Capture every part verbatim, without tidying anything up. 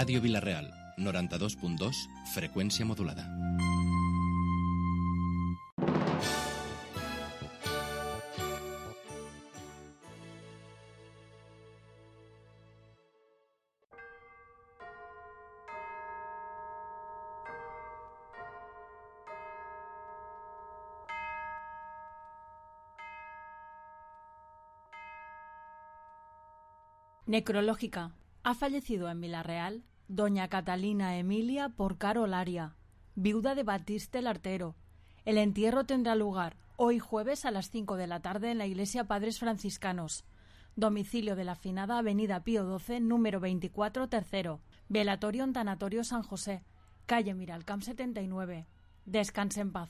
Ràdio Vila-real, noranta-dos punt dos, freqüència modulada. Necrológica. Ha fallecido en Vila-real doña Catalina Emilia Porcaro Laria, viuda de Batiste el Artero. El entierro tendrá lugar hoy jueves a las cinco de la tarde en la iglesia Padres Franciscanos. Domicilio de la finada Avenida Pío doce, número veinticuatro, tercero. Velatorio en Tanatorio San José, calle Miralcamp setenta y nueve. Descanse en paz.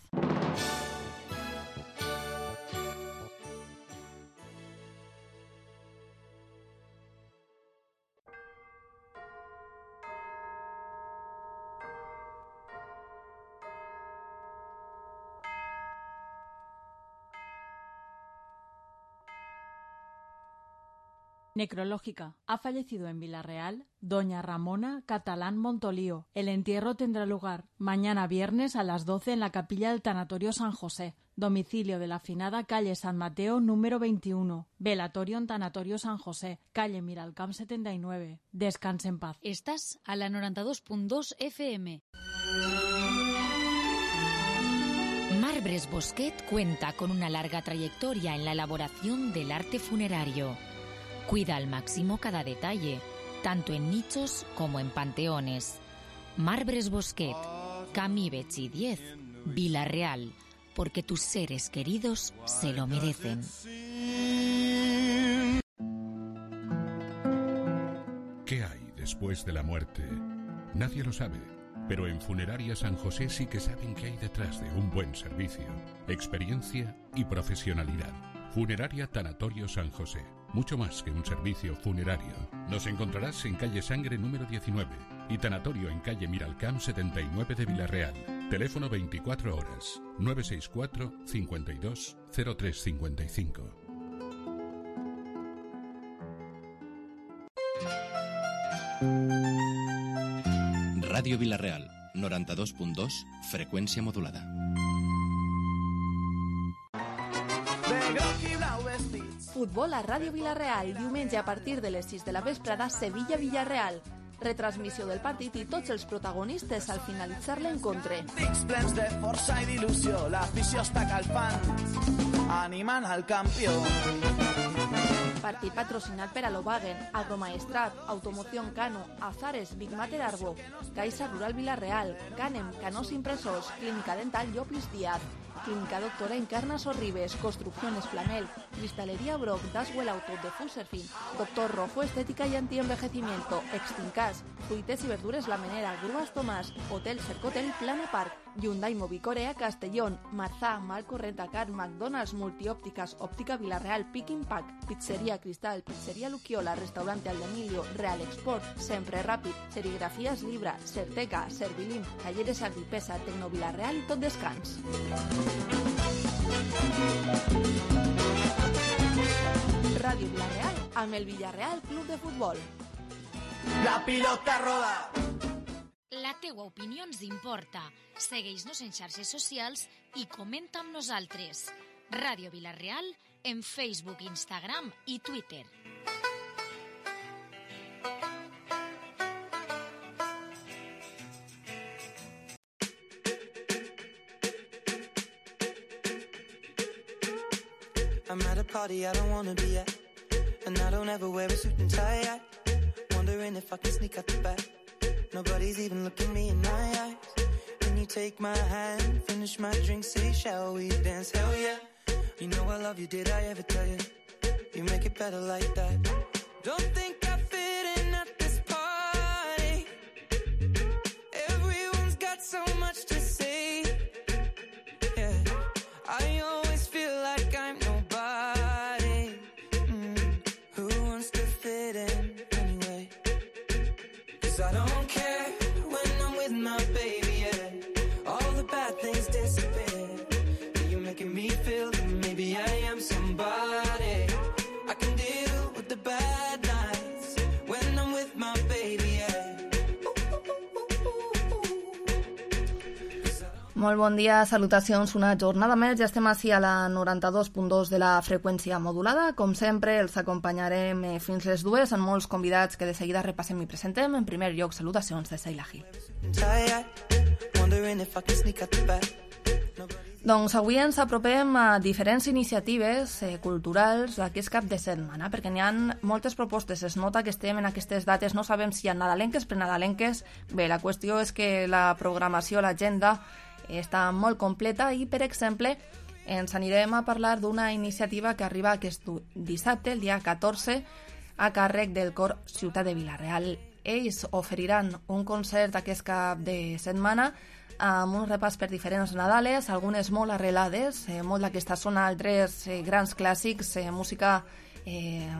Necrológica. Ha fallecido en Vila-real doña Ramona Catalán Montolío. El entierro tendrá lugar mañana viernes a las doce en la capilla del Tanatorio San José. Domicilio de la finada calle San Mateo número veintiuno. Velatorio en Tanatorio San José, calle Miralcamp setenta y nueve. Descanse en paz. Estás a la noranta-dos punt dos F M. Marbres Bosquet cuenta con una larga trayectoria en la elaboración del arte funerario. Cuida al máximo cada detalle, tanto en nichos como en panteones. Marbres Bosquet, Camí Betxí diez, Vila-real, porque tus seres queridos se lo merecen. ¿Qué hay después de la muerte? Nadie lo sabe, pero en Funeraria San José sí que saben qué hay detrás de un buen servicio, experiencia y profesionalidad. Funeraria Tanatorio San José. Mucho más que un servicio funerario. Nos encontrarás en calle Sangre número diecinueve y Tanatorio en calle Miralcamp setenta y nueve de Vila-real. Teléfono veinticuatro horas, nueve seis cuatro, cincuenta y dos, cero tres cincuenta y cinco. Ràdio Vila-real, noranta-dos punt dos, freqüència modulada. Futbol a Ràdio Vila-real, diumenge a partir de les sis de la vesprada, Sevilla-Villarreal. Retransmissió del partit i tots els protagonistes al finalitzar l'encontre. Dics plens de força i d'il·lusió, l'afició està calfant, animant al campió. Partit patrocinat per Alobagen, Agromaestrat, Automoción Cano, Azares, Big Mater Arbo, Caixa Rural Vila-real, Canem, Canós Impresors, Clínica Dental Llopis Díaz, Clínica Doctora Encarna Sorribes, Construcciones Flamel, Cristalería Brock, Daswell Auto de Fuserfin, Doctor Rojo Estética y Antienvejecimiento, Extincas, Fruites y Verdures La Menera, Grúas Tomás, Hotel Cercotel Plana Park, Hyundai Movicorea Castellón, Marzá, Malco Rentacar, McDonald's, Multiópticas, Óptica Vila-real, Pick Impact, Pizzería Cristal, Pizzería Luquiola, Restaurante Aldemilio, Real Export, Sempre Ràpid, Serigrafías Libra, Certeca, Servilim, Talleres Agripesa, Tecno Vila-real i Tot Descans. Ràdio Vila-real amb el Villarreal Club de Futbol. La pilota roda! La teua opinió ens importa. Segueix-nos en xarxes socials i comenta amb nosaltres. Ràdio Vila-real en Facebook, Instagram i Twitter. I'm at a party I don't wanna be at, and I don't ever wear a suit and tie. I wondering if I can sneak out the back. Nobody's even looking me in my eyes. Can you take my hand, finish my drink, say shall we dance? Hell yeah. You know I love you, did I ever tell you? You make it better like that. Don't think I fit in at this party. Everyone's got so much to say. Yeah, I always feel like I'm nobody. Mm. Who wants to fit in anyway? 'Cause I don't care when I'm with my baby, yeah. All the bad things disappear. You're making me feel that maybe I am somebody. I can deal with the bad nights when I'm with my baby, yeah. Ooh. Molt bon dia, salutacions, una jornada més, ja estem així a la noranta-dos punt dos de la freqüència modulada. Com sempre, els acompanyarem fins les dues amb molts convidats que de seguida repassem i presentem. En primer lloc, salutacions de Seila Gil. Doncs avui ens apropem a diferents iniciatives eh, culturals d'aquest cap de setmana, perquè n'hi ha moltes propostes. Es nota que estem en aquestes dates, no sabem si hi ha nadalenques, prenadalenques. Bé, la qüestió és que la programació, l'agenda, està molt completa i, per exemple, ens anirem a parlar d'una iniciativa que arriba aquest dissabte, el dia catorze, a càrrec del Cor Ciutat de Vila-real. Ells oferiran un concert aquest cap de setmana amb un repàs per diferents Nadales, algunes molt arrelades, eh, molt d'aquesta zona, altres eh, grans clàssics, eh, música eh,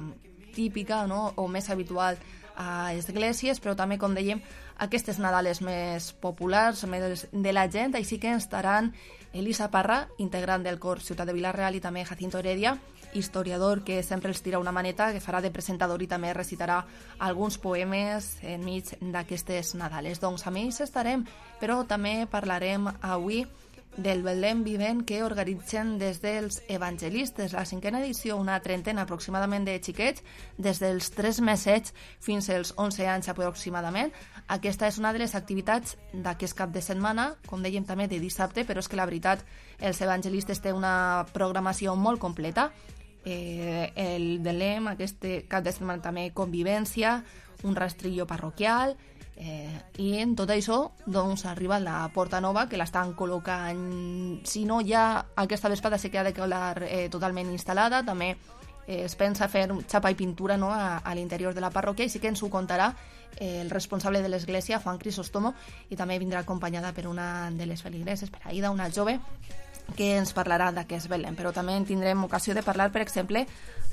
típica, no?, o més habitual a esglésies, però també, com dèiem, aquestes Nadales més populars, més de la gent. Així que estaran Elisa Parra, integrant del Cor Ciutat de Vila-real, i també Jacinto Heredia, historiador que sempre els tira una maneta, que farà de presentador i també recitarà alguns poemes enmig d'aquestes Nadales. Doncs amb ells estarem, però també parlarem avui del Belém Vivent que organitzen des dels evangelistes. La cinquena edició, una trentena aproximadament de xiquets, des dels tres mesets fins als onze anys aproximadament. Aquesta és una de les activitats d'aquest cap de setmana, com dèiem també de dissabte, però és que la veritat, els evangelistes té una programació molt completa. Eh, el Belém, aquest cap de setmana també convivència, un rastrillo parroquial, Eh, i en tot això doncs arriba la Porta Nova, que l'estan col·locant, si no ja aquesta vesprada sí que ha de quedar eh, totalment instal·lada. També eh, es pensa fer xapa i pintura, no?, a, a l'interior de la parròquia, i sí que ens ho contarà eh, el responsable de l'església, Juan Crisóstomo, i també vindrà acompanyada per una de les feligreses, per Aida, una jove, que ens parlarà d'aquest Belém. Però també en tindrem ocasió de parlar, per exemple,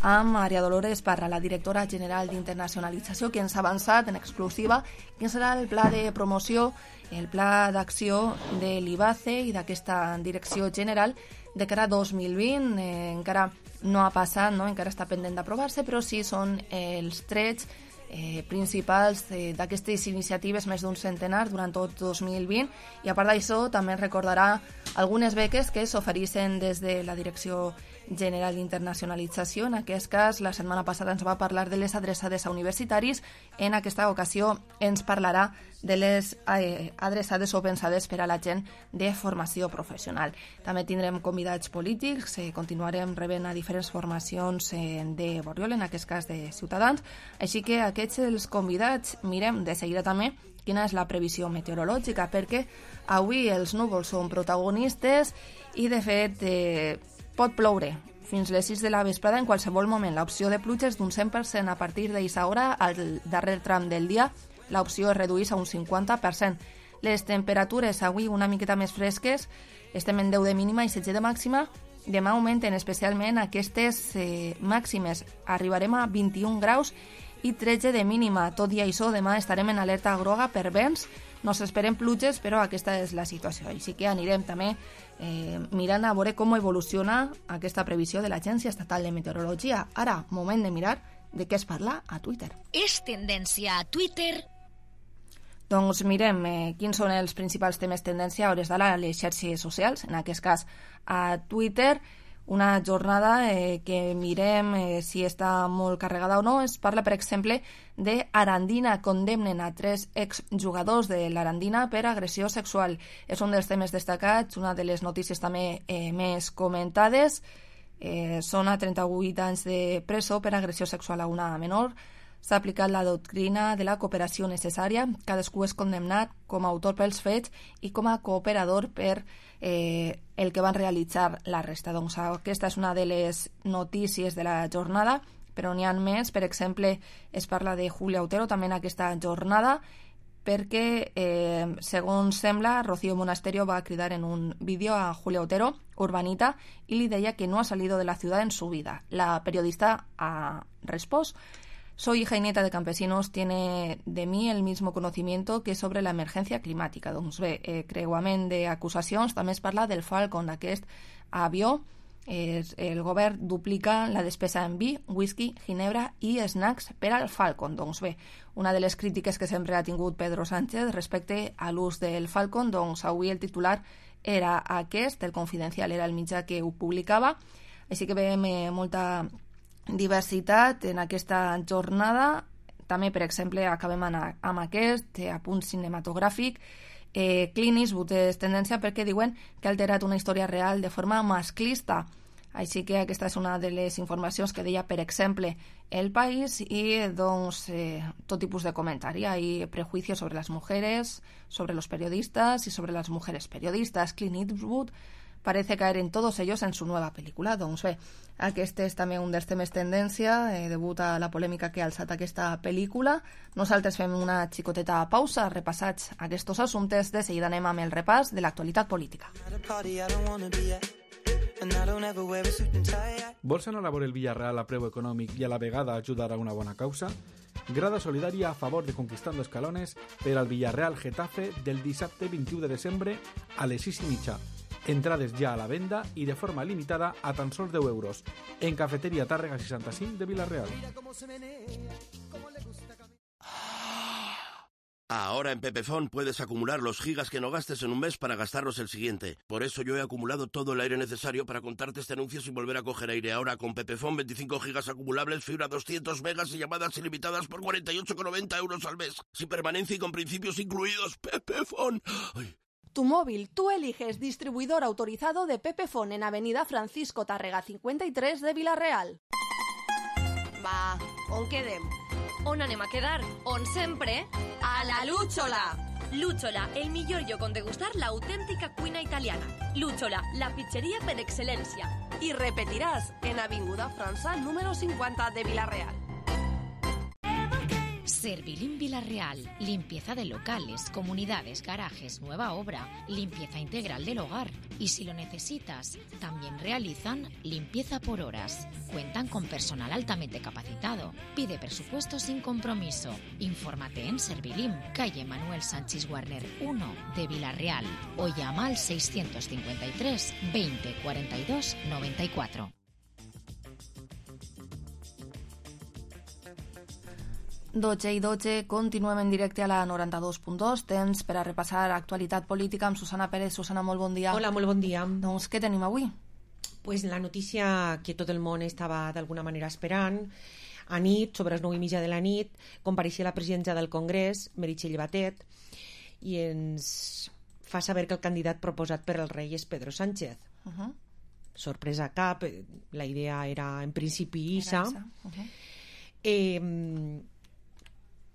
amb Maria Dolores Parra, la directora general d'Internacionalització, que ens ha avançat en exclusiva quin serà el pla de promoció, el pla d'acció de l'I B A C E i d'aquesta direcció general de cara a dos mil vint. Eh, encara no ha passat, no? Encara està pendent d'aprovar-se, però sí són eh, els trets Eh, principals eh, d'aquestes iniciatives, més d'un centenar durant tot dos mil vint, i a part d'això també recordarà algunes beques que s'ofereixen des de la Direcció General d'Internacionalització. En aquest cas, la setmana passada ens va parlar de les adreçades a universitaris. En aquesta ocasió ens parlarà de les eh, adreçades o pensades per a la gent de formació professional. També tindrem convidats polítics, eh, continuarem rebent a diferents formacions eh, de Borriol, en aquest cas de Ciutadans, així que aquests els convidats. Mirem de seguida també quina és la previsió meteorològica, perquè avui els núvols són protagonistes i, de fet, eh, pot ploure fins les sis de la vesprada en qualsevol moment. L'opció de pluges d'un cent per cent a partir d'aquesta hora. Al darrer tram del dia l'opció es redueix a un cinquanta per cent. Les temperatures avui una miqueta més fresques, estem en deu de mínima i setze de màxima. Demà augmenten especialment aquestes eh, màximes. Arribarem a vint-i-un graus i tretze de mínima. Tot i això, demà estarem en alerta groga per vents. No s'esperen pluges, però aquesta és la situació. Així que anirem també eh, mirant a veure com evoluciona aquesta previsió de l'Agència Estatal de Meteorologia. Ara, moment de mirar de què es parla a Twitter. És tendència a Twitter. Doncs mirem eh, quins són els principals temes tendència a hores d'ara a les xarxes socials, en aquest cas a Twitter. Una jornada eh, que mirem eh, si està molt carregada o no. Es parla, per exemple, de Arandina. Condemnen a tres exjugadors de l'Arandina per agressió sexual. És un dels temes destacats, una de les notícies també eh, més comentades. Eh, són a trenta-vuit anys de presó per agressió sexual a una menor. S'ha aplicat la doctrina de la cooperació necessària. Cadascú és condemnat com a autor pels fets i com a cooperador per eh, el que van realitzar la resta. Doncs aquesta és una de les notícies de la jornada, però n'hi ha més. Per exemple, es parla de Julia Otero també en aquesta jornada, perquè, eh, segons sembla, Rocío Monasterio va cridar en un vídeo a Julia Otero, urbanita, i li deia que no ha salido de la ciudad en su vida. La periodista ha respost: soy hija y nieta de campesinos, tiene de mí el mismo conocimiento que sobre la emergència climàtica. Doncs bé, eh, creuament d'acusacions. També es parla del Falcon, d'aquest avió. Eh, el govern duplica la despesa en vi, whisky, ginebra i snacks per al Falcon. Doncs bé, una de les crítiques que sempre ha tingut Pedro Sánchez respecte a l'ús del Falcon, doncs avui el titular era aquest, el Confidencial era el mitjà que ho publicava, així que veiem eh, molta diversitat en aquesta jornada. També, per exemple, acabem amb aquest eh, apunt cinematogràfic. Eh, Clint Eastwood és tendència perquè diuen que ha alterat una història real de forma masclista. Així que aquesta és una de les informacions que deia, per exemple, El País, i doncs eh, tot tipus de comentari. Hay prejuicios sobre las mujeres, sobre los periodistas y sobre las mujeres periodistas. Clint Eastwood parece caer en todos ellos en su nueva pel·lícula. Doncs bé, aquest és també un dels temes tendència, eh, degut a la polèmica que ha alçat aquesta pel·lícula. Nosaltres fem una xicoteta pausa, repassats aquests assumptes, de seguida anem amb el repàs de l'actualitat política. Vols anar a veure el Villarreal a preu econòmic i a la vegada ajudar a una bona causa? Grada solidària a favor de Conquistando Escalones per al Villarreal Getafe del dissabte vint-i-u de desembre a les sis i mitja. Entrades ja a la venda i de forma limitada a tan sols deu euros. En Cafeteria Tàrrega seixanta-cinc de Villarreal. Ahora en Pepefon puedes acumular los gigas que no gastes en un mes para gastarlos el siguiente. Por eso yo he acumulado todo el aire necesario para contarte este anuncio sin volver a coger aire. Ahora con Pepefon, veinticinco gigas acumulables, fibra doscientos megas y llamadas ilimitadas por cuarenta y ocho con noventa euros al mes. Sin permanencia y con principios incluidos. Pepefon. Ay. Tu móvil, tú eliges distribuidor autorizado de Pepefon en Avenida Francisco Tàrrega cinquanta i tres de Villarreal. Va, on quedem? On anem a quedar? On sempre? A la Lúchola! Lúchola, el millor lloc on degustar l'autèntica cuina italiana. Lúchola, la pizzeria per excel·lència. I repetiràs en Avinguda França número cincuenta de Villarreal. Servilín Villarreal, limpieza de locales, comunidades, garajes, nueva obra, limpieza integral del hogar. Y si lo necesitas, también realizan limpieza por horas. Cuentan con personal altamente capacitado. Pide presupuesto sin compromiso. Infórmate en Servilín, calle Manuel Sánchez Warner uno de Villarreal, o llama al seiscientos cincuenta y tres veinte cuarenta y dos noventa y cuatro. dotze i dotze, continuem en directe a la noranta-dos punt dos, temps per a repassar actualitat política amb Susana Pérez. Susana, molt bon dia. Hola, molt bon dia. Doncs què tenim avui? Pues la notícia que tot el món estava d'alguna manera esperant. A nit, sobre les nou i mitja de la nit, compareixia la presidenta del Congrés, Meritxell Batet, i ens fa saber que el candidat proposat per el rei és Pedro Sánchez. Uh-huh. Sorpresa cap, la idea era en principi Issa. Uh-huh. Eh...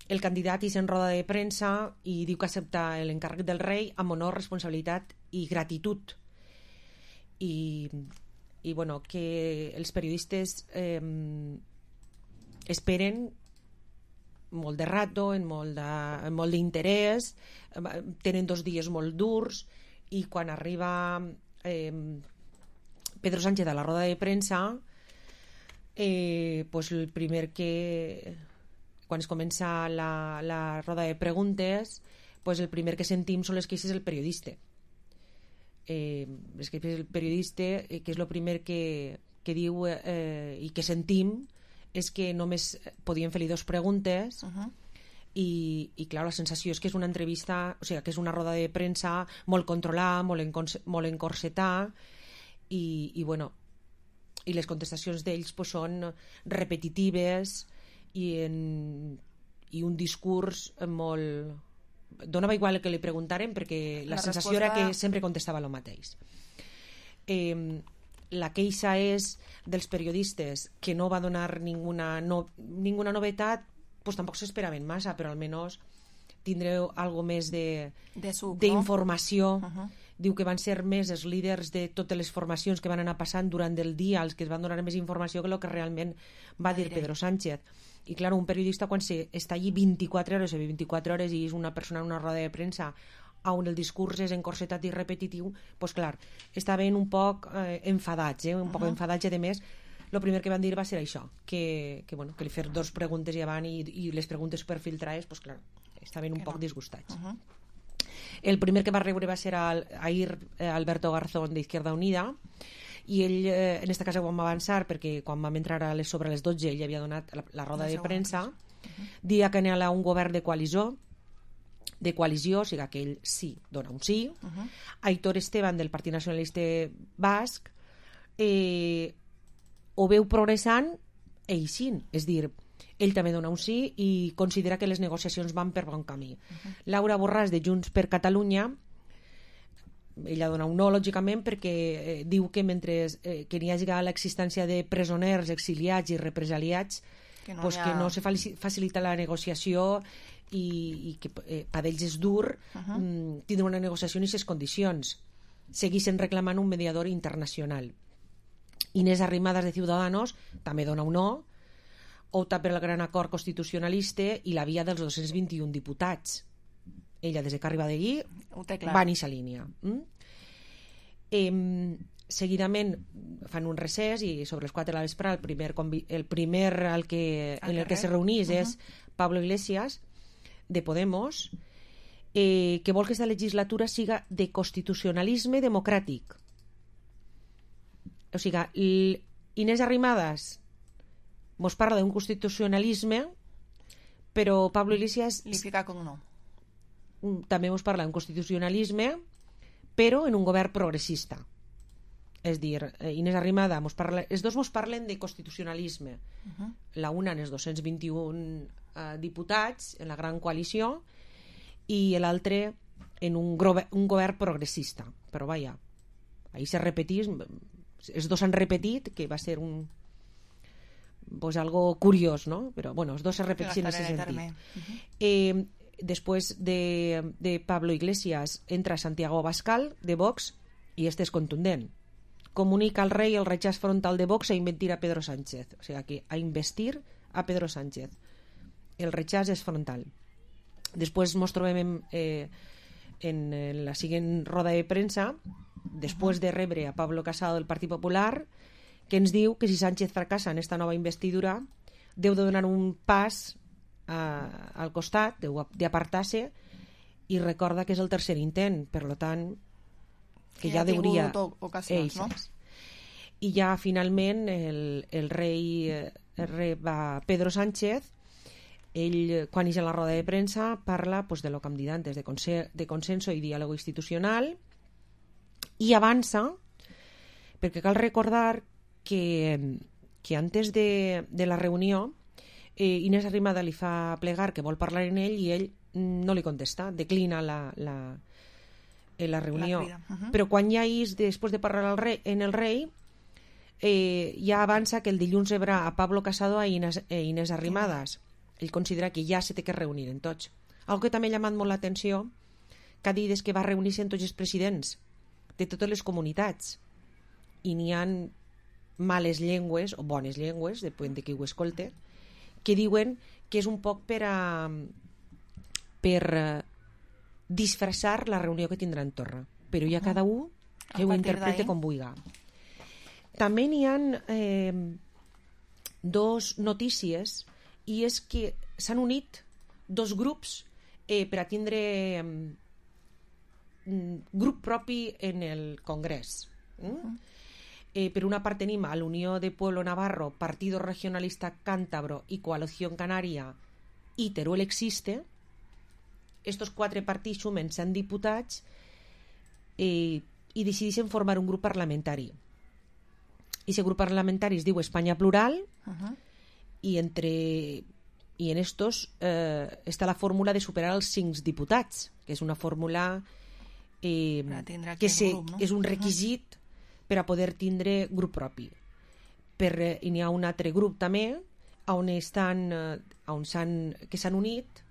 El candidat és en roda de premsa i diu que accepta l'encàrrec del rei amb honor, responsabilitat i gratitud. I, i bueno, que els periodistes eh, esperen molt de rato, en molt d'interès, tenen dos dies molt durs, i quan arriba eh, Pedro Sánchez a la roda de premsa, eh, pues el primer que... quan es comença la, la roda de preguntes, pues el primer que sentim són les queixes del periodista. Eh, les queixes del periodista, eh, que és el primer que, que diu eh, i que sentim, és que només podien fer-li dos preguntes. Uh-huh. i, i clar, la sensació és que és una entrevista, o sigui, que és una roda de premsa molt controlada, molt, encon, molt encorsetada, i, i bueno, i les contestacions d'ells pues, són repetitives, i, en, i un discurs molt... Donava igual el que li preguntaren perquè la, la sensació resposta... era que sempre contestava el mateix. Eh, la queixa és dels periodistes que no va donar ninguna, no, ninguna novetat, pues tampoc s'esperaven massa, però almenys tindreu algo més de, d'informació. No? Uh-huh. Diu que van ser més els líders de totes les formacions que van anar passant durant el dia, els que es van donar més informació que el que realment va dir Pedro Sánchez. I clar, un periodista quan se està allí vint-i-quatre hores o vint-i-quatre hores i és una persona en una roda de premsa on el discurs és encorsetat i repetitiu, doncs clar, estaven un poc eh, enfadats, eh, un poc uh-huh. enfadats, i a més el primer que van dir va ser això, que, que, bueno, que li fer dos preguntes i avant i, i les preguntes per filtrades, doncs clar, estaven un que poc no. disgustats. Uh-huh. El primer que va rebre va ser el, ahir eh, Alberto Garzón d'Izquierda Unida, i ell, eh, en aquesta casa ho vam avançar perquè quan vam entrar a les, sobre les dotze ell havia donat la, la roda de premsa. Uh-huh. Dia que anava un govern de coalició, de coalició, o sigui que ell sí dona un sí. Uh-huh. Aitor Esteban, del Partit Nacionalista Basc, eh, ho veu progressant eixint, és dir, ell també dona un sí i considera que les negociacions van per bon camí. Uh-huh. Laura Borràs, de Junts per Catalunya, ella dona un no, lògicament, perquè eh, diu que mentre eh, que n'hi hagi l'existència de presoners, exiliats i represaliats, que no, pues ha... que no se facilita la negociació i, i que eh, per ells és dur uh-huh. mm, tindre una negociació en aquestes condicions. Segueixen reclamant un mediador internacional. Inés Arrimadas, de Ciudadanos, també dona un no, opta per el gran acord constitucionalista i la via dels dos-cents vint-i-un diputats. Ella, des que arriba d'allí, va en aquesta línia. Mm? Eh, seguidament fan un recés i sobre les quatre de la vespre el primer, el primer el que, en el que se reunís uh-huh. és Pablo Iglesias, de Podemos, eh, que vol que aquesta legislatura siga de constitucionalisme democràtic. O sigui, Inés Arrimadas mos parla d'un constitucionalisme, però Pablo Iglesias li fica com no. També mos parla d'un constitucionalisme, però en un govern progressista. És dir, Inés Arrimadas mos parla, els dos mos parlen de constitucionalisme. Uh-huh. La una en els dos-cents vint-i-un uh, diputats en la gran coalició i l'altre en un, grove, un govern progressista. Però vaja, ahir se repetís, els dos han repetit, que va ser un pues algo curiós, no? Però bueno, els dos se repeteixen en aquest sentit. Uh-huh. Eh, després de, de Pablo Iglesias entra Santiago Abascal, de Vox, i este és contundent. Comunica al rei el rechaç frontal de Vox a investir a Pedro Sánchez. O sigui, que a investir a Pedro Sánchez. El rechaç és frontal. Després ens trobem en, eh, en la següent roda de premsa, després de rebre a Pablo Casado del Partit Popular, que ens diu que si Sánchez fracassa en esta nova investidura deu de donar un pas a, al costat, deu d'apartar-se, i recorda que és el tercer intent, per tant que ja hauria ocasions, no? I ja finalment el, el rei rep a Pedro Sánchez. Ell, quan és a la roda de premsa, parla pues, de lo que hem dit antes, de, conse de consenso i diàleg institucional, i avança, perquè cal recordar que, que antes de, de la reunió eh, Inés Arrimadas li fa plegar que vol parlar en ell i ell no li contesta, declina la, la, la reunió. La uh-huh. Però quan ja és, després de parlar al rei, en el rei, eh, ja avança que el dilluns rebrà a Pablo Casado i Inés, eh, Inés Arrimadas. Ell considera que ja se té que reunir en tots. Algo que també ha llamat molt l'atenció, que ha dit és que va reunir-se en tots els presidents de totes les comunitats, i n'hi ha males llengües o bones llengües, depèn de qui ho escolte, que diuen que és un poc per a per disfressar la reunió que tindrà en Torra, però ja cada un que ho interprete com vulgui. També n'hi ha eh, dos notícies, i és que s'han unit dos grups eh, per a tindre eh, grup propi en el Congrés. Mm? Eh, per una part tenim a l'Unió de Pueblo Navarro, Partido Regionalista Cántabro i Coalición Canaria i Teruel Existe. Estos quatre partits sumen cent diputats eh, i decideixen formar un grup parlamentari. I aquest grup parlamentari es diu Espanya Plural. Uh-huh. i entre i en estos eh, està la fórmula de superar els cinc diputats, que és una fórmula eh, que se, grup, no? És un requisit uh-huh. per a poder tindre grup propi. Per, eh, i n'hi ha un altre grup també on estan, eh, on s'han, que s'han unit,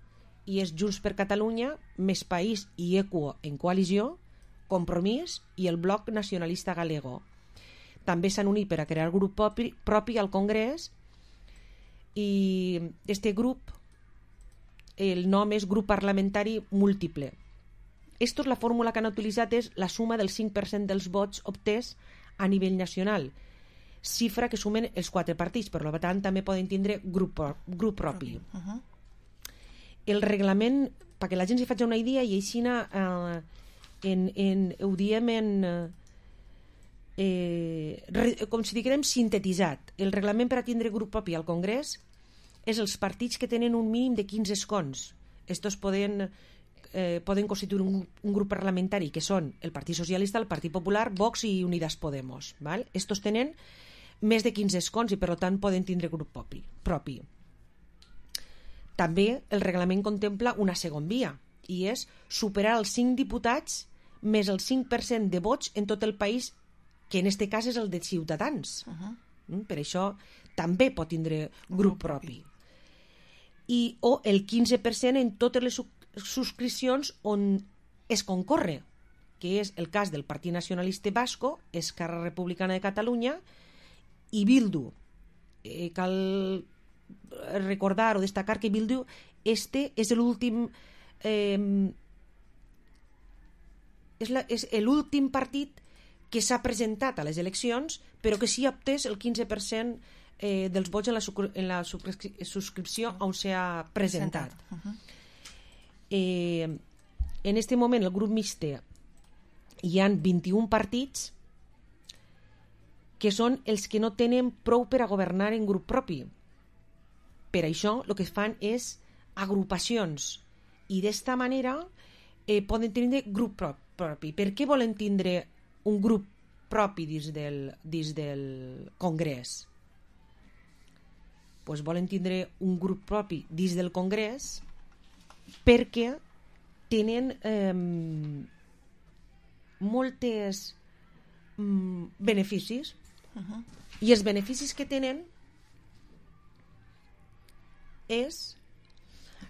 i és Junts per Catalunya, Més País i Equo en coalició, Compromís i el Bloc Nacionalista Galego. També s'han unit per a crear grup propi, propi al Congrés, i este grup, el nom és Grup Parlamentari Múltiple. Estos, la fórmula que han utilitzat és la suma del cinc per cent dels vots obtés a nivell nacional, xifra que sumen els quatre partits, per tant també poden tindre grup, grup propi. Uh-huh. El reglament, perquè la gent s'hi faci una idea, i així eh, en, en, ho diem en eh, re, com si diguem sintetitzat. El reglament per a tindre grup propi al Congrés és els partits que tenen un mínim de quinze escons. Estos poden eh, poden constituir un, un grup parlamentari que són el Partit Socialista, el Partit Popular, Vox i Unidas Podemos. Val? Estos tenen més de quinze escons i per tant poden tindre grup propi. propi. També el reglament contempla una segona via i és superar els cinc diputats més el cinc per cent de vots en tot el país, que en aquest cas és el de Ciutadans. Uh-huh. Per això també pot tindre grup propi. I, o el quinze per cent en totes les subscripcions on es concorre, que és el cas del Partit Nacionalista Basco, Esquerra Republicana de Catalunya i Bildu. Eh, cal recordar o destacar que Bildu este és l'últim eh, és, la, és l'últim partit que s'ha presentat a les eleccions, però que sí ha obtès el quinze per cent eh, dels vots en la, en la subscripció on s'ha presentat. Uh-huh. eh, en este moment el grup mixte hi han vint-i-un partits que són els que no tenen prou per a governar en grup propi. Per això el que fan és agrupacions i d'esta manera eh, poden tindre grup propi. Per què volen tindre un grup propi dins del, dins del Congrés? Pues volen tindre un grup propi dins del Congrés perquè tenen eh, moltes mm, beneficis. Uh-huh. I els beneficis que tenen és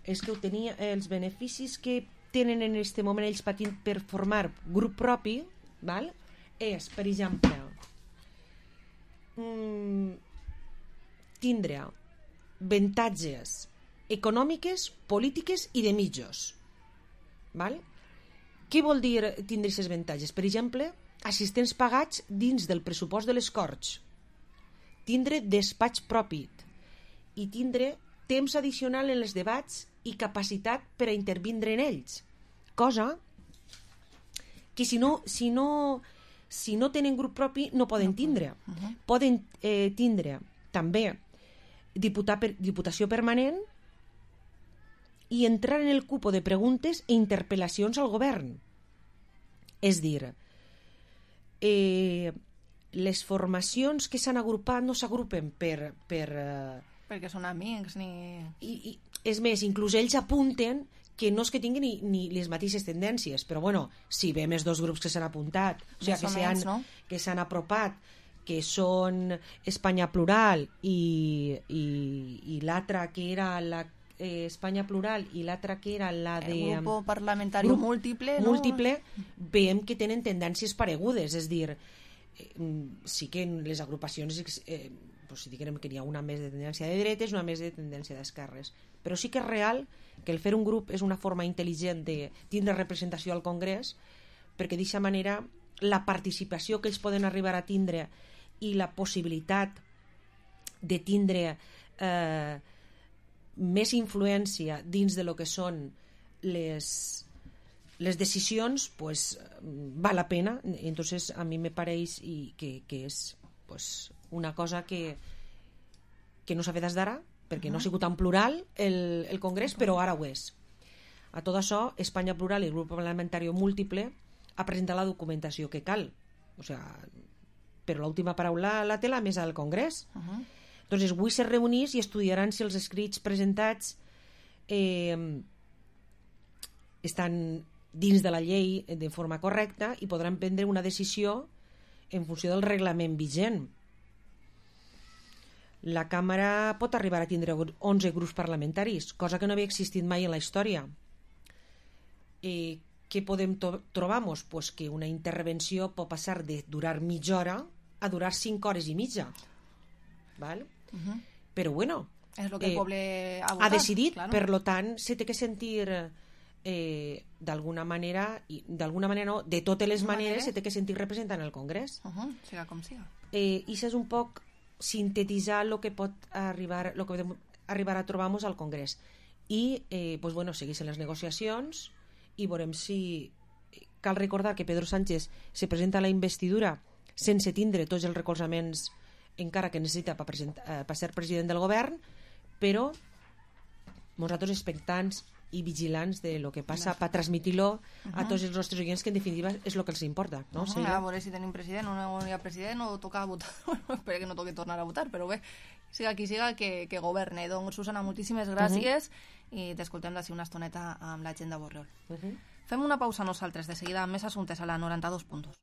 és que ho tenia, els beneficis que tenen en aquest moment ells patint per formar grup propi, val? És, per exemple, mm, tindre avantatges econòmiques, polítiques i de mitjos. Val? Què vol dir tindre aquests avantatges? Per exemple, assistents pagats dins del pressupost de les Corts, tindre despatx propi i tindre temps addicional en els debats i capacitat per a intervindre en ells, cosa que si no, si no, si no tenen grup propi no poden tindre. Uh-huh. Poden eh, tindre també diputar per, diputació permanent i entrar en el cupo de preguntes i interpel·lacions al govern. És dir, eh, les formacions que s'han agrupat no s'agrupen per... per eh, perquè són amics ni... I, i, és més, inclús ells apunten que no és que tinguin ni, ni les mateixes tendències, però bueno, si ve més dos grups que s'han apuntat, o sigui, que s'han no? que s'han apropat, que són Espanya Plural i, i, i l'altra que era la eh, Espanya Plural i l'altra que era la de... El grup parlamentari grup múltiple, no? Múltiple, veiem que tenen tendències paregudes, és dir, eh, sí que en les agrupacions eh, pues, sí que n'hi ha una més de tendència de dretes i una més de tendència d'esquerres, però sí que és real que el fer un grup és una forma intel·ligent de tindre representació al Congrés, perquè d'aquesta manera la participació que ells poden arribar a tindre i la possibilitat de tindre eh, més influència dins de lo que són les, les decisions, pues, val la pena. Entonces a mi me pareix i que, que és pues, una cosa que, que no s'ha fet des d'ara, perquè no ha sigut tan plural el, el Congrés, però ara ho és. A tot això, Espanya Plural i el grup parlamentari múltiple ha presentat la documentació que cal. O sea, però l'última paraula la té la mesa del Congrés. Uh-huh. Entonces, avui se reunís i estudiaran si els escrits presentats eh, estan dins de la llei de forma correcta i podran prendre una decisió en funció del reglament vigent. La Càmera pot arribar a tindre onze grups parlamentaris, cosa que no havia existit mai en la història. Eh, què podem to- trobar-nos? Pues que una intervenció pot passar de durar mitja hora a durar cinc hores i mitja. ¿Vale? Uh-huh. Però bueno, és lo que el poble ha votat, ha decidit, claro. Per lo tant, se té que sentir eh, d'alguna manera, i d'alguna manera no, de totes les maneres, se té que sentir representant el Congrés. Uh-huh. Siga com siga. Eh, I això és un poc sintetitzar el que pot arribar, lo que podem arribar a trobar-nos al Congrés. I eh, pues bueno, segueixen les negociacions i veurem si... Cal recordar que Pedro Sánchez se presenta a la investidura sense tindre tots els recolzaments encara que necessita per, per ser president del govern, però nosaltres expectants i vigilants de lo que passa per transmitir-lo a tots els nostres oients, que en definitiva és el que els importa, no? Uh-huh. A veure si tenim president o no hi ha president o toca votar. Espero que no toqui tornar a votar, però bé, siga qui siga que, que governe. Doncs Susana, moltíssimes gràcies uh-huh. i t'escoltem d'ací una estoneta amb la gent de Borriol. Uh-huh. Fem una pausa nosaltres, de seguida amb més assumptes a la noranta-dos punt dos.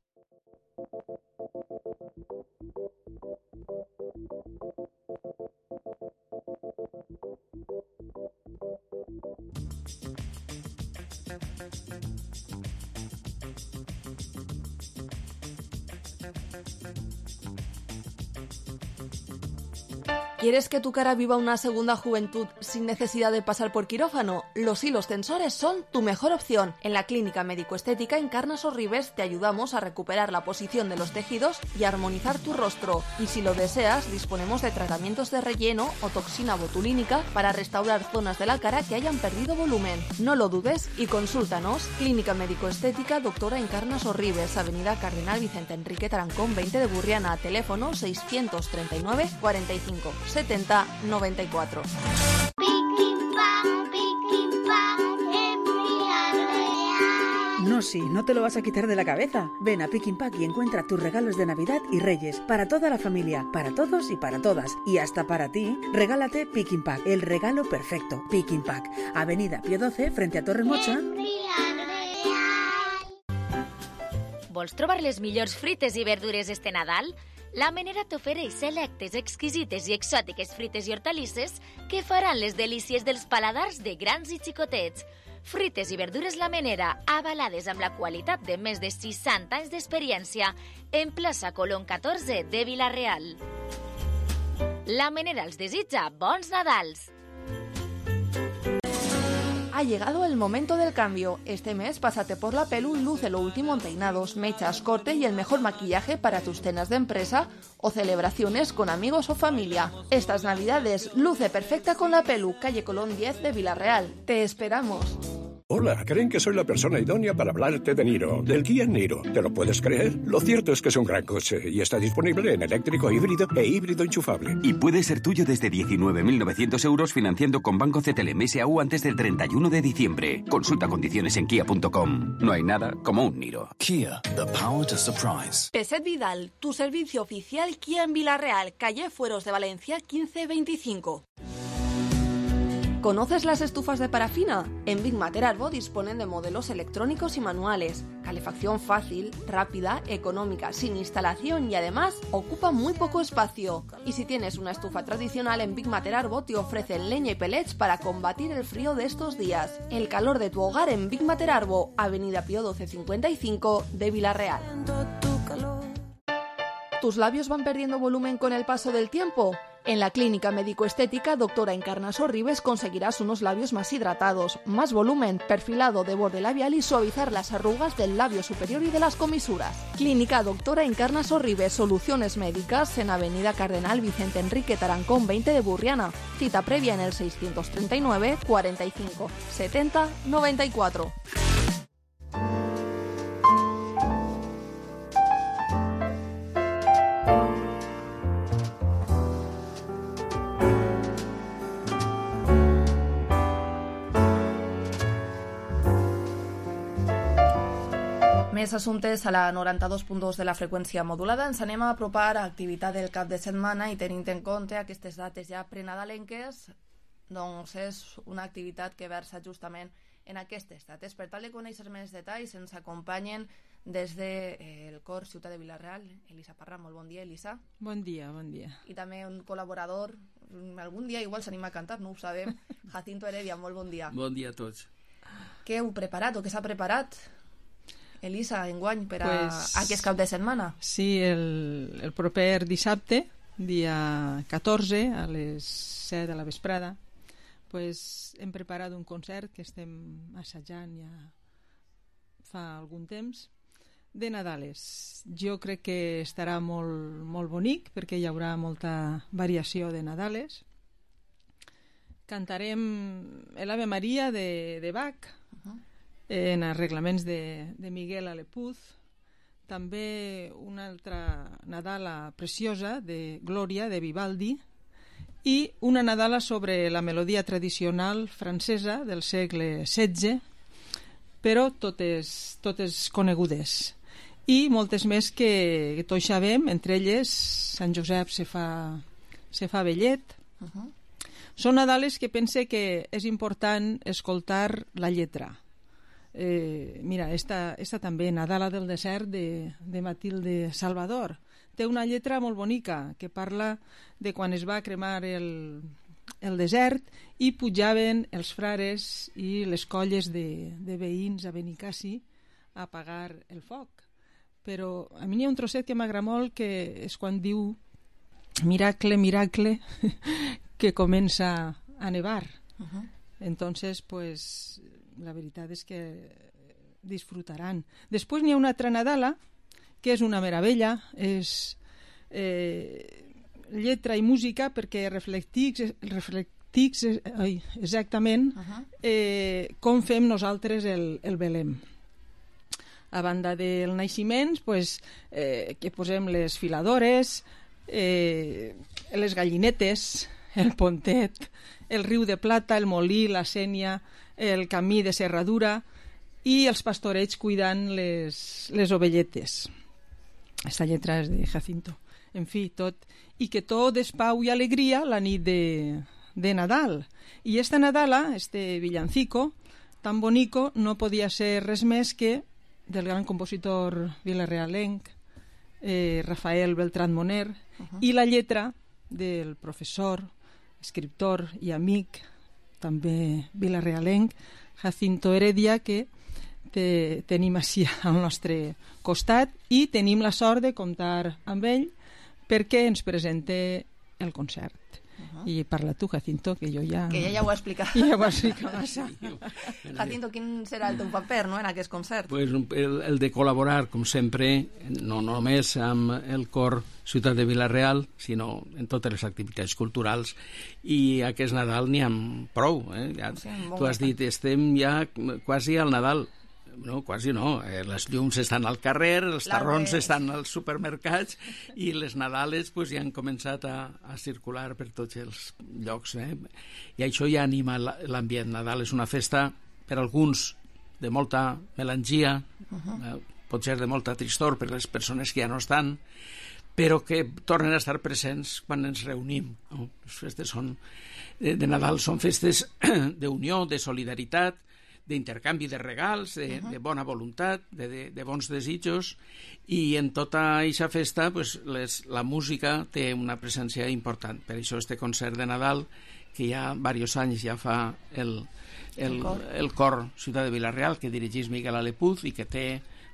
¿Quieres que tu cara viva una segunda juventud sin necesidad de pasar por quirófano? Los hilos tensores son tu mejor opción. En la Clínica Médico-Estética Encarnas Orribes te ayudamos a recuperar la posición de los tejidos y armonizar tu rostro. Y si lo deseas, disponemos de tratamientos de relleno o toxina botulínica para restaurar zonas de la cara que hayan perdido volumen. No lo dudes y consúltanos. Clínica Médico-Estética Doctora Encarnas Orribes, Avenida Cardenal Vicente Enrique Tarancón veinte de Burriana, teléfono seiscientos treinta y nueve cuarenta y cinco setenta noventa y cuatro. No, sí, no te lo vas a quitar de la cabeza. Ven a Picking Pack y encuentra tus regalos de Navidad y Reyes para toda la familia, para todos y para todas. Y hasta para ti, regálate Picking Pack, el regalo perfecto. Picking Pack, Avenida Pío doce, frente a Torremocha. Vols trobar les millors frites i verdures este Nadal? La Menera t'ofereix selectes, exquisites i exòtiques frites i hortalisses que faran les delícies dels paladars de grans i xicotets. Frites i verdures La Menera, avalades amb la qualitat de més de seixanta anys d'experiència, en plaça Colón catorze de Vila-real. La Menera els desitja bons Nadals! Ha llegado el momento del cambio. Este mes pásate por la Pelu y luce lo último en peinados, mechas, corte y el mejor maquillaje para tus cenas de empresa o celebraciones con amigos o familia. Estas navidades, luce perfecta con la Pelu, calle Colón diez de Vila-real. Te esperamos. Hola, creen que soy la persona idónea para hablarte de Niro, del Kia Niro. ¿Te lo puedes creer? Lo cierto es que es un gran coche y está disponible en eléctrico híbrido e híbrido enchufable. Y puede ser tuyo desde diecinueve mil novecientos euros financiando con Banco C T L M S A U antes del treinta y uno de diciembre. Consulta condiciones en kia punto com. No hay nada como un Niro. Kia, the power to surprise. Peset Vidal, tu servicio oficial Kia en Vila-real, calle Fueros de Valencia quince veinticinco. ¿Conoces las estufas de parafina? En Big Mater Arbo disponen de modelos electrónicos y manuales, calefacción fácil, rápida, económica, sin instalación y además ocupa muy poco espacio. Y si tienes una estufa tradicional, en Big Mater Arbo te ofrecen leña y pellets para combatir el frío de estos días. El calor de tu hogar en Big Mater Arbo, Avenida Pío doce cincuenta y cinco de Vila-real. ¿Tus labios van perdiendo volumen con el paso del tiempo? En la Clínica Médico-Estética Doctora Encarnas Orribes conseguirás unos labios más hidratados, más volumen, perfilado de borde labial y suavizar las arrugas del labio superior y de las comisuras. Clínica Doctora Encarnas Orribes, soluciones médicas en Avenida Cardenal Vicente Enrique Tarancón veinte de Burriana. Cita previa en el seiscientos treinta y nueve cuarenta y cinco setenta noventa y cuatro. Més assumptes a la noranta-dos punt dos de la freqüència modulada. Ens anem a apropar a activitat del cap de setmana i tenint en compte aquestes dates ja prenadalenques, doncs és una activitat que versa justament en aquestes dates. Per tal de conèixer més detalls ens acompanyen des del Cor Ciutat de Vila-real, Elisa Parra. Molt bon dia, Elisa. Bon dia, bon dia. I també un col·laborador, algun dia igual s'anima a cantar, no ho sabem, Jacinto Heredia. Molt bon dia. Bon dia a tots. Què heu preparat o què s'ha preparat, Elisa, enguany, per a pues, aquest cap de setmana? Sí, el, el proper dissabte, dia catorze, a les set de la vesprada, pues, hem preparat un concert que estem assajant ja fa algun temps, de Nadales. Jo crec que estarà molt, molt bonic, perquè hi haurà molta variació de Nadales. Cantarem l'Ave Maria de, de Bach, uh-huh. en arreglaments de, de Miguel Alepuz, també una altra Nadala preciosa de Glòria de Vivaldi i una Nadala sobre la melodia tradicional francesa del segle setze, però totes, totes conegudes. I moltes més que, que tots sabem, entre elles Sant Josep se fa, se fa vellet. Uh-huh. Són Nadales que pense que és important escoltar la lletra. Eh, mira, esta, esta també, Nadala del desert de, de Matilde Salvador, té una lletra molt bonica que parla de quan es va cremar el, el desert i pujaven els frares i les colles de, de veïns a Benicassi a apagar el foc. Però a mi n'hi ha un trosset que m'agrada molt, que és quan diu miracle, miracle, que comença a nevar. Uh-huh. Entonces, pues, la veritat és que disfrutaran. Després n'hi ha una altra Nadala, que és una meravella, és eh, lletra i música, perquè reflectix, reflectix ai, exactament uh-huh. eh, com fem nosaltres el, el Belém. A banda del naixement, pues, eh, que posem les filadores, eh, les gallinetes, el pontet, el riu de plata, el molí, la sénia, el camí de serradura i els pastorets cuidant les, les ovelletes. Esta lletra és de Jacinto. En fi, tot. I que tot és pau i alegria la nit de, de Nadal. I esta Nadala, este villancico, tan bonico, no podia ser res més que del gran compositor vilarealenc, eh, Rafael Beltrán Moner, uh-huh. i la lletra del professor, escriptor i amic, també vilarealenc, Jacinto Heredia, que te, tenim així al nostre costat i tenim la sort de comptar amb ell perquè ens presente el concert. Uh-huh. I parla tu, Jacinto, que jo ja... Que ja ja ho he explicat. Ja ho he explicat massa. Jacinto, quin serà el teu paper, no?, en aquest concert? Pues el, el de col·laborar, com sempre, no només amb el cor Ciutat de Vila-real, sinó en totes les activitats culturals, i aquest Nadal n'hi ha prou. Eh? Ja, sí, tu has dit, estem ja quasi al Nadal. No, quasi no. Eh, les llums estan al carrer, els tarrons estan als supermercats i les Nadales pues, ja han començat a, a circular per tots els llocs. Eh? I això ja anima l'ambient. Nadal és una festa per alguns de molta melangia, uh-huh. eh, pot ser de molta tristor per les persones que ja no estan, però que tornen a estar presents quan ens reunim. No? Les festes són, de, de Nadal són festes d'unió, de solidaritat, d'intercanvi de regals, de, uh-huh. de bona voluntat, de, de, de bons desitjos, i en tota aquesta festa pues, les, la música té una presència important. Per això este concert de Nadal, que ja diversos anys ja fa el, el, el, cor. el cor Ciutat de Vila-real, que dirigeix Miguel Alepuz i que té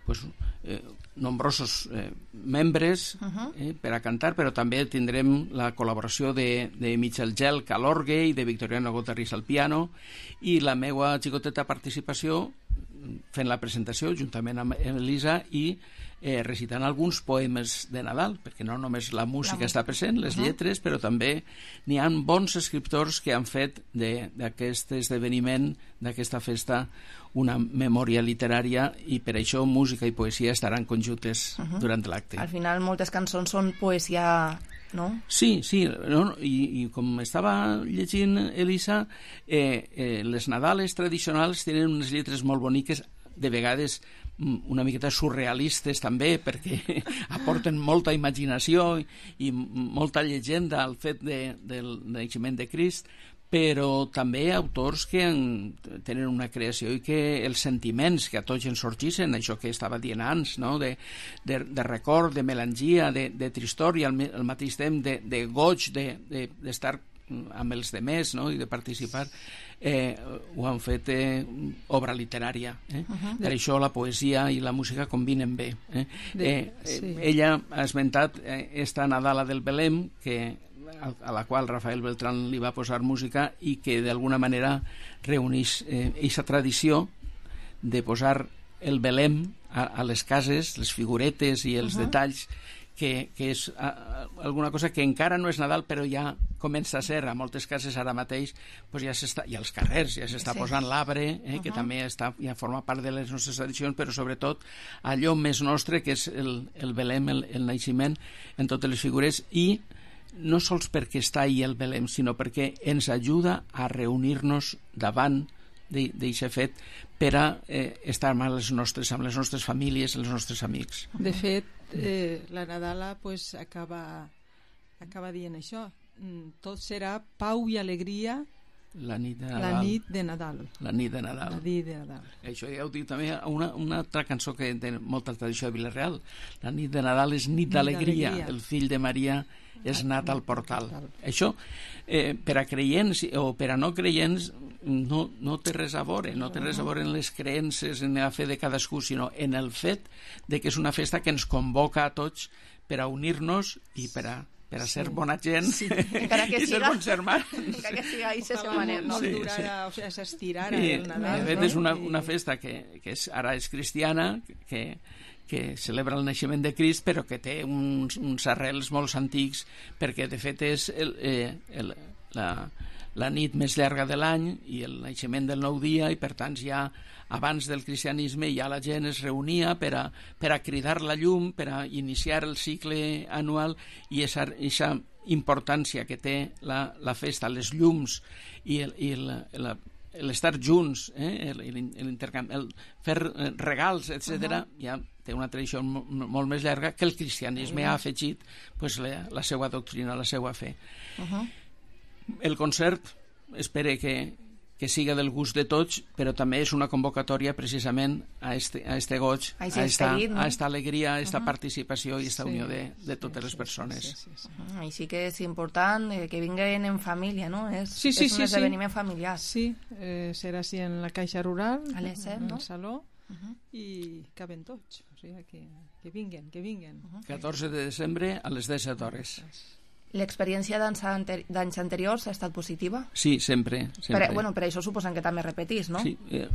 pues, eh, nombrosos eh, membres uh-huh. eh, per a cantar, però també tindrem la col·laboració de, de Michel Gelc a l'orgue i de Victoriano Gotarris al piano, i la meva xicoteta participació fent la presentació juntament amb Elisa i eh, recitant alguns poemes de Nadal, perquè no només la música la... està present, les uh-huh. lletres, però també n'hi ha bons escriptors que han fet d'aquest esdeveniment, d'aquesta festa, una memòria literària, i per això música i poesia estaran conjuntes uh-huh. durant l'acte. Al final moltes cançons són poesia, no? Sí, sí, no? I, i com estava llegint Elisa, eh, eh, les Nadales tradicionals tenen unes lletres molt boniques, de vegades una miqueta surrealistes també, perquè aporten molta imaginació i, i molta llegenda al fet de, del naixement de Crist, però també autors que en, tenen una creació i que els sentiments que a tots ens sorgeixen, això que estava dient abans, no? de, de, de record, de melangia, de, de tristor i al, al mateix temps de, de goig d'estar de, de, amb els demés, no? I de participar, eh, ho han fet eh, obra literària. Eh? Uh-huh. Per això la poesia i la música combinen bé. Eh? De, eh, sí. Ella ha esmentat eh, esta Nadala del Belém, que a la qual Rafael Beltrán li va posar música i que d'alguna manera reuneix aquesta eh, tradició de posar el Belém a, a les cases, les figuretes i els uh-huh. detalls, que, que és a, a, alguna cosa que encara no és Nadal però ja comença a ser a moltes cases ara mateix, pues ja s'està, i als carrers ja s'està sí. posant l'arbre, eh, uh-huh. que també està, ja forma part de les nostres tradicions, però sobretot allò més nostre que és el, el Belém, el, el naixement en totes les figures, i no sols perquè està ahí el Belém, sinó perquè ens ajuda a reunir-nos davant d'aquest fet per a eh, estar amb les nostres, amb les nostres famílies, els nostres amics. De fet, eh, la Nadala pues, acaba, acaba dient això. Tot serà pau i alegria la nit de Nadal. La nit de Nadal. La nit de Nadal. La nit de Nadal. Això ja ho diu també una, una altra cançó que té molta tradició de Vila-real. La nit de Nadal és nit d'alegria. El fill de Maria és nat al portal. Això, eh, per a creients o per a no creients, no, no té res a veure. No té res a veure en les creences, en la fe de cadascú, sinó en el fet de que és una festa que ens convoca a tots per a unir-nos i per a per a ser sí. bona gent sí. encara que i siga, ser bons germans. Encara que siga ahí se semaner, no? Sí, durarà, sí. O sigui, s'estirarà sí, el Nadal. De fet, és una, una festa que, que és, ara és cristiana, que, que celebra el naixement de Crist, però que té uns, uns arrels molt antics, perquè de fet és el, eh, el, la, la nit més llarga de l'any i el naixement del nou dia, i per tant ja abans del cristianisme ja la gent es reunia per a, per a cridar la llum, per a iniciar el cicle anual, i aquesta importància que té la, la festa, les llums i, el, i el, el, l'estar junts, eh, l'intercanvi, el, el fer regals, etcètera, uh-huh. ja té una tradició molt, molt més llarga que el cristianisme uh-huh. ha afegit pues, la, la seva doctrina, la seva fe. Uh-huh. El concert espero que que siga del gust de tots, però també és una convocatòria precisament a este, a este goig, a, a, esta, no? a esta alegria, a esta uh-huh. participació i esta sí, unió de, de totes sí, les persones. Sí, sí, sí. Uh-huh. Així que és important eh, que vinguen en família, no? És, sí, sí, és un sí, esdeveniment sí. familiar. Sí, eh, serà així en la Caixa Rural, a les set, en no? el saló, uh-huh. i caben tots, o sigui que, que vinguen, que vinguen. Uh-huh. catorze de desembre a les disset hores. L'experiència d'anys anteri- anteriors ha estat positiva? Sí, sempre. sempre. Per, bueno, per això suposen que també repetís, no? Sí, eh,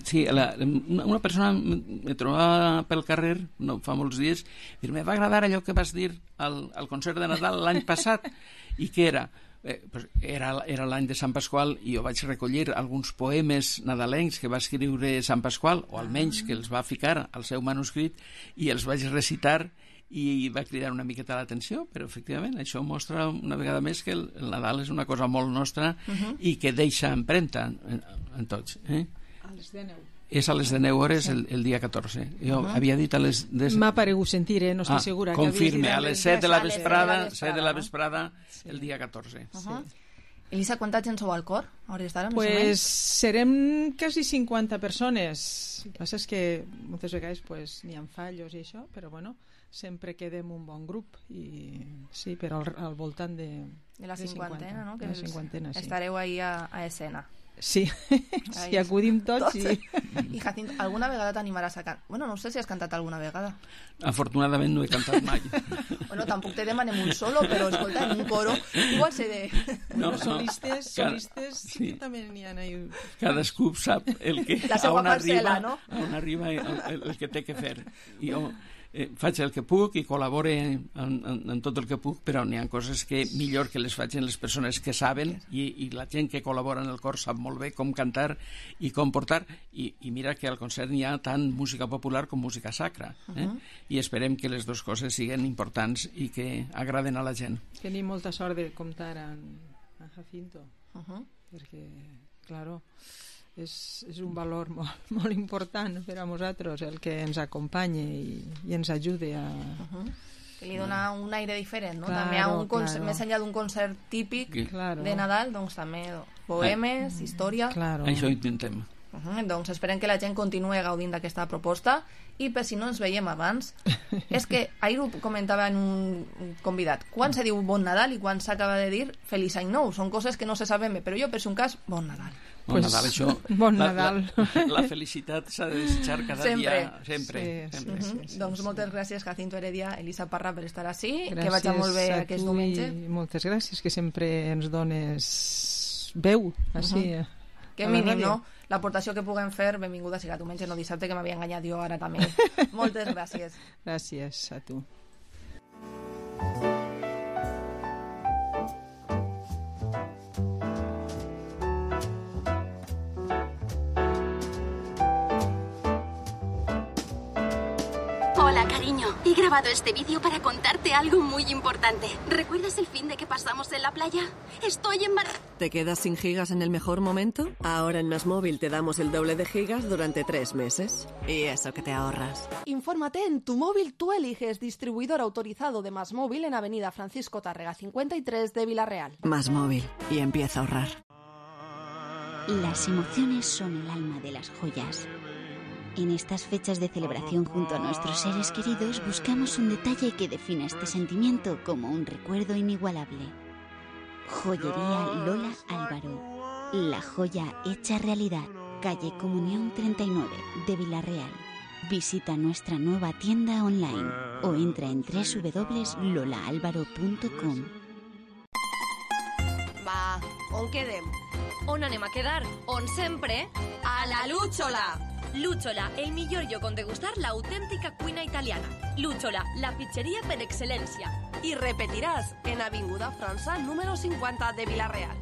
sí la, una persona me trobava pel carrer, no fa molts dies, i me va agradar allò que vas dir al, al concert de Nadal l'any passat, i què era? Eh, pues era, era l'any de Sant Pasqual, i jo vaig recollir alguns poemes nadalencs que va escriure Sant Pasqual, o almenys que els va ficar al seu manuscrit, i els vaig recitar, i va cridar una miqueta l'atenció, però efectivament això mostra una vegada més que el, el Nadal és una cosa molt nostra uh-huh. i que deixa empremta en, en tots. Eh? A les deu. És a les deu hores sí. el, el dia catorze. Jo uh-huh. havia dit a les... Des... M'ha paregut sentir, eh? No estic ah, segura. Confirme, a les set de la vesprada, set de la vesprada, sí. el dia catorze. Uh-huh. Sí. Elisa, quanta gent sou al cor? Pues serem quasi cinquanta persones. El que passa és que moltes vegades pues, n'hi ha fallos i això, però bueno, sempre quedem un bon grup, i sí, però al, al voltant de, de la cinquantena, no? Que de la cinquantena, sí. Estareu ahí a, a escena. Sí, si acudim tots, tots sí. I Jacinto, alguna vegada t'animaràs a cantar? Bueno, no sé si has cantat alguna vegada. Afortunadament no he cantat mai. Bueno, tampoc te demanem un solo, però escolta, en un coro igual se de... No, no, solistes, solistes sí. també n'hi ha ahí. Cadascú sap el que, la seva on parcel·la, arriba, no? On arriba el, el, el que té que fer. I jo eh, faig el que puc i col·labore en, en, en tot el que puc, però n'hi ha coses que millor que les facin les persones que saben, i, i la gent que col·labora en el cor sap molt bé com cantar i com portar, i, i mira que al concert n'hi ha tant música popular com música sacra, eh? Uh-huh. I esperem que les dues coses siguin importants i que agraden a la gent. Tenim molta sort de comptar amb, amb Jacinto, uh-huh. perquè, claro, és, és un valor molt, molt important per a nosaltres, el que ens acompanya i, i ens ajuda a... Uh-huh. Que li dona un aire diferent, no? Claro, també a un concert, claro. més enllà d'un concert típic claro. de Nadal, doncs també poemes, història... Claro. Això ho intentem. Uh-huh. Doncs esperem que la gent continuï gaudint d'aquesta proposta, i per si no ens veiem abans, és que ahir ho comentava en un convidat, quan se diu Bon Nadal i quan s'acaba de dir Feliç Any Nou, són coses que no se saben bé, però jo per si un cas, Bon Nadal. Bon pues, Nadal, això, bon la, Nadal. La, la felicitat s'ha de desitjar cada sempre. dia, sempre. Sí, sempre. Sí, sí, sí, sí, doncs sí, moltes sí. gràcies, Jacinto Heredia, Elisa Parra, per estar així, gràcies que vagi molt bé aquest diumenge. Moltes gràcies, que sempre ens dones veu, així. Uh-huh. Que mínim, no? L'aportació que puguem fer, benvinguda siga diumenge, no dissabte, que m'havia enganyat jo ara també. Moltes gràcies. Gràcies a tu. Hola, cariño. He grabado este vídeo para contarte algo muy importante. ¿Recuerdas el fin de que pasamos en la playa? Estoy embarazada. ¿Te quedas sin gigas en el mejor momento? Ahora en MásMóvil te damos el doble de gigas durante tres meses. Y eso que te ahorras. Infórmate en Tu Móvil Tú Eliges, distribuidor autorizado de MásMóvil en Avenida Francisco Tárrega cincuenta y tres de Villarreal. MásMóvil. Y empieza a ahorrar. Las emociones son el alma de las joyas. En estas fechas de celebración junto a nuestros seres queridos buscamos un detalle que defina este sentimiento como un recuerdo inigualable. Joyería Lola Álvaro. La joya hecha realidad. Calle Comunión treinta y nueve de Villarreal. Visita nuestra nueva tienda online o entra en doble u doble u doble u punto lola álvaro punto com. Va, on quedem? On anem a quedar? On sempre? A la Lúchola! Lúchola, el millor lloc on degustar l'autèntica cuina italiana. Lúchola, la pizzeria per excel·lència. Y repetirás en Avinguda França número cincuenta de Villarreal.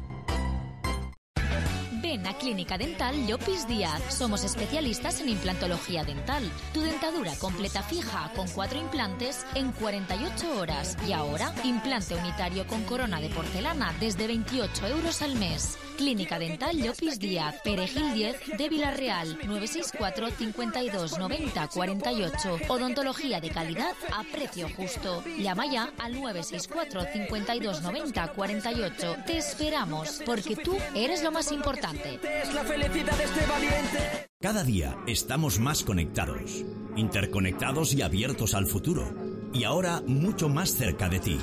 Ven a Clínica Dental Llopis Díaz. Somos especialistas en implantología dental. Tu dentadura completa fija con cuatro implantes en cuarenta y ocho horas. Y ahora, implante unitario con corona de porcelana desde veintiocho euros al mes. Clínica Dental Llopis Díaz, Perejil diez de Villarreal, nueve seis cuatro, cincuenta y dos, noventa, cuarenta y ocho. Odontología de calidad a precio justo. Llama ya al nueve seis cuatro, cincuenta y dos, noventa, cuarenta y ocho. Te esperamos, porque tú eres lo más importante. Es la felicidad de este valiente. Cada día estamos más conectados, interconectados y abiertos al futuro. Y ahora mucho más cerca de ti.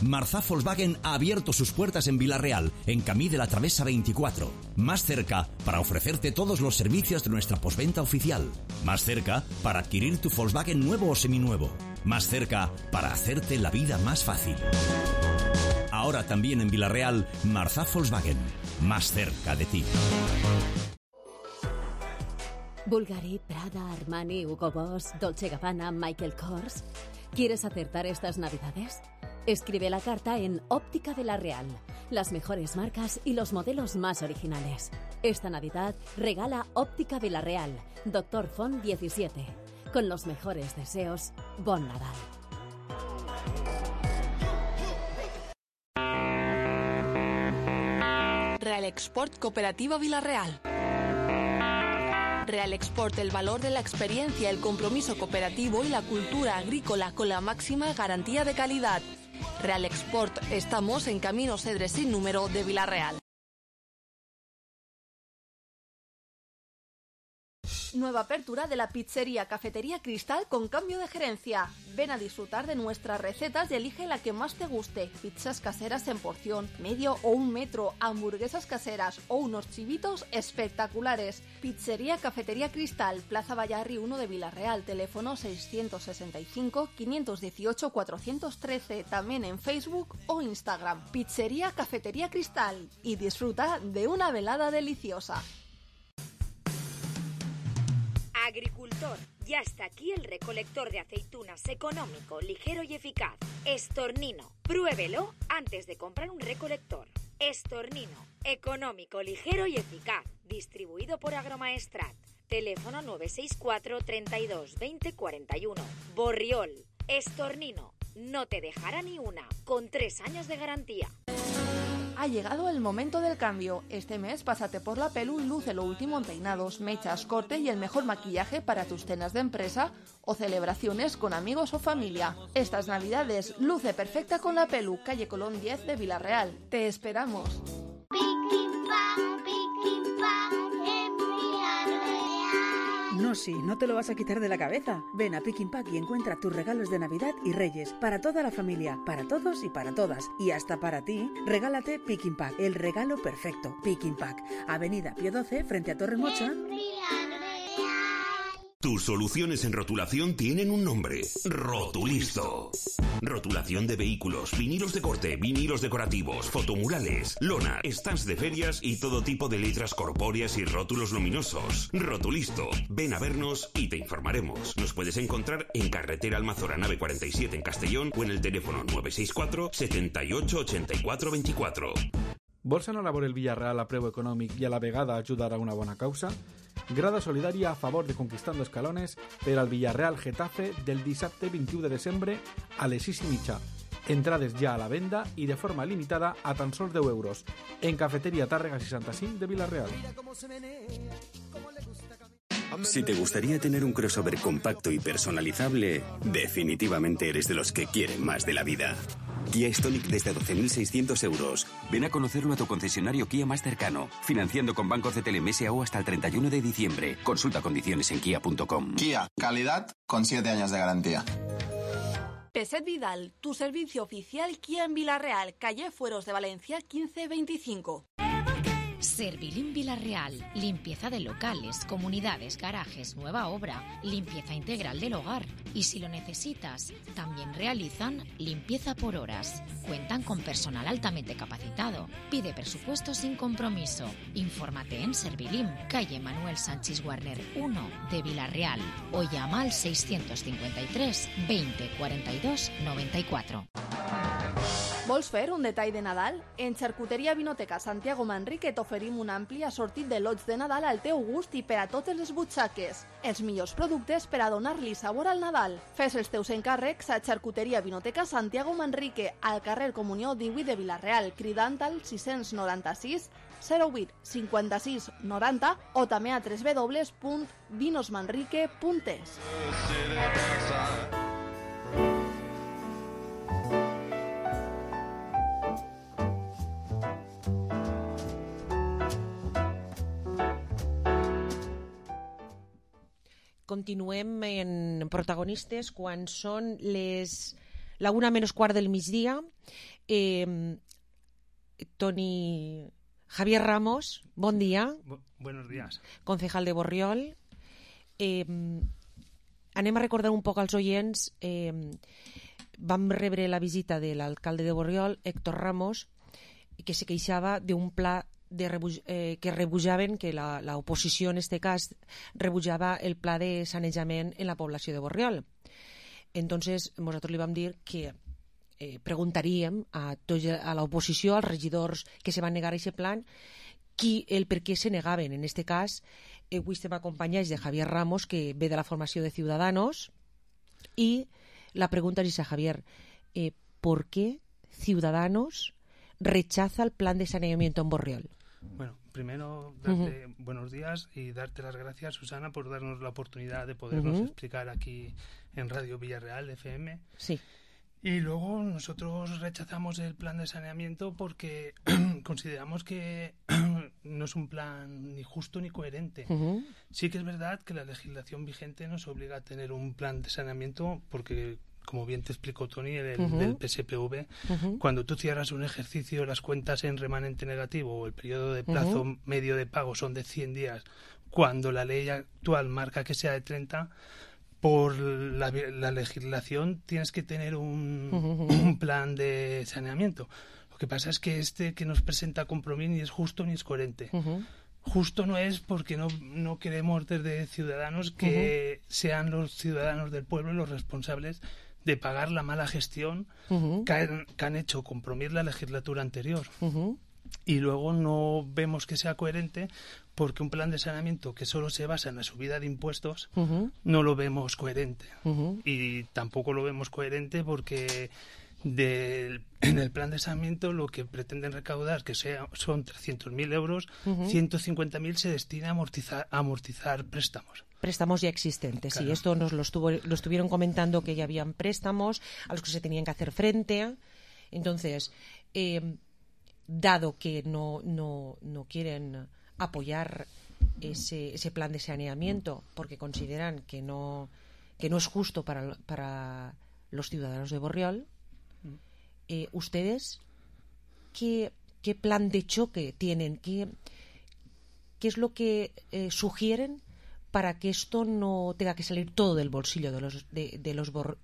Marzá Volkswagen ha abierto sus puertas en Villarreal, en Camí de la Travesa veinticuatro. Más cerca para ofrecerte todos los servicios de nuestra postventa oficial. Más cerca para adquirir tu Volkswagen nuevo o seminuevo. Más cerca para hacerte la vida más fácil. Ahora también en Villarreal, Marzá Volkswagen. Más cerca de ti. Bulgari, Prada, Armani, Hugo Boss, Dolce Gabbana, Michael Kors. ¿Quieres acertar estas navidades? Escribe la carta en Óptica de la Real. Las mejores marcas y los modelos más originales. Esta Navidad regala Óptica de la Real. Doctor Font diecisiete. Con los mejores deseos, Bon Nadal. Real Export Cooperativa Villarreal. Real Export, el valor de la experiencia, el compromiso cooperativo y la cultura agrícola con la máxima garantía de calidad. Real Export, estamos en Camino Cedre sin número de Villarreal. Nueva apertura de la pizzería Cafetería Cristal con cambio de gerencia. Ven a disfrutar de nuestras recetas y elige la que más te guste. Pizzas caseras en porción, medio o un metro, hamburguesas caseras o unos chivitos espectaculares. Pizzería Cafetería Cristal, Plaza Vallarri uno de Villarreal, teléfono seiscientos sesenta y cinco, quinientos dieciocho, cuatrocientos trece, también en Facebook o Instagram. Pizzería Cafetería Cristal y disfruta de una velada deliciosa. Agricultor, ya está aquí el recolector de aceitunas económico, ligero y eficaz. Estornino, pruébelo antes de comprar un recolector. Estornino, económico, ligero y eficaz. Distribuido por Agromaestrat. Teléfono nueve seis cuatro, treinta y dos, veinte, cuarenta y uno. Borriol, Estornino, no te dejará ni una, con tres años de garantía. Ha llegado el momento del cambio. Este mes pásate por la Pelu y luce lo último en peinados, mechas, corte y el mejor maquillaje para tus cenas de empresa o celebraciones con amigos o familia. Estas navidades luce perfecta con la Pelu, calle Colón diez de Villarreal. Te esperamos. No, sí, no te lo vas a quitar de la cabeza. Ven a Pick Pack y encuentra tus regalos de Navidad y Reyes para toda la familia, para todos y para todas. Y hasta para ti, regálate Pick Pack, el regalo perfecto. Pick Pack, Avenida Pío doce, frente a Torremocha. Tus soluciones en rotulación tienen un nombre: Rotulisto. Rotulación de vehículos, vinilos de corte, vinilos decorativos, fotomurales, lona, stands de ferias y todo tipo de letras corpóreas y rótulos luminosos. Rotulisto. Ven a vernos y te informaremos. Nos puedes encontrar en Carretera Almazora Nave cuarenta y siete en Castellón o en el teléfono nueve seis cuatro, setenta y ocho, ochenta y cuatro veinticuatro. Vols anar a veure el Villarreal a preu econòmic i a la vegada ajudar a una bona causa? Grada solidària a favor de Conquistando Escalones per al Villarreal Getafe del dissabte vint-i-u de desembre a les sis i mitja. Entrades ja a la venda y de forma limitada a tan sols deu euros en Cafetería Tárrega sesenta y cinco de Villarreal. Si te gustaría tener un crossover compacto y personalizable, definitivamente eres de los que quieren más de la vida. Kia Stonic desde doce mil seiscientos euros. Ven a conocerlo a tu concesionario Kia más cercano, financiando con Banco C T L M S A U hasta el treinta y uno de diciembre. Consulta condiciones en kia punto com. Kia, calidad con siete años de garantía. Peset Vidal, tu servicio oficial Kia en Villarreal, calle Fueros de Valencia quince veinticinco. Servilim Villarreal, limpieza de locales, comunidades, garajes, nueva obra, limpieza integral del hogar. Y si lo necesitas, también realizan limpieza por horas. Cuentan con personal altamente capacitado. Pide presupuesto sin compromiso. Infórmate en Servilim, calle Manuel Sánchez Warner uno de Villarreal o llama al seiscientos cincuenta y tres veinte cuarenta y dos noventa y cuatro. Vols fer un detall de Nadal? En Xarcuteria Vinoteca Santiago Manrique t'oferim un ampli assortit de lots de Nadal al teu gust i per a totes les butxaques. Els millors productes per a donar-li sabor al Nadal. Fes els teus encàrrecs a Xarcuteria Vinoteca Santiago Manrique, al carrer Comunió divuit de Villarreal, cridant al sis noranta-sis zero vuit cinquanta-sis noranta o també a w w w punt vinosmanrique punt es. Continuem en protagonistes quan són les la una menys quart del migdia. Eh, Toni Javier Ramos, bon dia. Bu buenos días. Concejal de Borriol. Eh, anem a recordar un poc als oients. Eh, vam rebre la visita de l'alcalde de Borriol, Héctor Ramos, que se queixava d'un pla de rebuj eh, que rebujaven, que la, la oposició en este cas rebujava el pla de sanejament en la població de Borriol. Entonces, nosaltres li vam dir que eh, preguntaríem a, a l'oposició, als regidors que se van negar a aquest plan, qui, el per què se negaven. En este cas, eh, avui estem acompanyats de Javier Ramos, que ve de la formació de Ciudadanos, y la pregunta es a Javier, eh, ¿por qué Ciudadanos rechaza el plan de saneamiento en Borriol? Bueno, primero darte Uh-huh. buenos días y darte las gracias, Susana, por darnos la oportunidad de podernos Uh-huh. explicar aquí en Radio Villarreal F M. Sí. Y luego nosotros rechazamos el plan de saneamiento porque consideramos que no es un plan ni justo ni coherente. Uh-huh. Sí que es verdad que la legislación vigente nos obliga a tener un plan de saneamiento porque, como bien te explicó Tony, el Uh-huh. del P S P V, Uh-huh. cuando tú cierras un ejercicio, las cuentas en remanente negativo o el periodo de plazo Uh-huh. medio de pago son de cien días, cuando la ley actual marca que sea de treinta, por la, la legislación tienes que tener un, Uh-huh. un plan de saneamiento. Lo que pasa es que este que nos presenta Compromís ni es justo ni es coherente. Uh-huh. Justo no es porque no, no queremos desde Ciudadanos que Uh-huh. sean los ciudadanos del pueblo los responsables de pagar la mala gestión Uh-huh. que, han, que han hecho Compromís la legislatura anterior. Uh-huh. Y luego no vemos que sea coherente porque un plan de saneamiento que solo se basa en la subida de impuestos Uh-huh. no lo vemos coherente. Uh-huh. Y tampoco lo vemos coherente porque del, en el plan de saneamiento lo que pretenden recaudar, que sea, son trescientos mil euros, Uh-huh. ciento cincuenta mil se destina a amortizar, a amortizar préstamos. Préstamos ya existentes, Claro. sí, esto nos lo, estuvo, lo estuvieron comentando, que ya habían préstamos a los que se tenían que hacer frente. Entonces, eh, dado que no, no, no quieren apoyar ese, ese plan de saneamiento porque consideran que no, que no es justo para, para los ciudadanos de Borriol, eh, ¿ustedes qué, qué plan de choque tienen? ¿Qué, qué es lo que eh, sugieren para que esto no tenga que salir todo del bolsillo de los, de, de los bor,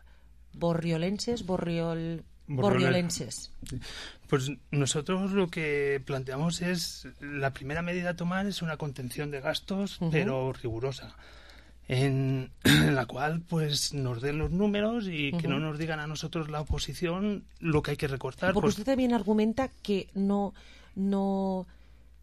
borriolenses, borriol... borriolenses? Pues nosotros lo que planteamos es, la primera medida a tomar es una contención de gastos, Uh-huh. pero rigurosa, en, en la cual pues nos den los números y que Uh-huh. no nos digan a nosotros la oposición lo que hay que recortar. Porque pues, usted también argumenta que no, no...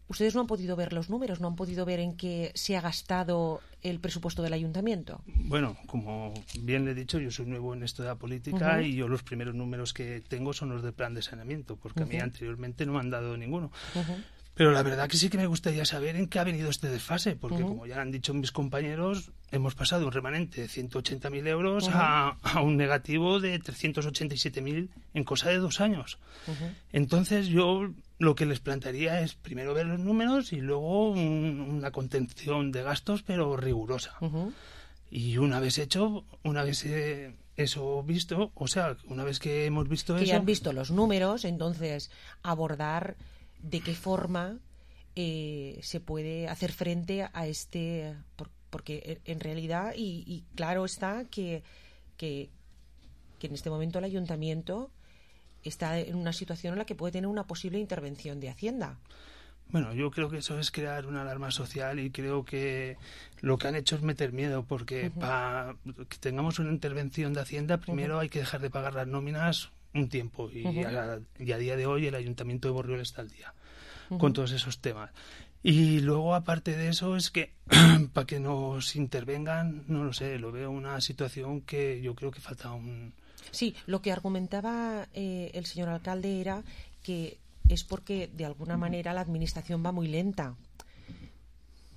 Ustedes no han podido ver los números, no han podido ver en qué se ha gastado el presupuesto del ayuntamiento. Bueno, como bien le he dicho, yo soy nuevo en esto de la política, uh-huh, y yo los primeros números que tengo son los del plan de saneamiento, porque uh-huh, a mí anteriormente no me han dado ninguno. Uh-huh. Pero la verdad que sí que me gustaría saber en qué ha venido este desfase, porque uh-huh, como ya han dicho mis compañeros, hemos pasado de un remanente de ciento ochenta mil euros uh-huh, a, a un negativo de trescientos ochenta y siete mil en cosa de dos años. Uh-huh. Entonces yo lo que les plantearía es primero ver los números y luego un, una contención de gastos, pero rigurosa. Uh-huh. Y una vez hecho, una vez eh, eso visto, o sea, una vez que hemos visto que eso... Que ya han visto los números, entonces abordar de qué forma eh, se puede hacer frente a este... Por, porque en realidad, y, y claro está que, que, que en este momento el ayuntamiento está en una situación en la que puede tener una posible intervención de Hacienda. Bueno, yo creo que eso es crear una alarma social y creo que lo que han hecho es meter miedo, porque uh-huh, para que tengamos una intervención de Hacienda primero uh-huh, hay que dejar de pagar las nóminas un tiempo y, uh-huh, a, y a día de hoy el Ayuntamiento de Borriol está al día uh-huh, con todos esos temas. Y luego, aparte de eso, es que para que nos intervengan, no lo sé, lo veo una situación que yo creo que falta un... Sí, lo que argumentaba eh, el señor alcalde era que es porque de alguna manera la administración va muy lenta.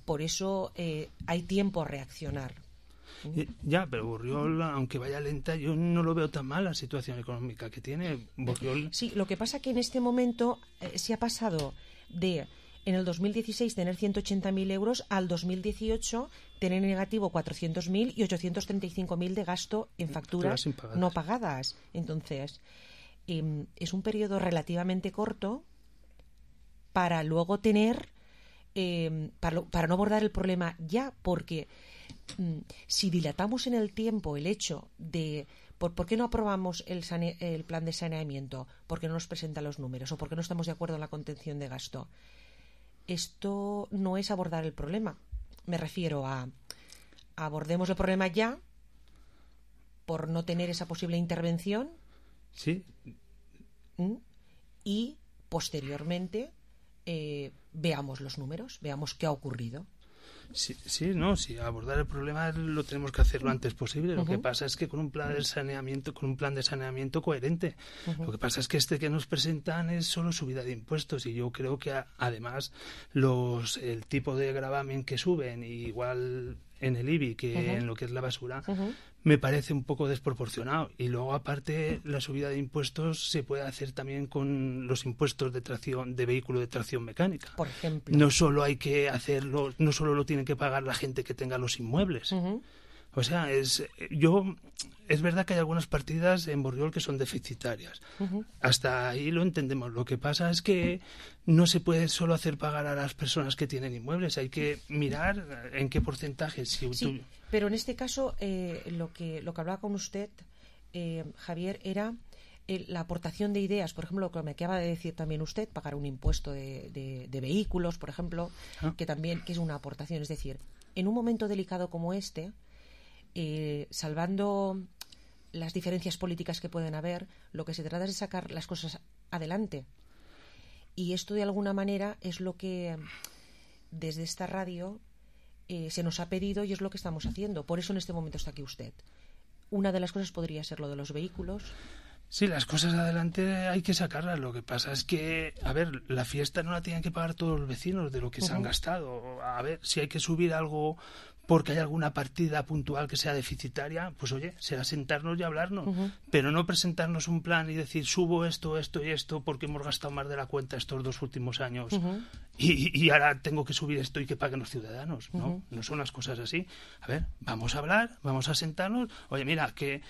Por eso eh, hay tiempo a reaccionar. ¿Mm? Ya, pero Borriol, aunque vaya lenta, yo no lo veo tan mal la situación económica que tiene Borriol. Sí, lo que pasa es que en este momento eh, se ha pasado de... En el dos mil dieciséis tener ciento ochenta mil euros, al dos mil dieciocho tener negativo cuatrocientos mil y ochocientos treinta y cinco mil de gasto en facturas no pagadas. Entonces, eh, es un periodo relativamente corto para luego tener, eh, para, para no abordar el problema ya, porque mm, si dilatamos en el tiempo el hecho de... ¿Por, ¿Por qué no aprobamos el, sane, el plan de saneamiento? ¿Por qué no nos presentan los números? ¿O por qué no estamos de acuerdo en la contención de gasto? Esto no es abordar el problema. Me refiero a, a abordemos el problema ya por no tener esa posible intervención. Sí. Y posteriormente eh, veamos los números, veamos qué ha ocurrido. Sí, sí, no, sí, abordar el problema lo tenemos que hacer lo antes posible. Lo uh-huh, que pasa es que con un plan de saneamiento, con un plan de saneamiento coherente. Uh-huh. Lo que pasa es que este que nos presentan es solo subida de impuestos y yo creo que a, además los el tipo de gravamen que suben, igual en el I B I que uh-huh, en lo que es la basura, uh-huh, me parece un poco desproporcionado. Y luego, aparte, la subida de impuestos se puede hacer también con los impuestos de tracción de vehículo de tracción mecánica. Por ejemplo. No solo hay que hacerlo, no solo lo tienen que pagar la gente que tenga los inmuebles. Uh-huh. O sea, es yo es verdad que hay algunas partidas en Borriol que son deficitarias. Uh-huh. Hasta ahí lo entendemos. Lo que pasa es que no se puede solo hacer pagar a las personas que tienen inmuebles. Hay que mirar en qué porcentaje. Si sí, tú... pero en este caso eh, lo que lo que hablaba con usted, eh, Javier, era eh, la aportación de ideas. Por ejemplo, lo que me acaba de decir también usted, pagar un impuesto de, de, de vehículos, por ejemplo, ah. que también que es una aportación. Es decir, en un momento delicado como este, Eh, salvando las diferencias políticas que pueden haber, lo que se trata es de sacar las cosas adelante. Y esto, de alguna manera, es lo que desde esta radio eh, se nos ha pedido y es lo que estamos haciendo. Por eso en este momento está aquí usted. Una de las cosas podría ser lo de los vehículos. Sí, las cosas adelante hay que sacarlas. Lo que pasa es que, a ver, la fiesta no la tienen que pagar todos los vecinos de lo que uh-huh, se han gastado. A ver, si hay que subir algo porque hay alguna partida puntual que sea deficitaria, pues oye, será sentarnos y hablarnos, uh-huh, pero no presentarnos un plan y decir subo esto, esto y esto porque hemos gastado más de la cuenta estos dos últimos años uh-huh, y, y ahora tengo que subir esto y que paguen los ciudadanos. Uh-huh. No, no son las cosas así. A ver, vamos a hablar, vamos a sentarnos. Oye, mira, que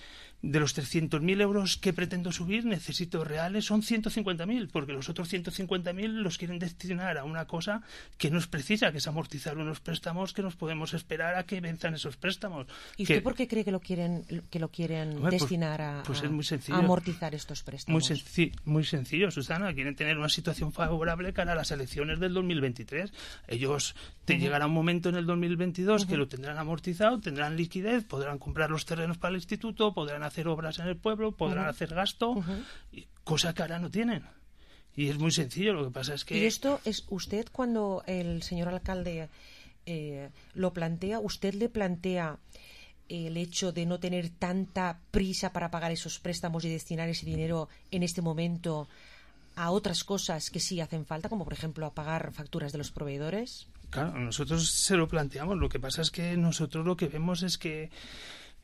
de los trescientos mil euros que pretendo subir, necesito reales, son ciento cincuenta mil, porque los otros ciento cincuenta mil los quieren destinar a una cosa que no es precisa, que es amortizar unos préstamos que nos podemos esperar a que venzan esos préstamos. ¿Y usted que, por qué cree que lo quieren que lo quieren hombre, destinar a, pues, pues es muy sencillo, a amortizar estos préstamos? Muy, senci- muy sencillo, Susana. Quieren tener una situación favorable cara a las elecciones del dos mil veintitrés. Ellos te uh-huh, llegará un momento en el dos mil veintidós uh-huh, que lo tendrán amortizado, tendrán liquidez, podrán comprar los terrenos para el instituto, podrán hacer obras en el pueblo, podrán uh-huh, hacer gasto, uh-huh, cosa que ahora no tienen. Y es muy sencillo, lo que pasa es que... Y esto es usted, cuando el señor alcalde eh, lo plantea, ¿usted le plantea el hecho de no tener tanta prisa para pagar esos préstamos y destinar ese dinero en este momento a otras cosas que sí hacen falta, como por ejemplo a pagar facturas de los proveedores? Claro, nosotros se lo planteamos. Lo que pasa es que nosotros lo que vemos es que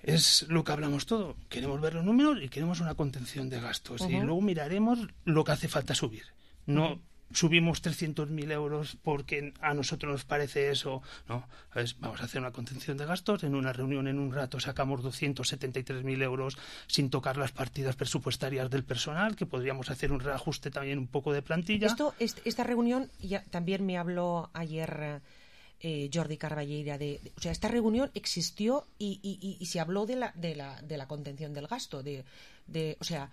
es lo que hablamos todo. Queremos ver los números y queremos una contención de gastos. Uh-huh. Y luego miraremos lo que hace falta subir. No uh-huh. subimos trescientos mil euros porque a nosotros nos parece eso. No, ¿sabes? Vamos a hacer una contención de gastos. En una reunión, en un rato, sacamos doscientos setenta y tres mil euros sin tocar las partidas presupuestarias del personal, que podríamos hacer un reajuste también un poco de plantilla. Esto, esta reunión, ya, también me habló ayer eh, Jordi Carballeira, de, de, o sea, esta reunión existió y, y, y, y se habló de la, de la, de la contención del gasto. De, de, o sea,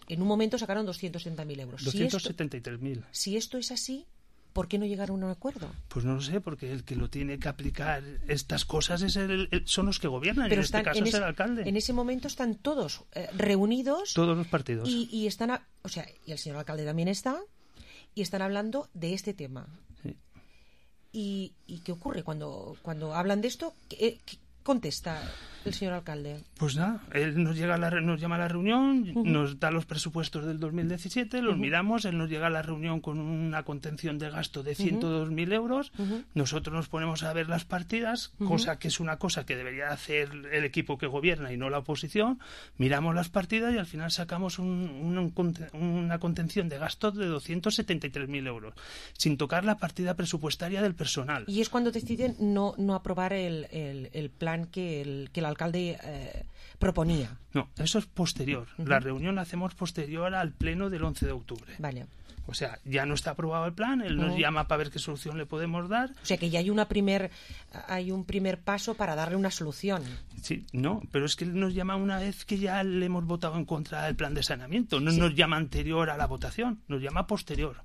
en un momento sacaron doscientos setenta mil euros. doscientos setenta y tres mil. Si, si esto es así, ¿por qué no llegaron a un acuerdo? Pues no lo sé, porque el que lo tiene que aplicar estas cosas es el, el, son los que gobiernan. Pero en están, este caso en es ese, el alcalde. En ese momento están todos eh, reunidos. Todos los partidos. Y, y están, a, o sea, y el señor alcalde también está, y están hablando de este tema. Sí. ¿Y, y qué ocurre cuando, cuando hablan de esto? ¿Qué, qué contesta el señor alcalde? Pues nada, él nos llega a la, nos llama a la reunión, uh-huh. nos da los presupuestos del dos mil diecisiete, los uh-huh. miramos, él nos llega a la reunión con una contención de gasto de ciento dos mil uh-huh. euros, uh-huh. nosotros nos ponemos a ver las partidas, uh-huh. cosa que es una cosa que debería hacer el equipo que gobierna y no la oposición, miramos las partidas y al final sacamos un, un, una contención de gasto de doscientos setenta y tres mil euros, sin tocar la partida presupuestaria del personal. Y es cuando deciden no, no aprobar el, el, el plan que el, que el alcalde eh, proponía. No, eso es posterior. Uh-huh. La reunión la hacemos posterior al pleno del once de octubre. Vale. O sea, ya no está aprobado el plan, él nos uh-huh. llama para ver qué solución le podemos dar. O sea, que ya hay una primer hay un primer paso para darle una solución. Sí, no, pero es que él nos llama una vez que ya le hemos votado en contra del plan de saneamiento. No sí. nos llama anterior a la votación, nos llama posterior.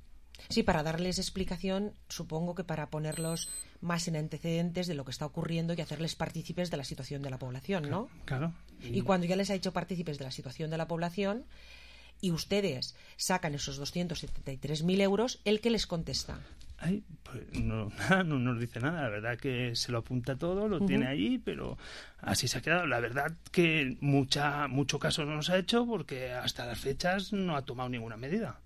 Sí, para darles explicación, supongo que para ponerlos más en antecedentes de lo que está ocurriendo y hacerles partícipes de la situación de la población, ¿no? Claro. Y, y cuando ya les ha hecho partícipes de la situación de la población y ustedes sacan esos doscientos setenta y tres mil euros, ¿el qué les contesta? Ay, pues no, nada, no nos dice nada. La verdad que se lo apunta todo, lo uh-huh. tiene allí, pero así se ha quedado. La verdad que mucha mucho caso no nos ha hecho porque hasta las fechas no ha tomado ninguna medida.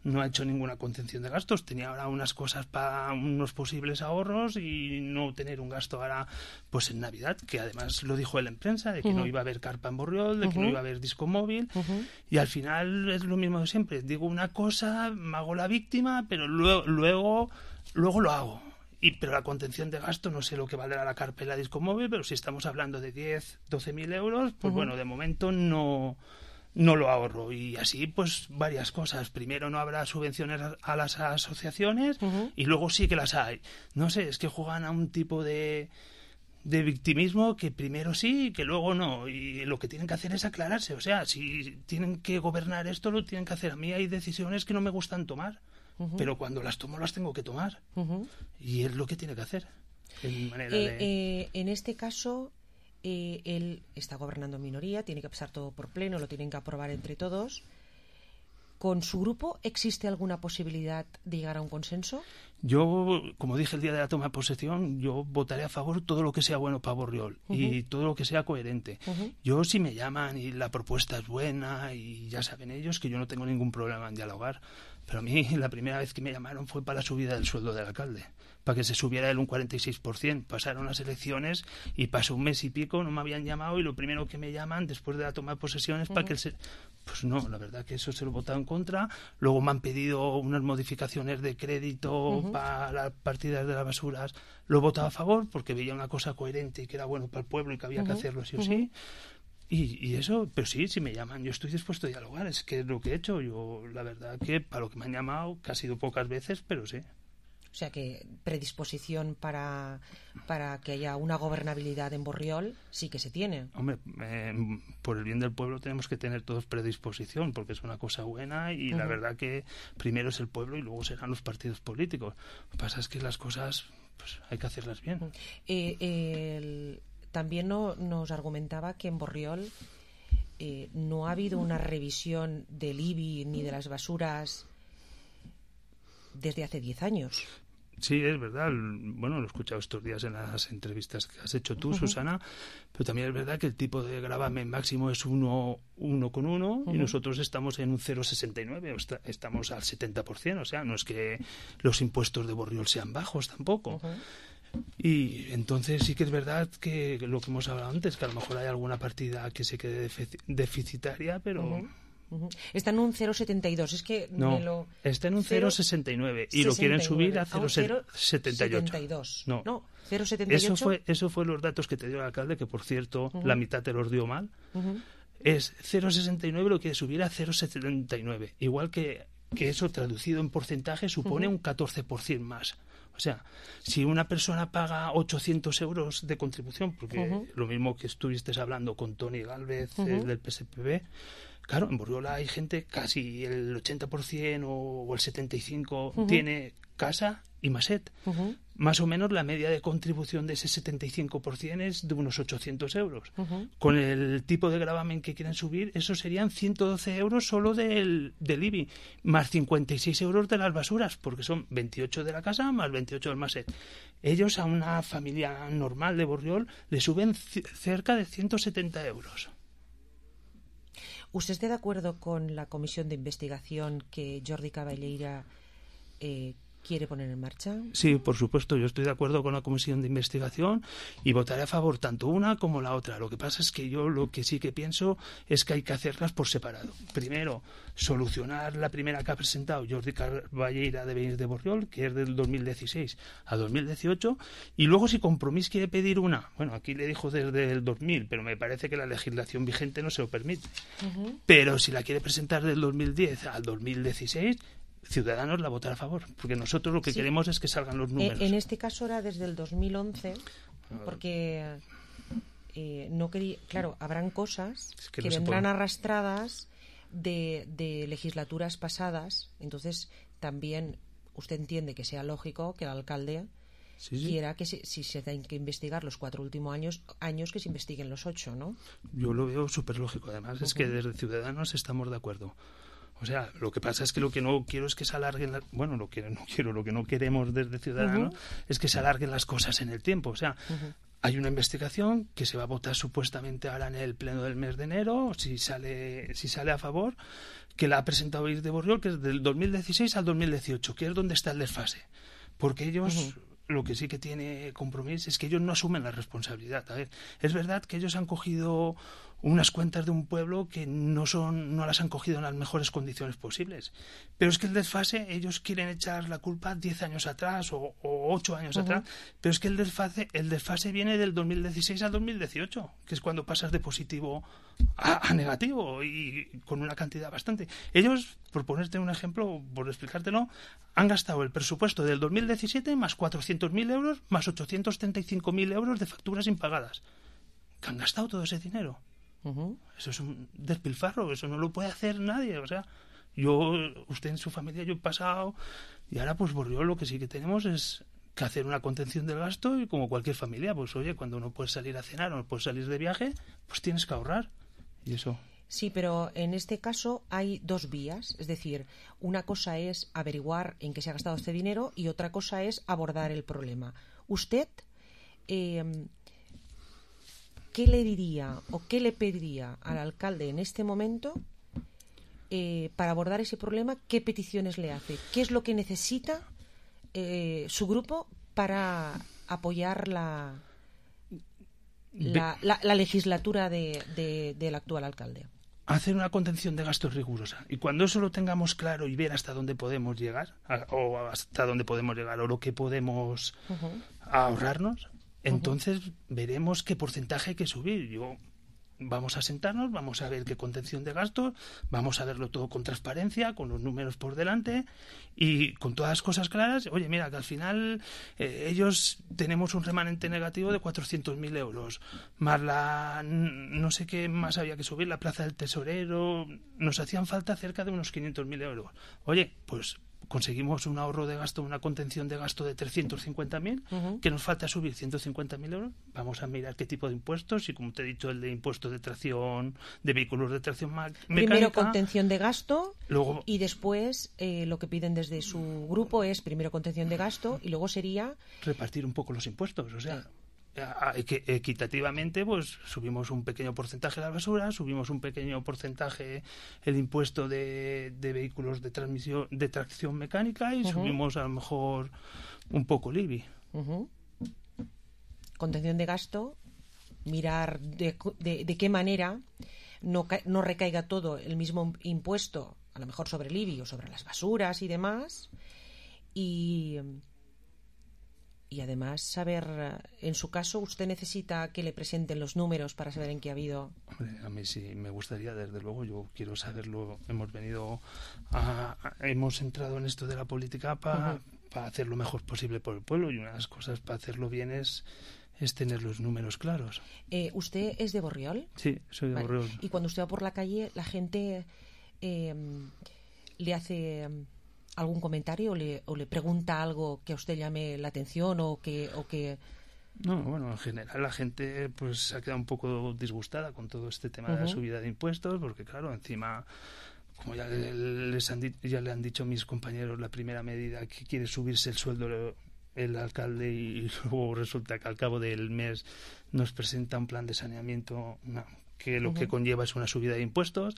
No ha hecho ninguna contención de gastos. Tenía ahora unas cosas para unos posibles ahorros y no tener un gasto ahora pues en Navidad, que además lo dijo él en prensa, de que uh-huh. no iba a haber carpa en Borriol, de uh-huh. que no iba a haber disco móvil. Uh-huh. Y al final es lo mismo de siempre. Digo una cosa, me hago la víctima, pero luego luego, luego lo hago. Y, pero la contención de gasto, no sé lo que valdrá la carpa y la disco móvil, pero si estamos hablando de diez, doce mil euros, pues uh-huh. bueno, de momento no... no lo ahorro. Y así, pues, varias cosas. Primero, no habrá subvenciones a las asociaciones uh-huh. y luego sí que las hay. No sé, es que juegan a un tipo de, de victimismo que primero sí y que luego no. Y lo que tienen que hacer es aclararse. O sea, si tienen que gobernar esto, lo tienen que hacer. A mí hay decisiones que no me gustan tomar, uh-huh. pero cuando las tomo, las tengo que tomar. Uh-huh. Y es lo que tiene que hacer. En, manera eh, de... eh, en este caso... Eh, él está gobernando en minoría, tiene que pasar todo por pleno, lo tienen que aprobar entre todos. ¿Con su grupo existe alguna posibilidad de llegar a un consenso? Yo, como dije el día de la toma de posesión, yo votaré a favor todo lo que sea bueno para Borriol uh-huh. y todo lo que sea coherente. Uh-huh. Yo, si me llaman y la propuesta es buena y ya saben ellos que yo no tengo ningún problema en dialogar, pero a mí la primera vez que me llamaron fue para la subida del sueldo del alcalde, para que se subiera él un cuarenta y seis por ciento. Pasaron las elecciones y pasó un mes y pico, no me habían llamado y lo primero que me llaman después de la toma de posesión es uh-huh. para que él se... Pues no, la verdad que eso se lo he votado en contra. Luego me han pedido unas modificaciones de crédito uh-huh. para las partidas de las basuras. Lo he votado a favor porque veía una cosa coherente y que era bueno para el pueblo y que había uh-huh. que hacerlo sí o uh-huh. sí. Y, y eso, pero sí, si me llaman, yo estoy dispuesto a dialogar. Es que es lo que he hecho. Yo, la verdad que para lo que me han llamado, que ha sido pocas veces, pero sí. O sea que predisposición para, para que haya una gobernabilidad en Borriol sí que se tiene. Hombre, eh, por el bien del pueblo tenemos que tener todos predisposición, porque es una cosa buena y uh-huh. la verdad que primero es el pueblo y luego serán los partidos políticos. Lo que pasa es que las cosas pues hay que hacerlas bien. Uh-huh. Eh, eh, el, también no, nos argumentaba que en Borriol eh, no ha habido una revisión del I B I ni de las basuras desde hace diez años. Sí, es verdad. Bueno, lo he escuchado estos días en las entrevistas que has hecho tú, Uh-huh. Susana, pero también es verdad que el tipo de gravamen máximo es uno, uno con uno Uh-huh. y nosotros estamos en un cero coma sesenta y nueve, o está- estamos al setenta por ciento, o sea, no es que los impuestos de Borriol sean bajos tampoco. Uh-huh. Y entonces sí que es verdad que lo que hemos hablado antes, que a lo mejor hay alguna partida que se quede defici- deficitaria, pero... Uh-huh. Uh-huh. Está en un cero coma setenta y dos, es que No, me lo... está en un cero coma sesenta y nueve y lo quieren subir a cero coma setenta y ocho. setenta y dos. No, No, cero coma setenta y ocho. Eso fue, eso fue los datos que te dio el alcalde, que por cierto, Ujú. la mitad te los dio mal. Ujú. Es cero coma sesenta y nueve, lo quiere subir a cero coma setenta y nueve. Igual que, que eso traducido en porcentaje supone Ujú. un catorce por ciento más. O sea, si una persona paga ochocientos euros de contribución, porque Ujú. lo mismo que estuviste hablando con Tony Galvez, Ujú. eh, del P S P B, claro, en Borriola hay gente, casi el ochenta por ciento o, o el setenta y cinco por ciento Ujú. tiene casa y maset. Ujú. Más o menos la media de contribución de ese setenta y cinco por ciento es de unos ochocientos euros. Ujú. Con el tipo de gravamen que quieren subir, eso serían ciento doce euros solo del, del I B I, más cincuenta y seis euros de las basuras, porque son veintiocho de la casa más veintiocho del maset. Ellos a una familia normal de Borriol le suben c- cerca de ciento setenta euros. ¿Usted está de acuerdo con la comisión de investigación que Jordi Caballeira eh, quiere poner en marcha? Sí, por supuesto, yo estoy de acuerdo con la comisión de investigación y votaré a favor tanto una como la otra. Lo que pasa es que yo lo que sí que pienso es que hay que hacerlas por separado. Primero, solucionar la primera que ha presentado Jordi Caballeira de Benis de Borriol, que es del dos mil dieciséis a dos mil dieciocho, y luego si Compromís quiere pedir una, bueno, aquí le dijo desde el dos mil, pero me parece que la legislación vigente no se lo permite. Ujú. Pero si la quiere presentar del dos mil diez al dos mil dieciséis, Ciudadanos la votará a favor, porque nosotros lo que Sí. queremos es que salgan los números. Eh, en este caso era desde el dos mil once, porque eh, no quería, claro, habrán cosas que que, no se vendrán puede. arrastradas de, de legislaturas pasadas, entonces también usted entiende que sea lógico que el alcalde Sí, sí. quiera que se- si se tienen que investigar los cuatro últimos años, años que se investiguen los ocho, ¿no? Yo lo veo súper lógico, además, es que desde Ciudadanos estamos de acuerdo. O sea, lo que pasa es que lo que no quiero es que se alarguen, la- bueno, lo que no quiero, lo que no queremos desde Ciudadanos Ujú. es que se alarguen las cosas en el tiempo. O sea, Ujú. hay una investigación que se va a votar supuestamente ahora en el pleno del mes de enero, si sale, si sale a favor, que la ha presentado Benis de Borriol, que es del dos mil dieciséis al dos mil dieciocho, que es donde está el desfase. Porque ellos, Ujú. lo que sí que tiene Compromís es que ellos no asumen la responsabilidad. A ver, es verdad que ellos han cogido unas cuentas de un pueblo que no son, no las han cogido en las mejores condiciones posibles. Pero es que el desfase, ellos quieren echar la culpa diez años atrás o, o ocho años Ujú. atrás, pero es que el desfase, el desfase viene del dos mil dieciséis al dos mil dieciocho, que es cuando pasas de positivo a, a negativo y con una cantidad bastante. Ellos, por ponerte un ejemplo, por explicártelo, han gastado el presupuesto del dos mil diecisiete más cuatrocientos mil euros más ochocientos treinta y cinco mil euros de facturas impagadas. Que han gastado todo ese dinero. Ujú. Eso es un despilfarro, eso no lo puede hacer nadie. O sea, yo, usted en su familia, yo he pasado, y ahora pues Borriol lo que sí que tenemos es que hacer una contención del gasto, y como cualquier familia, pues oye, cuando no puedes salir a cenar o no puedes salir de viaje, pues tienes que ahorrar. Y eso. Sí, pero en este caso hay dos vías. Es decir, una cosa es averiguar en qué se ha gastado este dinero y otra cosa es abordar el problema. Usted, eh, ¿qué le diría o qué le pediría al alcalde en este momento eh, para abordar ese problema? ¿Qué peticiones le hace? ¿Qué es lo que necesita eh, su grupo para apoyar la, la, la, la legislatura de, de, del actual alcalde? Hacer una contención de gastos rigurosa. Y cuando eso lo tengamos claro y ver hasta dónde podemos llegar, a- o hasta dónde podemos llegar, o lo que podemos Ujú. ahorrarnos, entonces veremos qué porcentaje hay que subir. Yo vamos a sentarnos, vamos a ver qué contención de gastos, vamos a verlo todo con transparencia, con los números por delante y con todas las cosas claras. Oye, mira, que al final eh, ellos tenemos un remanente negativo de cuatrocientos mil euros, más la, no sé qué más había que subir, la plaza del tesorero, nos hacían falta cerca de unos quinientos mil euros. Oye, pues conseguimos un ahorro de gasto, una contención de gasto de trescientos cincuenta mil, uh-huh. que nos falta subir ciento cincuenta mil euros, vamos a mirar qué tipo de impuestos, y como te he dicho, el de impuestos de tracción, de vehículos de tracción mecánica. Primero contención de gasto, luego, y después eh, lo que piden desde su grupo es primero contención de gasto, y luego sería... repartir un poco los impuestos, o sea... que equitativamente pues subimos un pequeño porcentaje de la basura, subimos un pequeño porcentaje el impuesto de, de vehículos de transmisión de tracción mecánica y uh-huh. subimos a lo mejor un poco el I B I. Uh-huh. Contención de gasto, mirar de, de, de qué manera no, no recaiga todo el mismo impuesto, a lo mejor sobre el I B I o sobre las basuras y demás, y Y además saber, en su caso, ¿usted necesita que le presenten los números para saber en qué ha habido? Hombre, a mí sí me gustaría, desde luego, yo quiero saberlo. Hemos venido, a, a, hemos entrado en esto de la política para uh-huh. para hacer lo mejor posible por el pueblo, y una de las cosas para hacerlo bien es, es tener los números claros. Eh, ¿Usted es de Borriol? Sí, soy de vale. Borriol. Y cuando usted va por la calle, la gente eh, le hace... algún comentario o le, o le pregunta algo que a usted llame la atención o que, o que... No, bueno, en general la gente pues se ha quedado un poco disgustada con todo este tema uh-huh. de la subida de impuestos, porque claro, encima, como ya, les han, ya le han dicho mis compañeros, la primera medida que quiere subirse el sueldo el alcalde, y luego resulta que al cabo del mes nos presenta un plan de saneamiento, no, que lo uh-huh. que conlleva es una subida de impuestos,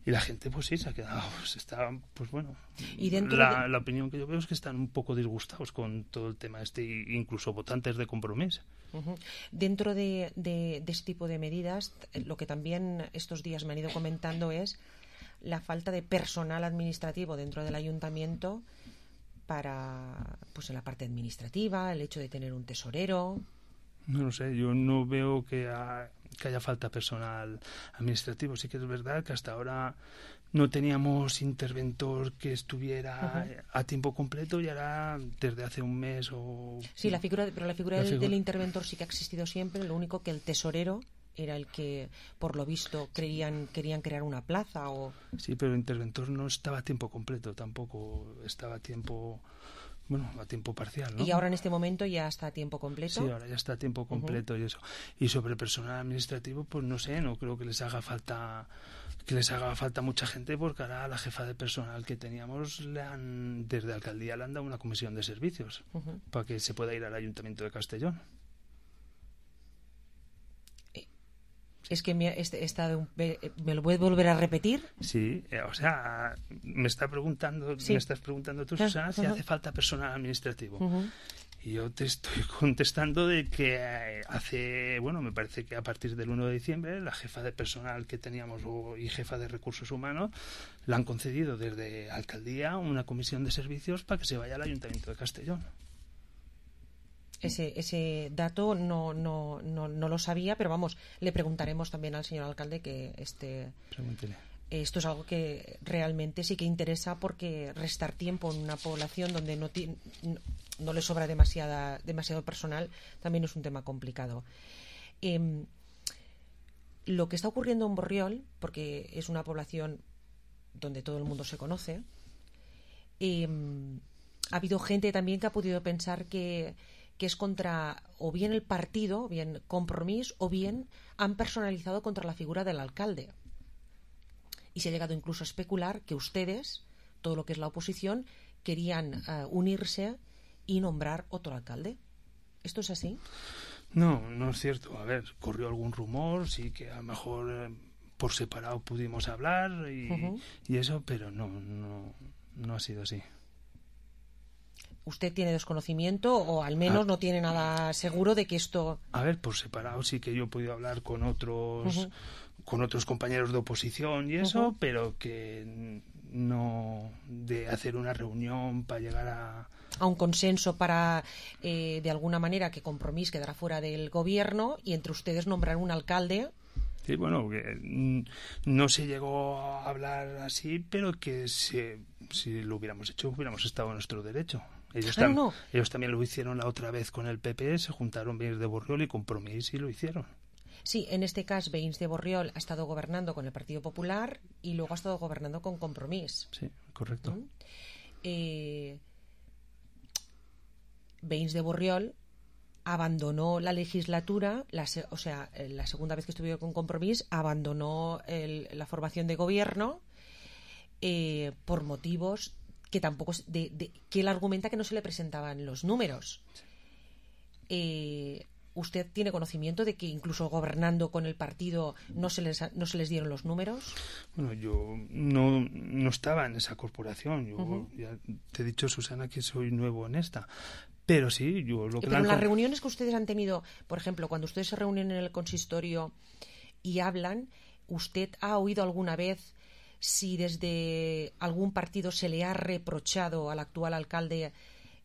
y la gente pues sí se ha quedado, pues está, pues bueno, ¿Y dentro la, de... la opinión que yo veo es que están un poco disgustados con todo el tema este, incluso votantes de Compromís. Uh-huh. Dentro de, de, de este tipo de medidas, lo que también estos días me han ido comentando es la falta de personal administrativo dentro del ayuntamiento para, pues en la parte administrativa, el hecho de tener un tesorero. No lo sé, yo no veo que, ha, que haya falta personal administrativo. Sí que es verdad que hasta ahora no teníamos interventor que estuviera uh-huh. a tiempo completo, y ahora desde hace un mes o... Sí, la figura, pero la figura, la figura del, del interventor sí que ha existido siempre, lo único que el tesorero era el que, por lo visto, creían, querían crear una plaza o... Sí, pero el interventor no estaba a tiempo completo, tampoco estaba a tiempo... Bueno, a tiempo parcial, ¿no? Y ahora en este momento ya está a tiempo completo. Sí, ahora ya está a tiempo completo uh-huh. y eso. Y sobre personal administrativo, pues no sé, no creo que les haga falta que les haga falta mucha gente, porque ahora a la jefa de personal que teníamos le han, desde alcaldía le han dado una comisión de servicios uh-huh. para que se pueda ir al Ayuntamiento de Castellón. Es que me, este, esta, ¿me lo puedes volver a repetir? Sí, eh, o sea, me está preguntando, sí. me estás preguntando tú, Susana, uh-huh. si hace falta personal administrativo. Uh-huh. Y yo te estoy contestando de que hace, bueno, me parece que a partir del uno de diciembre la jefa de personal que teníamos y jefa de recursos humanos le han concedido desde alcaldía una comisión de servicios para que se vaya al Ayuntamiento de Castellón. Ese, ese dato no, no, no, no lo sabía, pero vamos, le preguntaremos también al señor alcalde que este, Pregúntele. Esto es algo que realmente sí que interesa, porque restar tiempo en una población donde no, ti, no, no le sobra demasiada, demasiado personal también es un tema complicado. Eh, lo que está ocurriendo en Borriol, porque es una población donde todo el mundo se conoce, eh, ha habido gente también que ha podido pensar que que es contra o bien el partido, o bien Compromís, o bien han personalizado contra la figura del alcalde. Y se ha llegado incluso a especular que ustedes, todo lo que es la oposición, querían uh, unirse y nombrar otro alcalde. ¿Esto es así? No, no es cierto. A ver, corrió algún rumor, sí que a lo mejor eh, por separado pudimos hablar y, uh-huh. y eso, pero no, no, no ha sido así. ¿Usted tiene desconocimiento o al menos ah. no tiene nada seguro de que esto...? A ver, por separado sí que yo he podido hablar con otros uh-huh. con otros compañeros de oposición y eso, uh-huh. pero que no de hacer una reunión para llegar a... a un consenso para, eh, de alguna manera, que Compromís quedara fuera del gobierno y entre ustedes nombrar un alcalde... Sí, bueno, que no se llegó a hablar así, pero que si, si lo hubiéramos hecho, hubiéramos estado en nuestro derecho. Ellos, ah, tam- no. ellos también lo hicieron la otra vez con el P P, se juntaron Veïns de Borriol y Compromís y lo hicieron. Sí, en este caso Veïns de Borriol ha estado gobernando con el Partido Popular y luego ha estado gobernando con Compromís. Sí, correcto. ¿Mm? eh, Veïns de Borriol abandonó la legislatura, la se, o sea, la segunda vez que estuvieron con Compromís, abandonó el, la formación de gobierno eh, por motivos que tampoco, de, de, que él argumenta que no se le presentaban los números. Eh, ¿Usted tiene conocimiento de que incluso gobernando con el partido no se les, no se les dieron los números? Bueno, yo no, no estaba en esa corporación. Yo Uh-huh. ya te he dicho, Susana, que soy nuevo en esta. Pero sí, yo lo que... Pero en las reuniones que ustedes han tenido, por ejemplo, cuando ustedes se reúnen en el consistorio y hablan, ¿usted ha oído alguna vez si desde algún partido se le ha reprochado al actual alcalde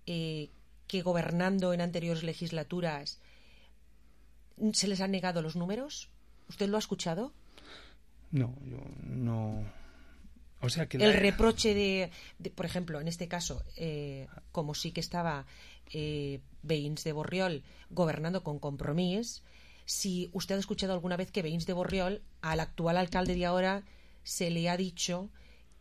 eh, que gobernando en anteriores legislaturas se les han negado los números? ¿Usted lo ha escuchado? No, yo no... O sea que el la... reproche de, de, por ejemplo, en este caso, eh, como sí que estaba eh, Veïns de Borriol gobernando con Compromís, si usted ha escuchado alguna vez que Veïns de Borriol, al actual alcalde de ahora, se le ha dicho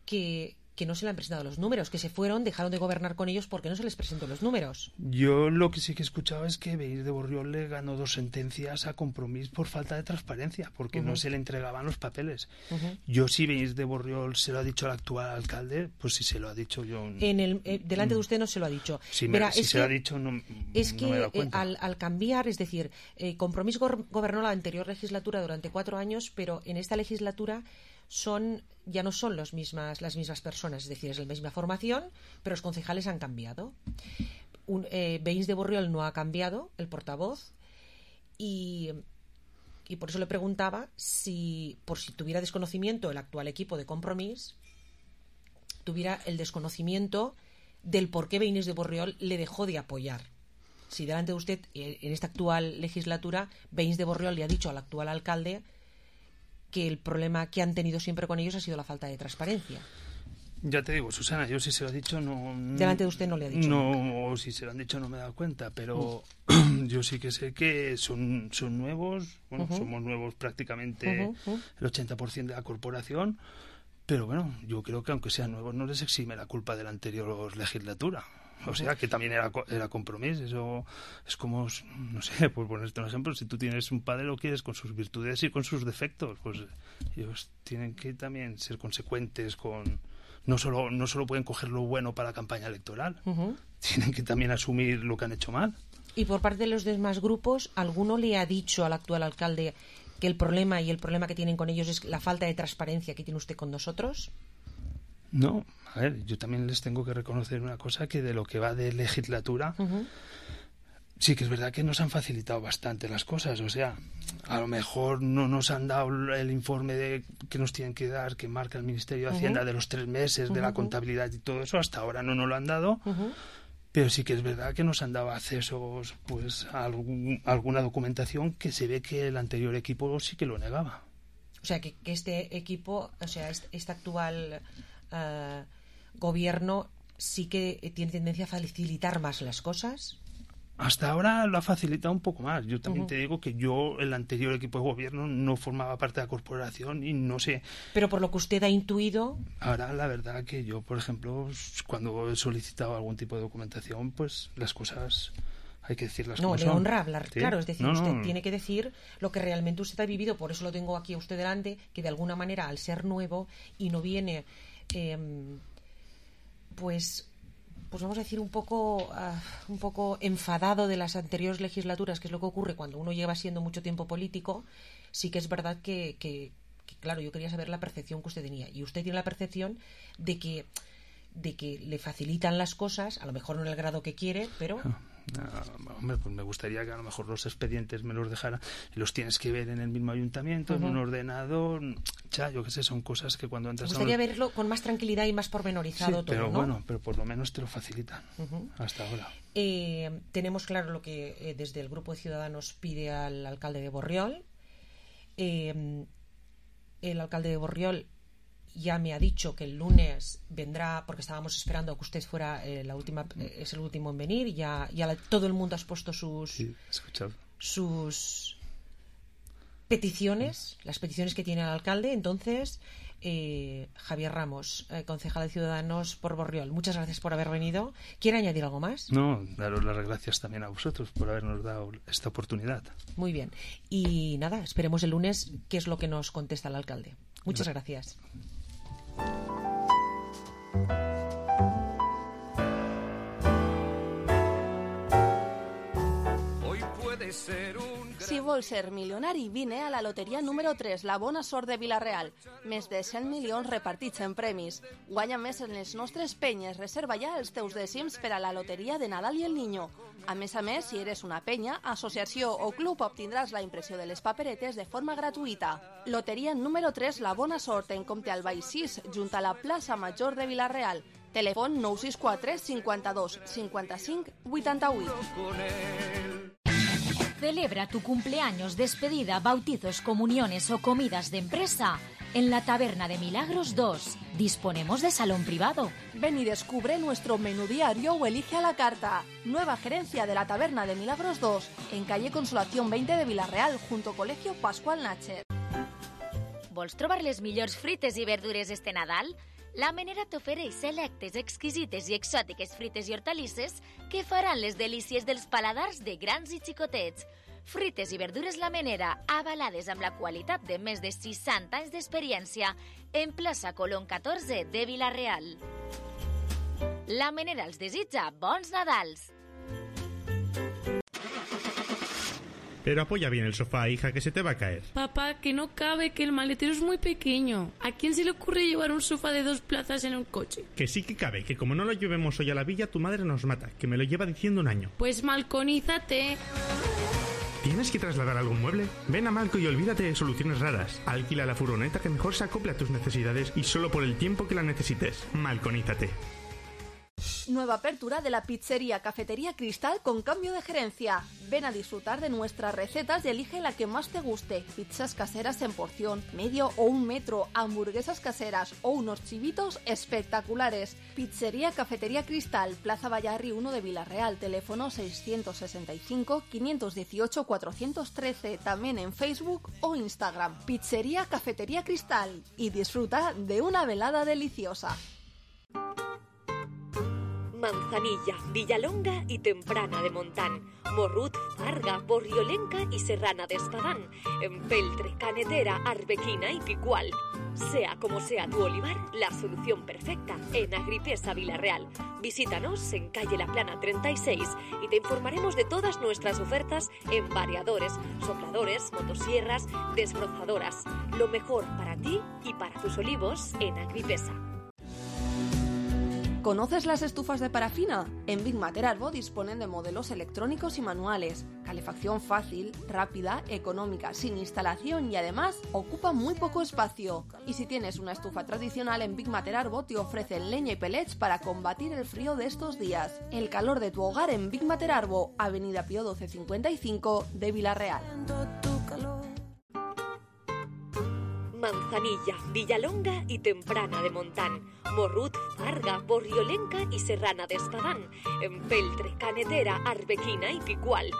que, que no se le han presentado los números, que se fueron, dejaron de gobernar con ellos porque no se les presentó los números. Yo lo que sí que he escuchado es que Veïns de Borriol le ganó dos sentencias a Compromís por falta de transparencia, porque uh-huh. no se le entregaban los papeles. Uh-huh. Yo si Veïns de Borriol se lo ha dicho al actual alcalde, pues si se lo ha dicho yo... En el, eh, delante de usted no se lo ha dicho. Si, me, Verá, si se que, lo ha dicho no, es no que, me he dado cuenta. Eh, al, al cambiar, es decir, eh, Compromís go- gobernó la anterior legislatura durante cuatro años, pero en esta legislatura son ya no son los mismas, las mismas personas, es decir, es la misma formación, pero los concejales han cambiado. Un, eh, Veïns de Borriol no ha cambiado, el portavoz, y, y por eso le preguntaba si, por si tuviera desconocimiento el actual equipo de Compromís, tuviera el desconocimiento del por qué Veïns de Borriol le dejó de apoyar. Si delante de usted, en esta actual legislatura, Veïns de Borriol le ha dicho al actual alcalde que el problema que han tenido siempre con ellos ha sido la falta de transparencia. Ya te digo, Susana, yo si se lo he dicho no... Delante de usted no le ha dicho. No, o si se lo han dicho no me he dado cuenta, pero uh. yo sí que sé que son, son nuevos, bueno, uh-huh. somos nuevos prácticamente uh-huh. Uh-huh. el ochenta por ciento de la corporación, pero bueno, yo creo que aunque sean nuevos no les exime la culpa de la anterior legislatura. O sea, que también era, era Compromís. Eso es como, no sé, por ponerte un ejemplo, si tú tienes un padre, lo quieres con sus virtudes y con sus defectos, pues ellos tienen que también ser consecuentes con... No solo, no solo pueden coger lo bueno para la campaña electoral, uh-huh. tienen que también asumir lo que han hecho mal. Y por parte de los demás grupos, ¿alguno le ha dicho al actual alcalde que el problema y el problema que tienen con ellos es la falta de transparencia que tiene usted con nosotros? No, a ver, yo también les tengo que reconocer una cosa, que de lo que va de legislatura, uh-huh. sí que es verdad que nos han facilitado bastante las cosas. O sea, a lo mejor no nos han dado el informe de que nos tienen que dar, que marca el Ministerio de Hacienda, uh-huh. de los tres meses, uh-huh. de la contabilidad y todo eso. Hasta ahora no nos lo han dado, uh-huh. pero sí que es verdad que nos han dado accesos pues, a, algún, a alguna documentación que se ve que el anterior equipo sí que lo negaba. O sea, que, que este equipo, o sea, este, este actual... Uh, gobierno sí que tiene tendencia a facilitar más las cosas. Hasta ahora lo ha facilitado un poco más. Yo también Uh-huh. te digo que yo, el anterior equipo de gobierno, no formaba parte de la corporación y no sé. Pero por lo que usted ha intuido... Ahora, la verdad que yo, por ejemplo, cuando he solicitado algún tipo de documentación, pues las cosas... hay que decirlas no, como le son. honra hablar, ¿Sí? claro, es decir, no, usted no. tiene que decir lo que realmente usted ha vivido, por eso lo tengo aquí a usted delante, que de alguna manera, al ser nuevo y no viene... Eh, pues pues vamos a decir un poco uh, un poco enfadado de las anteriores legislaturas, que es lo que ocurre cuando uno lleva siendo mucho tiempo político. Sí que es verdad que, que, que claro, yo quería saber la percepción que usted tenía, y usted tiene la percepción de que de que le facilitan las cosas, a lo mejor no en el grado que quiere, pero... No, hombre, pues me gustaría que a lo mejor los expedientes me los dejaran y los tienes que ver en el mismo ayuntamiento, uh-huh. en un ordenador, ya, yo qué sé, son cosas que cuando entras... Me gustaría a un... verlo con más tranquilidad y más pormenorizado, sí, todo, pero ¿no? bueno, pero por lo menos te lo facilitan, uh-huh. hasta ahora. Eh, tenemos claro lo que eh, desde el Grupo de Ciudadanos pide al alcalde de Borriol. Eh, el alcalde de Borriol ya me ha dicho que el lunes vendrá, porque estábamos esperando a que usted fuera eh, la última, eh, es el último en venir, y ya, ya la, todo el mundo ha expuesto sus sí, escuchado. sus peticiones, las peticiones que tiene el alcalde. Entonces, eh, Javier Ramos, eh, concejal de Ciudadanos por Borriol. Muchas gracias por haber venido. ¿Quiere añadir algo más? No, daros las gracias también a vosotros por habernos dado esta oportunidad. Muy bien. Y nada, esperemos el lunes qué es lo que nos contesta el alcalde. Muchas gracias. Hoy puede ser un... Si vols ser milionari, vine a la loteria número tres, la bona sort de Vila-real. Més de cent milions repartits en premis. Guanya més en les nostres penyes. Reserva ja els teus dècims per a la loteria de Nadal i el Niño. A més a més, si eres una penya, associació o club, obtindràs la impressió de les paperetes de forma gratuïta. Loteria número tres, la bona sort, en compte al Baix sis, junt a la plaça Major de Vila-real. Telèfon nou sis quatre cinquanta-dos cinquanta-cinc vuitanta-vuit. Celebra tu cumpleaños, despedida, bautizos, comuniones o comidas de empresa en la Taberna de Milagros dos. Disponemos de salón privado. Ven y descubre nuestro menú diario o elige a la carta. Nueva gerencia de la Taberna de Milagros dos, en calle Consolación veinte de Vila-real, junto Colegio Pascual Nácher. Vols trobar les millors frites i verdures este Nadal? La Menera t'ofereix selectes, exquisites i exòtiques frites i hortalisses que faran les delícies dels paladars de grans i xicotets. Frites i verdures La Menera, avalades amb la qualitat de més de seixanta anys d'experiència, en plaça Colón catorze de Vila-real. La Menera els desitja bons Nadals! Pero apoya bien el sofá, hija, que se te va a caer. Papá, que no cabe, que el maletero es muy pequeño. ¿A quién se le ocurre llevar un sofá de dos plazas en un coche? Que sí que cabe, que como no lo llevemos hoy a la villa, tu madre nos mata, que me lo lleva diciendo un año. Pues malconízate. ¿Tienes que trasladar algún mueble? Ven a Malco y olvídate de soluciones raras. Alquila la furgoneta que mejor se acople a tus necesidades y solo por el tiempo que la necesites. Malconízate. Nueva apertura de la pizzería Cafetería Cristal con cambio de gerencia. Ven a disfrutar de nuestras recetas y elige la que más te guste. Pizzas caseras en porción, medio o un metro, hamburguesas caseras o unos chivitos espectaculares. Pizzería Cafetería Cristal, Plaza Vallarri uno de Vila-real, teléfono seiscientos sesenta y cinco, quinientos dieciocho, cuatrocientos trece, también en Facebook o Instagram. Pizzería Cafetería Cristal y disfruta de una velada deliciosa. Manzanilla, Villalonga y Temprana de Montán, Morrut, Farga, Borriolenca y Serrana de Espadán, Empeltre, Canetera, Arbequina y Picual. Sea como sea tu olivar, la solución perfecta en Agripesa Vila-real. Visítanos en calle La Plana treinta y seis y te informaremos de todas nuestras ofertas en variadores, sopladores, motosierras, desbrozadoras. Lo mejor para ti y para tus olivos en Agripesa. ¿Conoces las estufas de parafina? En Big Mater Arbo disponen de modelos electrónicos y manuales, calefacción fácil, rápida, económica, sin instalación y además ocupa muy poco espacio. Y si tienes una estufa tradicional, en Big Mater Arbo te ofrecen leña y pellets para combatir el frío de estos días. El calor de tu hogar en Big Mater Arbo, Avenida Pío doce cincuenta y cinco de Vila-real. Manzanilla, Villalonga y Temprana de Montán, Morrut, Farga, Borriolenca y Serrana de Espadán, Empeltre, Canetera, Arbequina y Picual.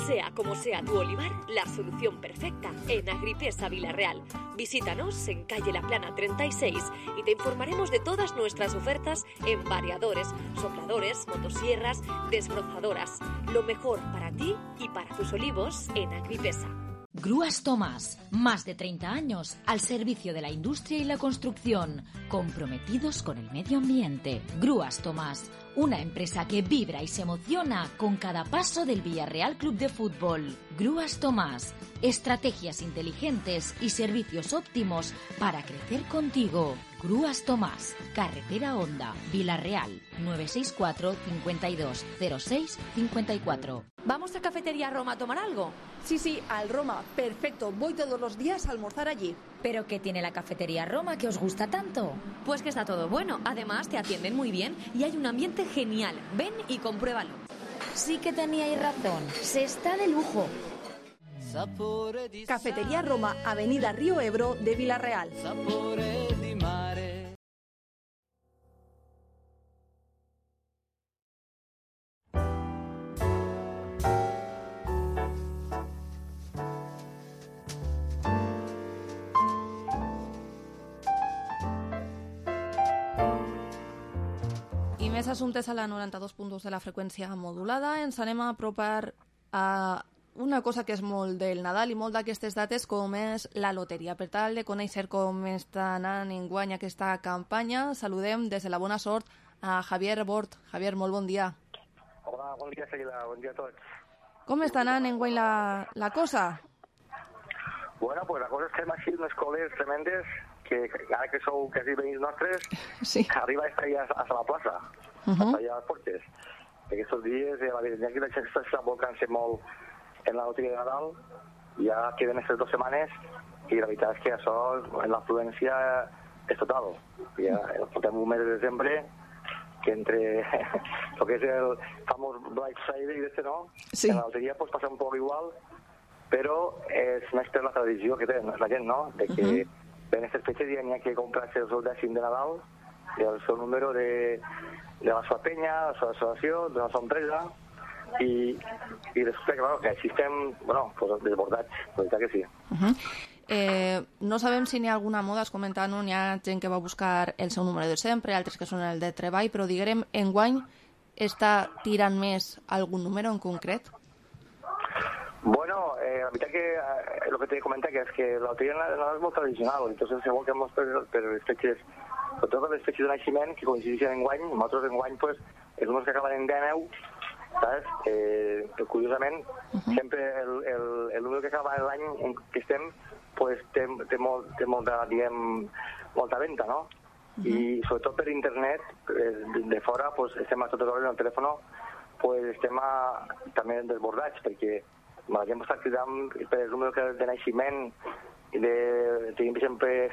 Sea como sea tu olivar, la solución perfecta en Agripesa Vila-real. Visítanos en calle La Plana treinta y seis y te informaremos de todas nuestras ofertas en variadores, sopladores, motosierras, desbrozadoras. Lo mejor para ti y para tus olivos en Agripesa. Grúas Tomás, más de treinta años al servicio de la industria y la construcción, comprometidos con el medio ambiente. Grúas Tomás, una empresa que vibra y se emociona con cada paso del Villarreal Club de Fútbol. Grúas Tomás, estrategias inteligentes y servicios óptimos para crecer contigo. Grúas Tomás, Carretera Honda, Vila-real, nueve seis cuatro, cincuenta y dos, cero seis, cincuenta y cuatro. ¿Vamos a Cafetería Roma a tomar algo? Sí, sí, al Roma. Perfecto, voy todos los días a almorzar allí. ¿Pero qué tiene la Cafetería Roma que os gusta tanto? Pues que está todo bueno. Además, te atienden muy bien y hay un ambiente genial. Ven y compruébalo. Sí que teníais razón. Se está de lujo. Cafetería Roma, Avenida Río Ebro de Vila-real. Més assumptes a la noranta-dos punt dos de la freqüència modulada. Ens anem a apropar a una cosa que és molt del Nadal i molt d'aquestes dates, com és la loteria. Per tal de conèixer com està anant enguany aquesta campanya, saludem des de la bona sort a Javier Bort. Javier, molt bon dia. Hola, bon dia, Seguida. Bon dia a tots. Com està anant enguany la, la cosa? Bueno, pues la cosa és que hem així unes coles tremendes que ara que sou quasi veïns nostres, sí. arriba a estar ja a la plaça, uh -huh. allà a les portes. Aquests dies, eh, la veritat que la gent està volcant-se molt en la loteria de Nadal, ja queden aquestes dues setmanes i la veritat és que això, en l'afluència, és total. Ja portem un mes de desembre que entre el que és el famós Black Friday i este no, sí. en la loteria pues, passa un poc igual, però és més per la tradició que té la gent, no? De que uh -huh. en aquestes fetges ja n'hi ha que comprar-se el seu dècim de Nadal, el seu número de, de la seva penya, de la seva associació, de la seva empresa, i, i després, claro, que així estem, bueno, pues, desbordats, la veritat que sí. Uh -huh. eh, no sabem si n'hi ha alguna moda, has comentat, no? N'hi ha gent que va buscar el seu número de sempre, altres que són el de treball, però diguem, enguany està tirant més algun número en concret? Bueno, eh, la veritat que eh, el que t'he comentat que és que la loteria no és molt tradicional, entonces segur que molts per, per les fetges, sobretot per les fetges de naixement, que coincideixen en guany, nosaltres en guany, pues, els números que acaben en deu, saps? Eh, curiosament, uh -huh. sempre el, el, el número que acaba l'any en què estem, pues, té, té, molt, té molta, diguem, molta venda, no? Uh -huh. I sobretot per internet, de, de fora, pues, estem a totes hores en el telèfon, pues, estem a, també desbordats, perquè la gent està cridant per el número de naixement i de, tenim sempre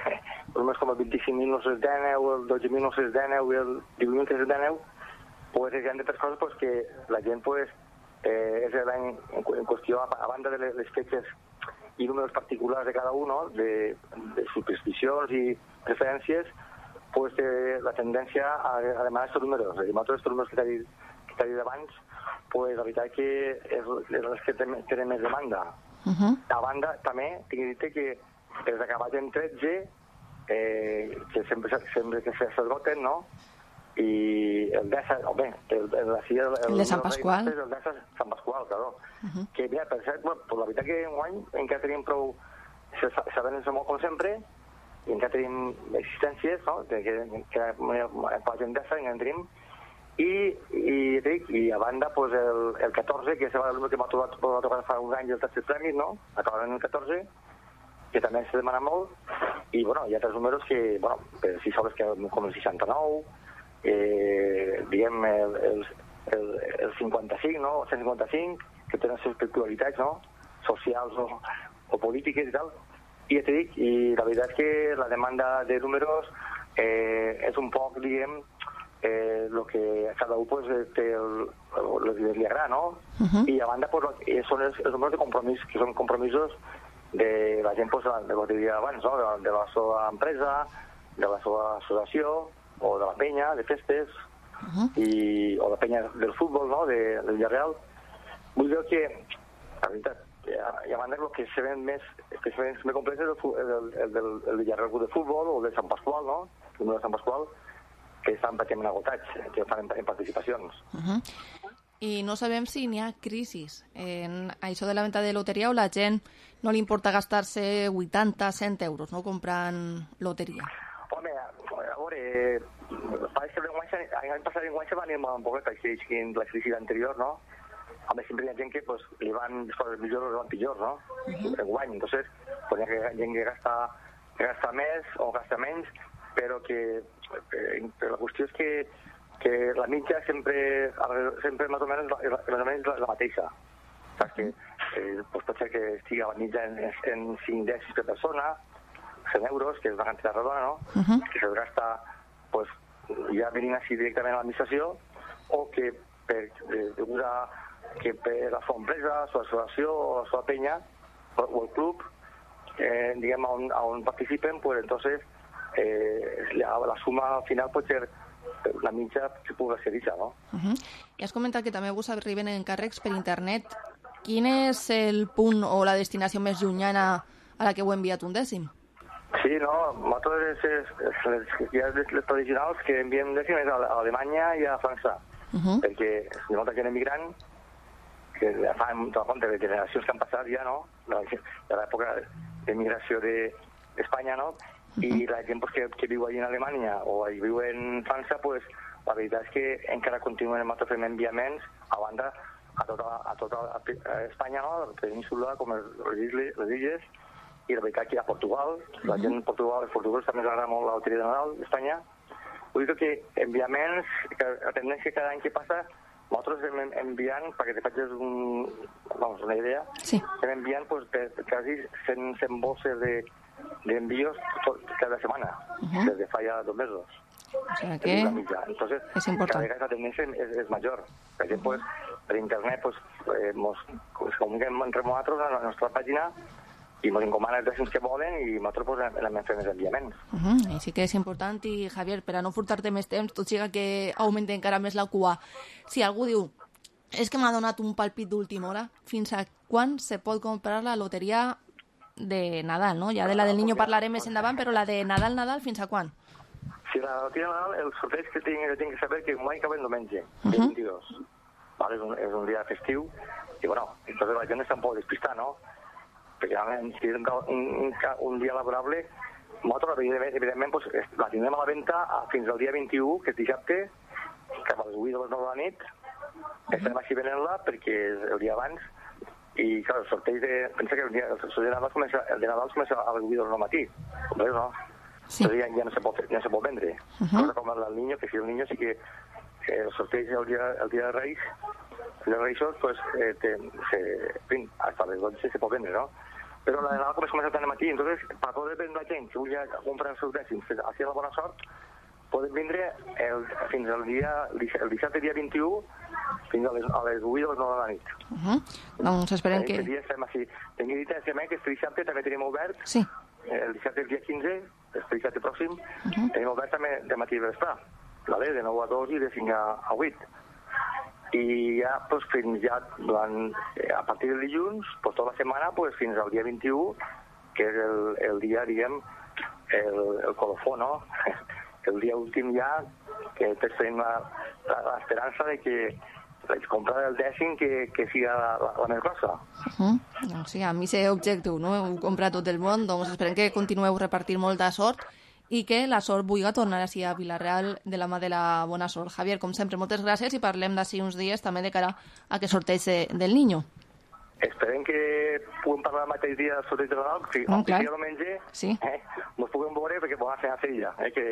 números com el vint-i-cinc mil nou-cents deu, el dotze mil nou-cents deu i el divuit mil tres-cents deu, pues hi ha d'altres coses pues, que la gent pues, eh, és l'any en, en qüestió, a, a banda de les, les fetges i números particulars de cada un, no? de, de supersticions i preferències, pues, eh, la tendència a, a demanar aquests números. I amb altres números que t'ha dit, que t'ha dit abans, pues, la veritat que és, és les que tenen més demanda. Uh -huh. A banda, també, tinc que dir que els acabats en tretze, eh, que sempre, sempre que s'esgoten, no? I el de Sant, home, el, el, el, el, el de Sant Pasqual. El de Sant Pasqual, claro. Uh -huh. Que, mira, per cert, bueno, pues la veritat que en guany encara tenim prou, sabent-se molt com sempre, i encara tenim existències, no? Que, que, que per la gent d'essa encara en tenim, i, i, dic, i a banda pues, el, el catorze, que és el número que m'ha tocat, tocat fa uns anys el tercer premi, no? Acabaran en el catorze, que també se demana molt, i bueno, hi ha altres números que, bueno, per si sabes que com el seixanta-nou, eh, diguem el, el, el, el cinquanta-cinc, no? El cent cinquanta-cinc, que tenen les seves peculiaritats, no? Socials o, o polítiques i tal. I ja t'he dit, i la veritat és que la demanda de números eh, és un poc, diguem, eh, lo que cada un pues, té el, el, el, li agrada, no? Uh -huh. I a banda pues, són els, els números de compromís, que són compromisos de la gent, pues, de lo que diria abans, no? De, de la seva empresa, de la seva associació, o de la penya, de festes, uh -huh. i, o la penya del futbol, no? De, del Villarreal. Vull dir que, la veritat, i a banda el que se ven més, que se ven més complex és el, el, el, el, el Villarreal de futbol o el de Sant Pasqual, no? El número de Sant Pasqual, que estan pràcticament agotats, que fan en, en participacions. Uh -huh. I no sabem si n'hi ha crisis en això de la venda de loteria o la gent no li importa gastar-se vuitanta, cent euros, no? Comprant loteria. Home, a veure, eh, pareix que l'any passat en guany se va anar un poc la crisi anterior, no? Home, sempre hi ha gent que pues, li van les coses millors o li van pitjors, no? Uh -huh. En guany, entonces, pues, hi ha gent que gasta, que gasta més o gasta menys, però que eh, però la qüestió és que, que la mitja sempre, sempre més o menys la, més o menys la, la mateixa. Saps que eh, pues, pot ser que estigui la mitja en, en cinc dècims per persona, cent euros, que és una quantitat redona, no? Uh -huh. Que se'ls gasta pues, ja venint així directament a l'administració, o que per, eh, degut a que per la seva empresa, la seva associació o la seva penya o, o el club, eh, diguem, on, on participen, pues entonces eh, la, la suma final pot ser la mitja que pugui ser això, no? Uh -huh. I has comentat que també us arriben encàrrecs per internet. Quin és el punt o la destinació més llunyana a la que heu enviat un dècim? Sí, no, nosaltres és, és, les, ja les, les tradicionals que enviem de és a Alemanya i a França, uh-huh. perquè és molta gent emigrant que ja fa tota compte de generacions que han passat ja, no? De l'època d'emigració d'Espanya, no? Uh-huh. I la gent pues, que, que viu allà en Alemanya o hi viu en França, pues, la veritat és que encara continuen nosaltres fent enviaments a banda a tota, a tota Espanya, no? La península, com les illes, les illes i la veritat que a Portugal, la gent en Portugal, els portuguesos també els agrada molt la loteria de Nadal d'Espanya. Vull dir que enviaments, que la tendència cada any que passa, nosaltres hem enviant, perquè te facis un, vamos, una idea, sí. Estem enviant pues, de, de quasi cent, cent bolses de, d'envíos tot, cada setmana, uh-huh. Des de fa ja dos mesos. O sea que Entonces, es importante. Cada vegada la tendencia es, es mayor. Per exemple, pues, per internet, pues, eh, mos, pues, comuniquem entre nosaltres a la nostra pàgina i ens encomanen els que volen i nosaltres pues, anem fent els enviaments. Uh-huh. I sí que és important i, Javier, per a no furtar-te més temps, tot siga que augmenti encara més la cua. Si algú diu, és que m'ha donat un palpit d'última hora, fins a quan se pot comprar la loteria de Nadal, no? Ja de la del Niño parlarem més endavant, però la de Nadal, Nadal, fins a quan? Si la loteria de Nadal, el sorteig que tinc, que tinc que saber que mai acaba el diumenge, uh-huh. el vint-i-dos. Vale, és, un, és un dia festiu, i bueno, entonces la gent està un poc despistada, no? Perquè si és un, un, un dia laborable, nosaltres, evidentment, evidentment pues, la tindrem a la venda fins al dia vint-i-u, que és dissabte, cap a les vuit de les nou de la nit, estem així venent-la perquè és el dia abans, i clar, el sorteig de... Pensa que el, dia, el sorteig de Nadal comença, el de Nadal comença a les vuit de les nou del matí, com veus, no? Sí. Ja, ja no se pot, no se pot vendre. Uh-huh. Com el niño, que si el niño sí que eh, el sorteig el dia, el dia de Reis, el dia de Reis, pues, eh, te, se, en fin, hasta les dotze se pot vendre, no? Però la de Nadal comença tant al matí, entonces, per poder vendre la gent que vulgui comprar els seus dècims, així la bona sort, poden vindre el, fins al dia, el dissabte dia vint-i-u, fins a les, a les vuit de les nou de la nit. Uh-huh. Doncs esperem que... Aquest dia estem així. Tinc dit també que este dissabte també tenim obert, sí. El dissabte el dia quinze, este dissabte pròxim, uh-huh. Tenim obert també de matí i vespre, vale? De nou a dos i de cinc a, a vuit. I ja, pues, fins ja, durant, eh, a partir del dilluns, pues, tota la setmana, pues, fins al dia vint-i-u, que és el, el dia, diguem, el, el colofó, no? El dia últim ja, que tots tenim l'esperança de que la compra del dècim que, que sigui la, la, la més grossa. Uh-huh. O sigui, a mi és objectiu, no? Heu comprat tot el món, doncs esperem que continueu repartint molta sort i que la sort vulgui tornar així a Vilareal de la mà de la bona sort. Javier, com sempre, moltes gràcies i parlem d'ací uns dies també de cara a que sorteig de, del Niño. Esperem que puguem parlar el mateix dia del sorteig de Nadal, si oh, el diumenge sí. eh, ens puguem veure perquè podem fer a Sevilla, eh, que,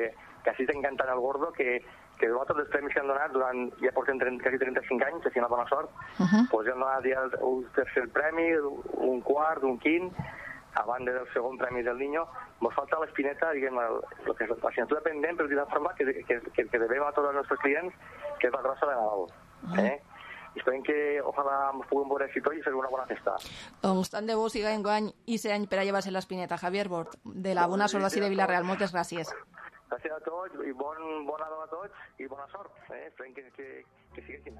que així t'encantant el gordo, que, que nosaltres els premis que han donat durant, ja portem trenta, quasi trenta-cinc anys, que si una bona sort, uh-huh. Pues ja han donat ja un tercer premi, un quart, un quint, a banda del segon premi del Niño, ens falta l'espineta, diguem, el, el que és l'assignatura pendent, però d'una forma que, que, que, que devem a tots els nostres clients, que és la grossa de Nadal. Eh? I esperem que, ojalà, ens puguem veure així tot i fer una bona festa. Doncs tant de bo siga enguany i ser any per a llevar-se l'espineta. Javier Bort, de la bona sort d'ací de Vilareal, moltes gràcies. Gràcies a tots i bon, bon Nadal a tots i bona sort. Eh? Esperem que, que, que sigui així.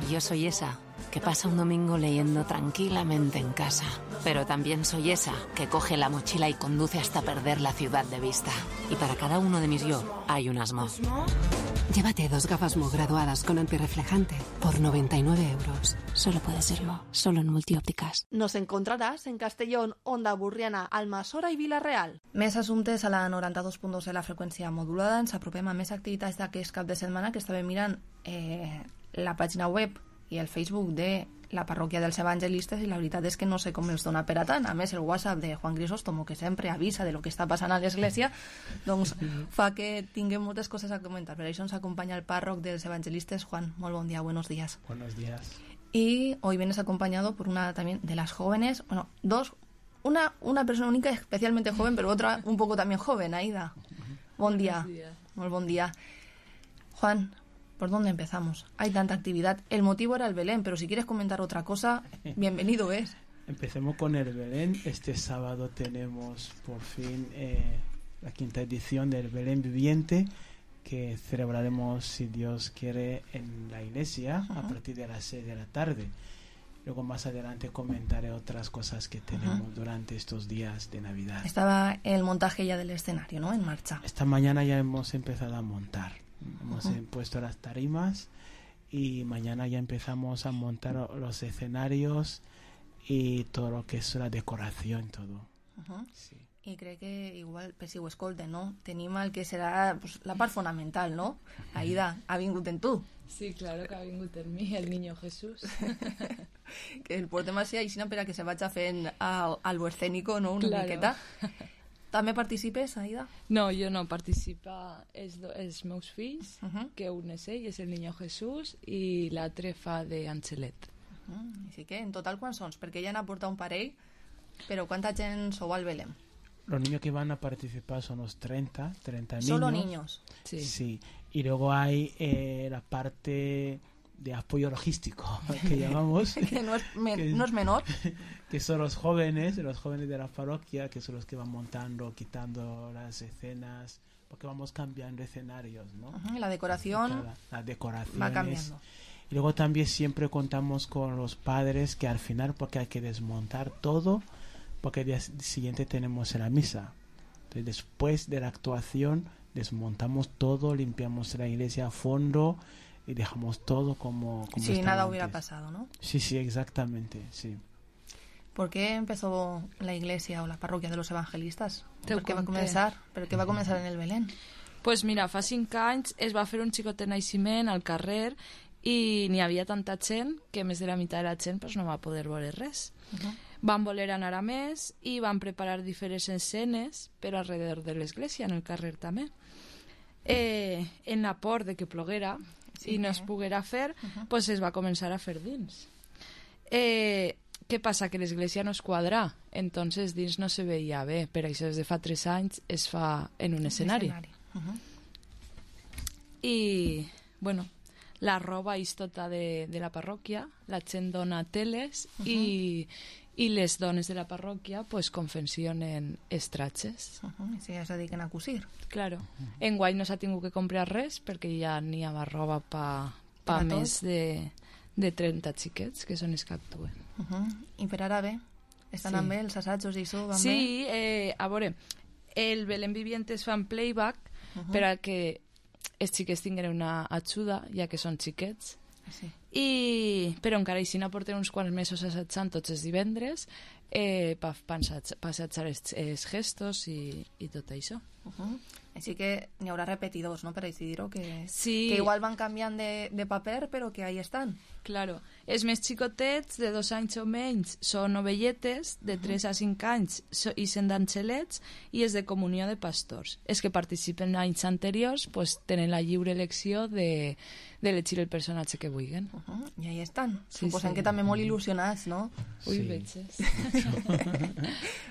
Yo soy esa que pasa un domingo leyendo tranquilamente en casa, pero también soy esa que coge la mochila y conduce hasta perder la ciudad de vista. Y para cada uno de mis yo hay un Asmo. Llévate dos gafas Mo graduadas con antirreflejante por noventa y nueve euros. Solo puede ser Mo, solo en Multiópticas. Nos encontrarás en Castellón, Onda Burriana, Almassora i Vila-real. Més assumptes a la noranta-dos punt dos de la freqüència modulada. Ens apropem a més activitats d'aquest cap de setmana, que estàvem mirant eh, la pàgina web i el Facebook de la parròquia dels evangelistes, i la veritat és que no sé com els dona per a tant. A més, el WhatsApp de Juan Crisóstomo, que sempre avisa de lo que està passant a l'església, doncs fa que tinguem moltes coses a comentar. Per això ens acompanya el párroc dels evangelistes. Juan, molt bon dia, buenos días. Buenos días. Y hoy vienes acompañado por una también de las jóvenes, bueno, dos, una, una persona única especialmente joven, pero otra un poco también joven, Aida. Bon día. Muy buen día. Juan, ¿por dónde empezamos? Hay tanta actividad. El motivo era el Belén, pero si quieres comentar otra cosa, bienvenido es. Empecemos con el Belén. Este sábado tenemos por fin eh, la quinta edición del Belén Viviente, que celebraremos, si Dios quiere, en la iglesia, uh-huh, a partir de las seis de la tarde. luego más adelante comentaré otras cosas que tenemos uh-huh. durante estos días de Navidad. Estaba el montaje ya del escenario, ¿no? En marcha. Esta mañana ya hemos empezado a montar. Hemos uh-huh. puesto las tarimas y mañana ya empezamos a montar los escenarios y todo lo que es la decoración, todo. Uh-huh. Sí. I crec que igual, per si ho escolten, no? Tenim el que serà pues, la part fonamental, no? Aida, ha vingut en tu. Sí, claro que ha vingut en mi, el niño Jesús. Que el portem així, així per a que se vagi fent al, al escénico, no? Una claro. miqueta. També participes, Aida? No, jo no, participa els, els meus fills, uh-huh. que un és ell, és el niño Jesús, i l'altre fa d'Angelet. Uh-huh. Així que, en total, quants sons? Perquè ja n'ha portat un parell, però quanta gent sou al Belén? Los niños que van a participar son los treinta, treinta niños. Solo niños. Sí. Sí. Y luego hay eh, la parte de apoyo logístico, que llamamos. que, no es, me, que no es menor. Que son los jóvenes, los jóvenes de la parroquia, que son los que van montando, quitando las escenas, porque vamos cambiando escenarios, ¿no? Uh-huh. La decoración. La, la decoración va cambiando. Y luego también siempre contamos con los padres que al final, porque hay que desmontar todo, porque el día siguiente tenemos la misa. Entonces, después de la actuación desmontamos todo, limpiamos la iglesia a fondo y dejamos todo como, como si nada antes. Hubiera pasado, ¿no? Sí, sí, exactamente, sí. ¿Por qué empezó la iglesia o la parroquia de los evangelistas? Te ¿Por qué va a comenzar? ¿Pero qué va a comenzar en el Belén? Pues mira, fa cinc anys es va fer un xicotet naixement al carrer i n'hi havia tanta gent que més de la meitat de la gent pues, no va poder veure res. Uh-huh. Van voler anar a més i van preparar diferents escenes per alrededor de l'església, en el carrer també. Eh, en la por de que ploguera sí, i no es poguera fer, uh-huh. pues es va començar a fer dins. Eh, què passa? Que l'església no es quadra, entonces dins no se veia bé, per això des de fa tres anys es fa en un escenari. escenari. Uh-huh. I, bueno, la roba és tota de, de la parròquia, la gent dona teles uh-huh. i, i les dones de la parròquia pues, confeccionen estratges. Uh-huh. I si ja es dediquen a cosir. Claro. Uh-huh. Enguany no s'ha tingut que comprar res perquè ja n'hi ha roba pa, pa més de, de trenta xiquets que són els que actuen. Uh-huh. I per ara bé? Estan sí. amb bé els assajos i això? Van sí, bé? eh, a veure, el Belén Viviente es fa en playback uh-huh. per a que els xiquets tinguin una ajuda, ja que són xiquets. Sí. I, però encara així no porten uns quants mesos assajant tots els divendres eh, per pa assajar els, els gestos i, i tot això. Uh-huh. Així que n'hi haurà repetidors, no?, per així dir-ho, que, sí. que igual van canviant de, de paper, però que ahí estan. Claro. Els més xicotets, de dos anys o menys, són ovelletes, de tres a cinc anys so, i sent d'angelets, i és de comunió de pastors. Els que participen anys anteriors pues, tenen la lliure elecció de, de elegir el personatge que vulguin. Uh-huh. I ahí estan. Sí, Suposem sí. que també molt il·lusionats, no? Ui, sí. Veges.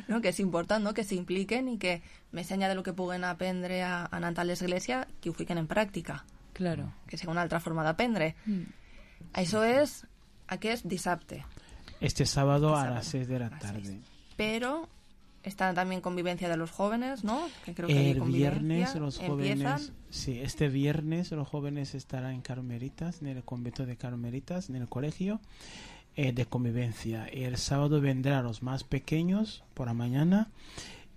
No, que és important, no?, que s'impliquen i que, més enllà de lo que puguen aprendre a, a anar a l'església, que ho fiquen en pràctica. Claro. Que sigui una altra forma d'aprendre. Mm. Això és aquest dissabte. Este sábado a las seis de la tarde. Pero está también convivencia de los jóvenes, ¿no? Que creo que el viernes los jóvenes, empiezan. Sí, este viernes los jóvenes estarán en Carmelitas, en el convento de Carmelitas, en el colegio eh, de convivencia. Y el sábado vendrán los más pequeños por la mañana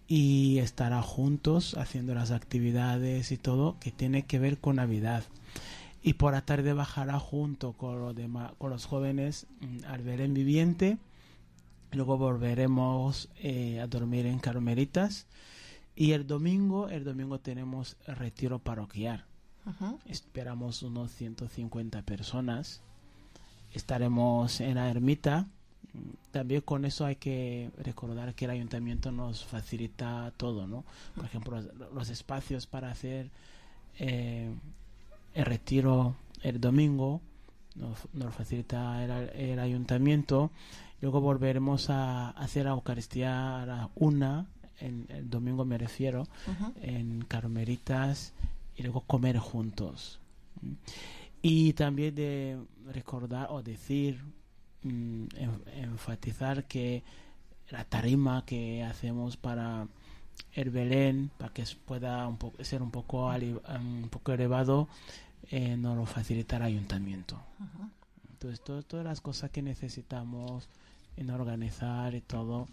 y estará juntos haciendo las actividades y todo que tiene que ver con Navidad. Y por la tarde bajará junto con los demás, con los jóvenes mmm, al Belén Viviente. Luego volveremos eh, a dormir en Carmelitas. Y el domingo, el domingo tenemos el retiro parroquial. Uh-huh. Esperamos unos ciento cincuenta personas. Estaremos en la ermita. También con eso hay que recordar que el ayuntamiento nos facilita todo, ¿no? Por ejemplo, los, los espacios para hacer eh, el retiro el domingo nos, nos facilita el, el ayuntamiento. Luego volveremos a hacer la Eucaristía a la una, en, el domingo me refiero, uh-huh. en Carmelitas, y luego comer juntos. Y también de recordar o decir, mm, enfatizar que la tarima que hacemos para el Belén, para que pueda un po- ser un poco, ali- un poco elevado, eh, nos lo facilita el ayuntamiento. Uh-huh. Entonces, todo, todas las cosas que necesitamos en organizar y todo,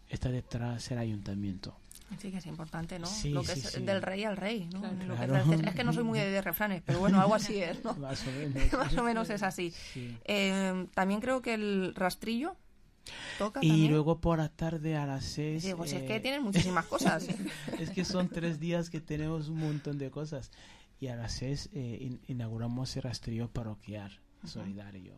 está detrás el ayuntamiento. Sí, que es importante, ¿no? Sí, lo que sí, es sí. del rey al rey, ¿no? Claro. Lo que Claro. es, es que no soy muy de, de refranes, pero bueno, algo así es, ¿no? Más o menos. Más o menos es así. Sí. Eh, también creo que el rastrillo toca Y también. luego por la tarde a las seis... Digo, si es que eh, tienen muchísimas cosas. Es que son tres días que tenemos un montón de cosas. Y a las seis eh, in- inauguramos el rastrillo parroquial solidario.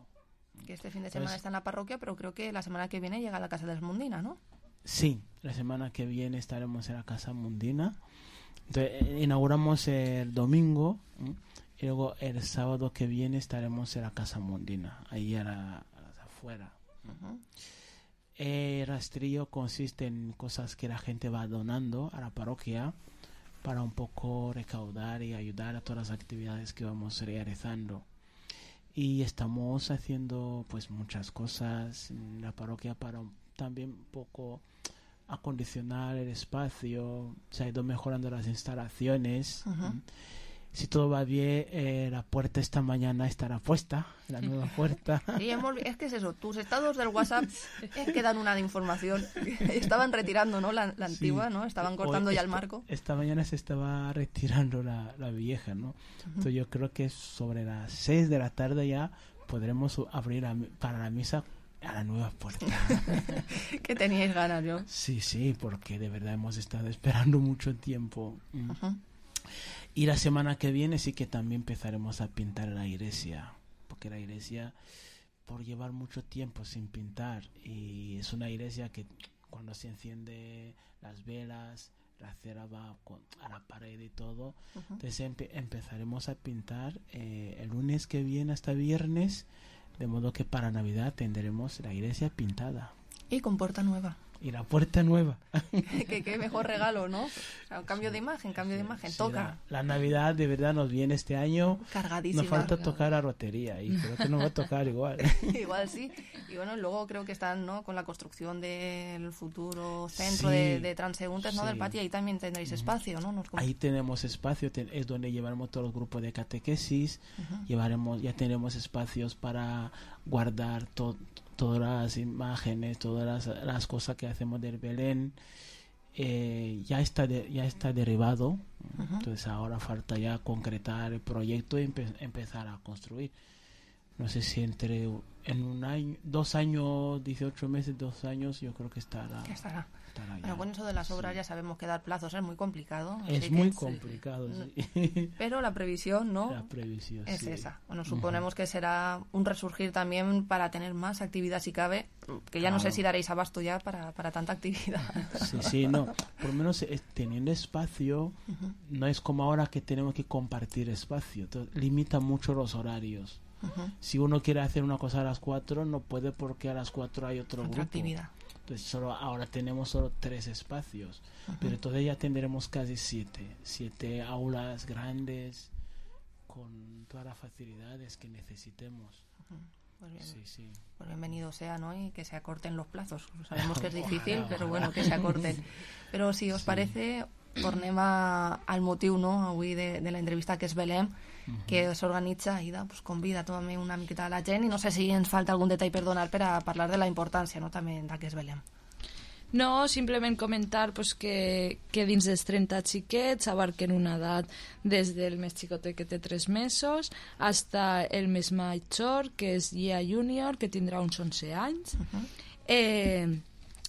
Que este fin de semana Pues- está en la parroquia, pero creo que la semana que viene llega a la Casa de las Mundinas, ¿no? Sí, la semana que viene estaremos en la Casa Mundina. Entonces, eh, inauguramos el domingo, ¿m? Y luego el sábado que viene estaremos en la Casa Mundina, ahí a la, a las afuera. Ujú. El rastrillo consiste en cosas que la gente va donando a la parroquia para un poco recaudar y ayudar a todas las actividades que vamos realizando. Y estamos haciendo pues muchas cosas en la parroquia para un- también un poco acondicionar el espacio. Se ha ido mejorando las instalaciones. Ujú. Si todo va bien, eh, la puerta esta mañana estará puesta, la nueva puerta. Sí, hemos- es que es eso, tus estados del WhatsApp es que dan una de información. Estaban retirando, ¿no? La, la antigua, Sí. ¿no? Estaban cortando Hoy ya el esta- marco. Esta mañana se estaba retirando la, la vieja, ¿no? Entonces yo creo que sobre las seis de la tarde ya podremos u- abrir la mi- para la misa a la nueva puerta. Que teníais ganas, yo. Sí, sí, porque de verdad hemos estado esperando mucho tiempo. Mm. Ujú. Y la semana que viene sí que también empezaremos a pintar la iglesia, porque la iglesia, por llevar mucho tiempo sin pintar, y es una iglesia que cuando se enciende las velas, la cera va con- a la pared y todo, Ujú. entonces empe- empezaremos a pintar eh, el lunes que viene hasta viernes, de modo que para Navidad tendremos la iglesia pintada Y con puerta nueva. y la puerta nueva. que qué mejor regalo, ¿no? O sea, un cambio de imagen, cambio de imagen. Sí, Toca. La, la Navidad de verdad nos viene este año. Cargadísima. Nos falta tocar la rotería y creo que nos va a tocar igual. Igual sí. Y bueno, luego creo que están, ¿no? Con la construcción del futuro centro Sí, de, de transeúntes, ¿no? sí. Del patio. Ahí también tendréis espacio, ¿no? Nos com- Ahí tenemos espacio, te- es donde llevaremos todos los grupos de catequesis. Ujú. Llevaremos, ya tenemos espacios para guardar to- todas las imágenes, todas las, las cosas que hacemos del Belén. Eh, ya está de- ya está derribado. Ujú. Entonces ahora falta ya concretar el proyecto y empe- empezar a construir. No sé si entre en un año, dos años, dieciocho meses, dos años, yo creo que estará. Que estará. estará ya. Bueno, con eso de las obras ya sabemos que dar plazos es muy complicado. Es así muy que- complicado, Mm. sí. Pero la previsión, ¿no? La previsión, es sí. esa. Bueno, suponemos que será un resurgir también para tener más actividad si cabe, que ya no sé Claro. si daréis abasto ya para, para tanta actividad. Sí, sí, no. Por lo menos eh, teniendo espacio, Ujú. no es como ahora que tenemos que compartir espacio. Entonces, limita mucho los horarios. Ujú. Si uno quiere hacer una cosa a las cuatro, no puede porque a las cuatro hay otro Otra grupo. actividad. Entonces, solo, ahora tenemos solo tres espacios. Ujú. Pero entonces ya tendremos casi siete. Siete aulas grandes con todas las facilidades que necesitemos. Pues bien. Sí, sí. Pues bienvenido sea, ¿no? Y que se acorten los plazos. Sabemos que es Ojalá, difícil, ojalá. pero bueno, que se acorten. Pero si os Sí. parece, tornem a, al motiu, no?, avui de, de la entrevista, que és Belém, que s'organitza i pues, convida també una miqueta a la gent, i no sé si ens falta algun detall per donar per a parlar de la importància, no?, també de què és Belém. No, simplement comentar pues, que, que dins dels trenta xiquets abarquen una edat des del més xicotet que té tres mesos hasta el més major, que és Gia Junior, que tindrà uns onze anys. Uh-huh. Eh,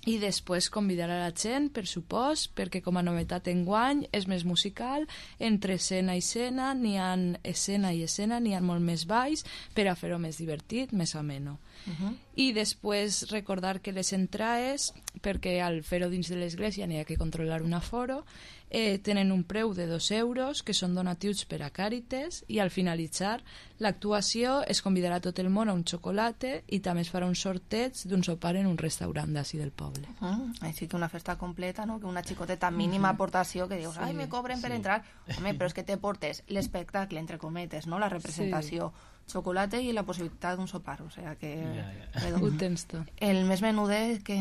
i després convidar a la gent, per supost, perquè com a novetat enguany és més musical, entre escena i escena, n'hi ha escena i escena, n'hi ha molt més balls per a fer-ho més divertit, més ameno. Uh-huh. I després recordar que les entrades, perquè al fer-ho dins de l'església n'hi ha que controlar un aforo, eh, tenen un preu de dos euros, que són donatius per a Càritas, i al finalitzar l'actuació es convidarà tot el món a un xocolate i també es farà un sorteig d'un sopar en un restaurant d'ací del poble. Uh-huh. Així que una festa completa, no?, que una xicoteta mínima aportació que dius, ai, me cobren per Sí. entrar. Home, però és que te portes l'espectacle, entre cometes, no?, la representació, xocolate i la possibilitat d'un sopar, o sea que... Ja, redondo. Ho tens tot. El més menudet, que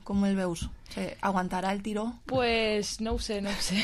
com el veus? O sigui, aguantarà el tiró? Pues no ho sé, no ho sé.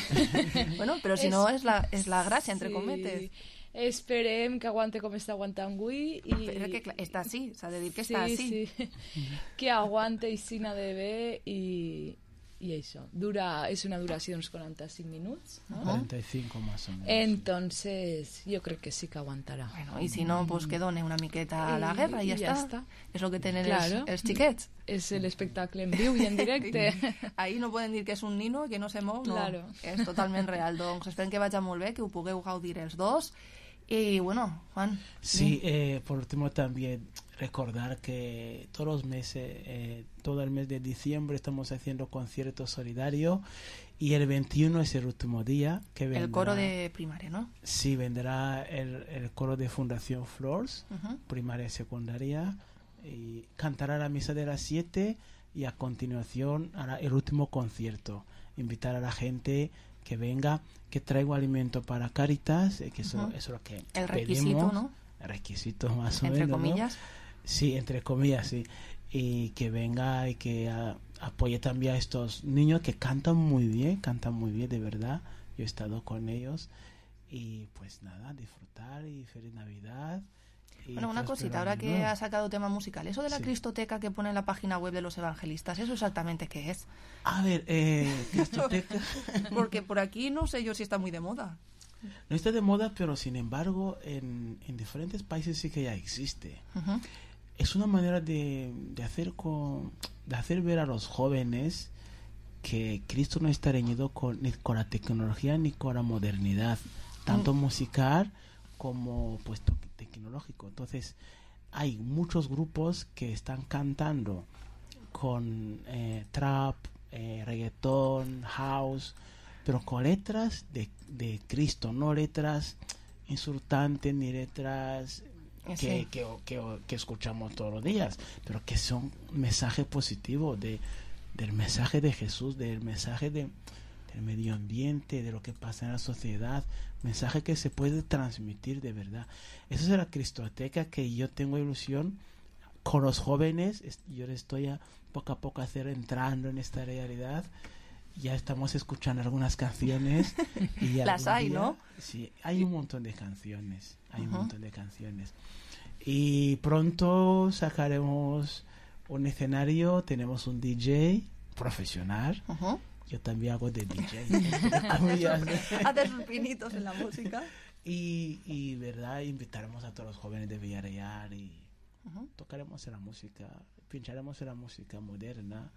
Bueno, però si És- no és la, és la gràcia, entre sí. cometes. Esperem que aguante com està aguantant avui. I... Però que clar, està així, s'ha de dir que està sí, així. Sí. Que aguante i sina de bé i, i això. Dura, és una duració d'uns quaranta-cinc minuts, ¿no? cuarenta y cinco más o menos. Entonces, yo creo que sí que aguantarà. Bueno, i si no, pues que done una miqueta a la guerra i ja, ja està. està. És el que tenen Claro. els, els xiquets. És l'espectacle en viu i en directe. Ahí no poden dir que és un nino i que no se mou, no. Claro. És totalment real. Doncs esperem que vagi molt bé, que ho pugueu gaudir els dos. Y bueno, Juan. Sí, eh, por último también recordar que todos los meses, eh, todo el mes de diciembre estamos haciendo conciertos solidarios y el veintiuno es el último día que vendrá. El coro de primaria, ¿no? Sí, vendrá el, el coro de Fundación Flores, Uh-huh. primaria y secundaria, y cantará la misa de las siete y a continuación hará el último concierto. Invitar a la gente que venga, que traiga alimento para Cáritas, eh, que eso, Uh-huh. eso es lo que El requisito, pedimos. ¿no? El requisito más o Entre menos, ¿no? comillas. Sí, entre comillas, sí. Y que venga y que a, apoye también a estos niños que cantan muy bien, cantan muy bien, de verdad. Yo he estado con ellos y pues nada, disfrutar y feliz Navidad. Y Bueno, una próspero cosita, ahora año que nuevo. ha sacado tema musical, eso de la Sí. Cristoteca que pone en la página web de los evangelistas, ¿eso exactamente qué es? A ver, eh, Cristoteca... Porque por aquí no sé yo si está muy de moda. No está de moda, pero sin embargo en, en diferentes países sí que ya existe. Uh-huh. Es una manera de, de hacer con, de hacer ver a los jóvenes que Cristo no está reñido con, ni con la tecnología ni con la modernidad, tanto Mm. musical como pues to- tecnológico. Entonces hay muchos grupos que están cantando con eh, trap, eh, reggaetón, house, pero con letras de, de Cristo, no letras insultantes ni letras que, Sí. que, que, que escuchamos todos los días, pero que son mensajes positivos de, del mensaje de Jesús, del mensaje de, del medio ambiente, de lo que pasa en la sociedad, mensaje que se puede transmitir de verdad. Esa es la Cristoteca que yo tengo ilusión con los jóvenes. es- Yo le estoy a, poco a poco a hacer entrando en esta realidad. Ya estamos escuchando algunas canciones y Las algún hay, día- ¿no? Sí, hay un montón de canciones, hay un Ujú. montón de canciones. Y pronto sacaremos un escenario, tenemos un D J profesional. Ujú. Yo también hago de D J. Comillas. Haces sus pinitos en la música. y, y, verdad, invitaremos a todos los jóvenes de Villarreal y Ujú. tocaremos en la música, pincharemos en la música moderna,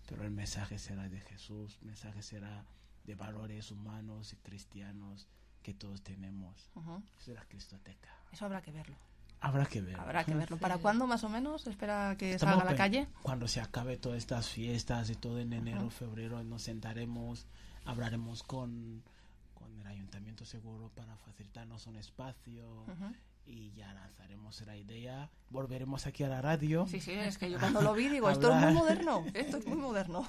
pero el mensaje será de Jesús, el mensaje será de valores humanos y cristianos que todos tenemos. Ujú. Esa es la Cristoteca. Eso habrá que verlo. Habrá que ver. Habrá que verlo. ¿Para cuándo más o menos? ¿Espera que Estamos salga a la pen- calle? Cuando se acabe todas estas fiestas y todo en enero, Ujú. febrero, nos sentaremos, hablaremos con, con el ayuntamiento seguro para facilitarnos un espacio Ujú. y ya lanzaremos la idea. Volveremos aquí a la radio. Sí, sí, es que yo cuando lo vi digo, esto es muy Hablar. moderno, esto es muy moderno.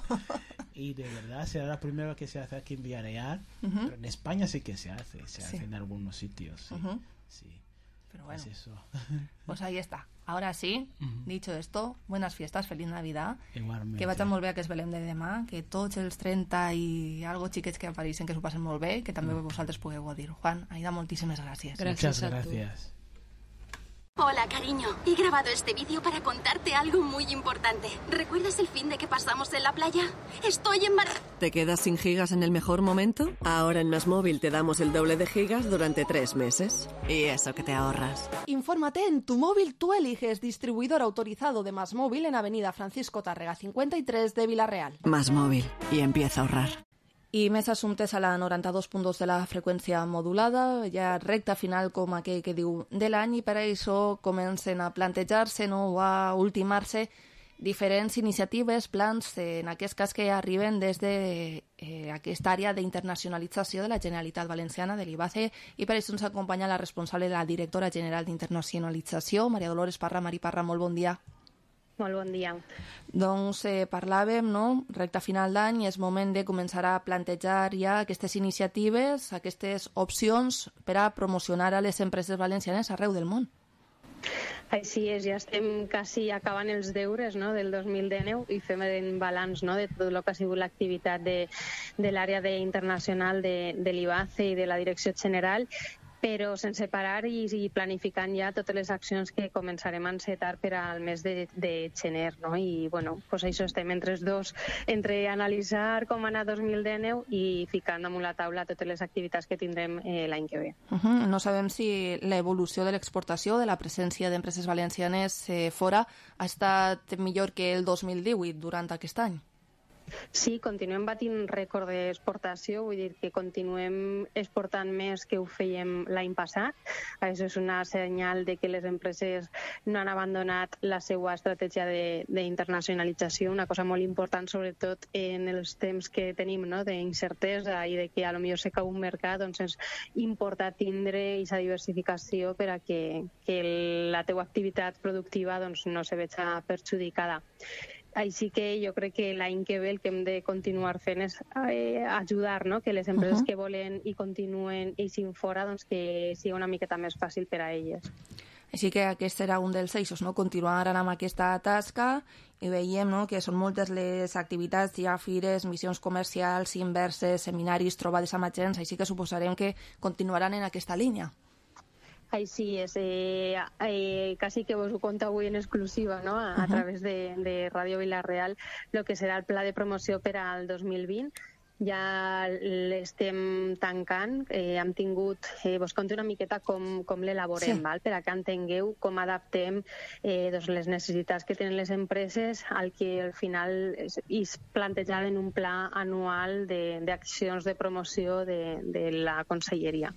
Y de verdad será la primera que se hace aquí en Villarreal, Ujú. pero en España sí que se hace, se Sí. hace en algunos sitios. Sí, Ujú. sí. Pero bueno, Pues eso. pues ahí está. Ahora sí, Ujú. dicho esto, buenas fiestas, feliz Navidad. Igualmente. Que vagi molt bé aquest Belém de demà, que tots els trenta i algo xiquets que apareixen que s'ho passen molt bé, que també vosaltres pugueu gaudir. Juan, Aida, moltíssimes gràcies. Muchas gracias. Hola, cariño. He grabado este vídeo para contarte algo muy importante. ¿Recuerdas el fin de que pasamos en la playa? Estoy embarazada. ¿Te quedas sin gigas en el mejor momento? Ahora en Más Móvil te damos el doble de gigas durante tres meses. Y eso que te ahorras. Infórmate en Tu Móvil Tú Eliges, distribuidor autorizado de Más Móvil en Avenida Francisco Tárrega cincuenta y tres de Vila-real. Más Móvil. Y empieza a ahorrar. I més assumptes a la noranta-dos punt dos de la freqüència modulada, ja recta final com aquell que diu de l'any, i per això comencen a plantejar-se, no, o a ultimar-se diferents iniciatives, plans, en aquest cas que arriben des de eh, aquesta àrea d'internacionalització de la Generalitat Valenciana, de l'I B A C E, i per això ens acompanya la responsable de la directora general d'internacionalització, Maria Dolores Parra. Mari Parra, molt bon dia. Molt bon dia. Doncs eh, parlàvem, no?, recta final d'any, és moment de començar a plantejar ja aquestes iniciatives, aquestes opcions per a promocionar a les empreses valencianes arreu del món. Així és, ja estem quasi acabant els deures, no?, del dos mil dinou i fem un balanç, no?, de tot el que ha sigut l'activitat de, de l'àrea de, internacional de, de l'I B A C E i de la Direcció General. però sense parar i, i planificant ja totes les accions que començarem a encetar per al mes de, de gener, no? I, bueno, pues això estem entre els dos, entre analitzar com anar dos mil dinou i ficant damunt la taula totes les activitats que tindrem eh, l'any que ve. Uh -huh. No sabem si l'evolució de l'exportació, de la presència d'empreses valencianes eh, fora, ha estat millor que el dos mil divuit durant aquest any. Sí, continuem batint rècord d'exportació, vull dir que continuem exportant més que ho fèiem l'any passat. Això és una senyal de que les empreses no han abandonat la seva estratègia d'internacionalització, una cosa molt important, sobretot en els temps que tenim, no?, d'incertesa i de que a lo millor se cau un mercat, doncs és important tindre aquesta diversificació per a que, que la teua activitat productiva doncs, no se veja perjudicada. Així que jo crec que l'any que ve el que hem de continuar fent és eh, ajudar, no?, que les empreses uh-huh. que volen i continuen eixint fora, doncs que sigui una miqueta més fàcil per a elles. Així que aquest serà un dels eixos, no?, continuar amb aquesta tasca, i veiem, no?, que són moltes les activitats, hi ha fires, missions comercials, inverses, seminaris, trobades amb agents, així que suposarem que continuaran en aquesta línia. Així és, eh, eh, quasi que vos ho conto avui en exclusiva, no?, a, a través de, de Ràdio Vila-real, el que serà el pla de promoció per al dos mil vint. Ja l'estem tancant, eh, hem tingut, eh, vos conto una miqueta com, com l'elaborem, sí. val? Per a que entengueu com adaptem eh, doncs les necessitats que tenen les empreses al que al final és, és plantejat en un pla anual d'accions de, de promoció de, de la conselleria.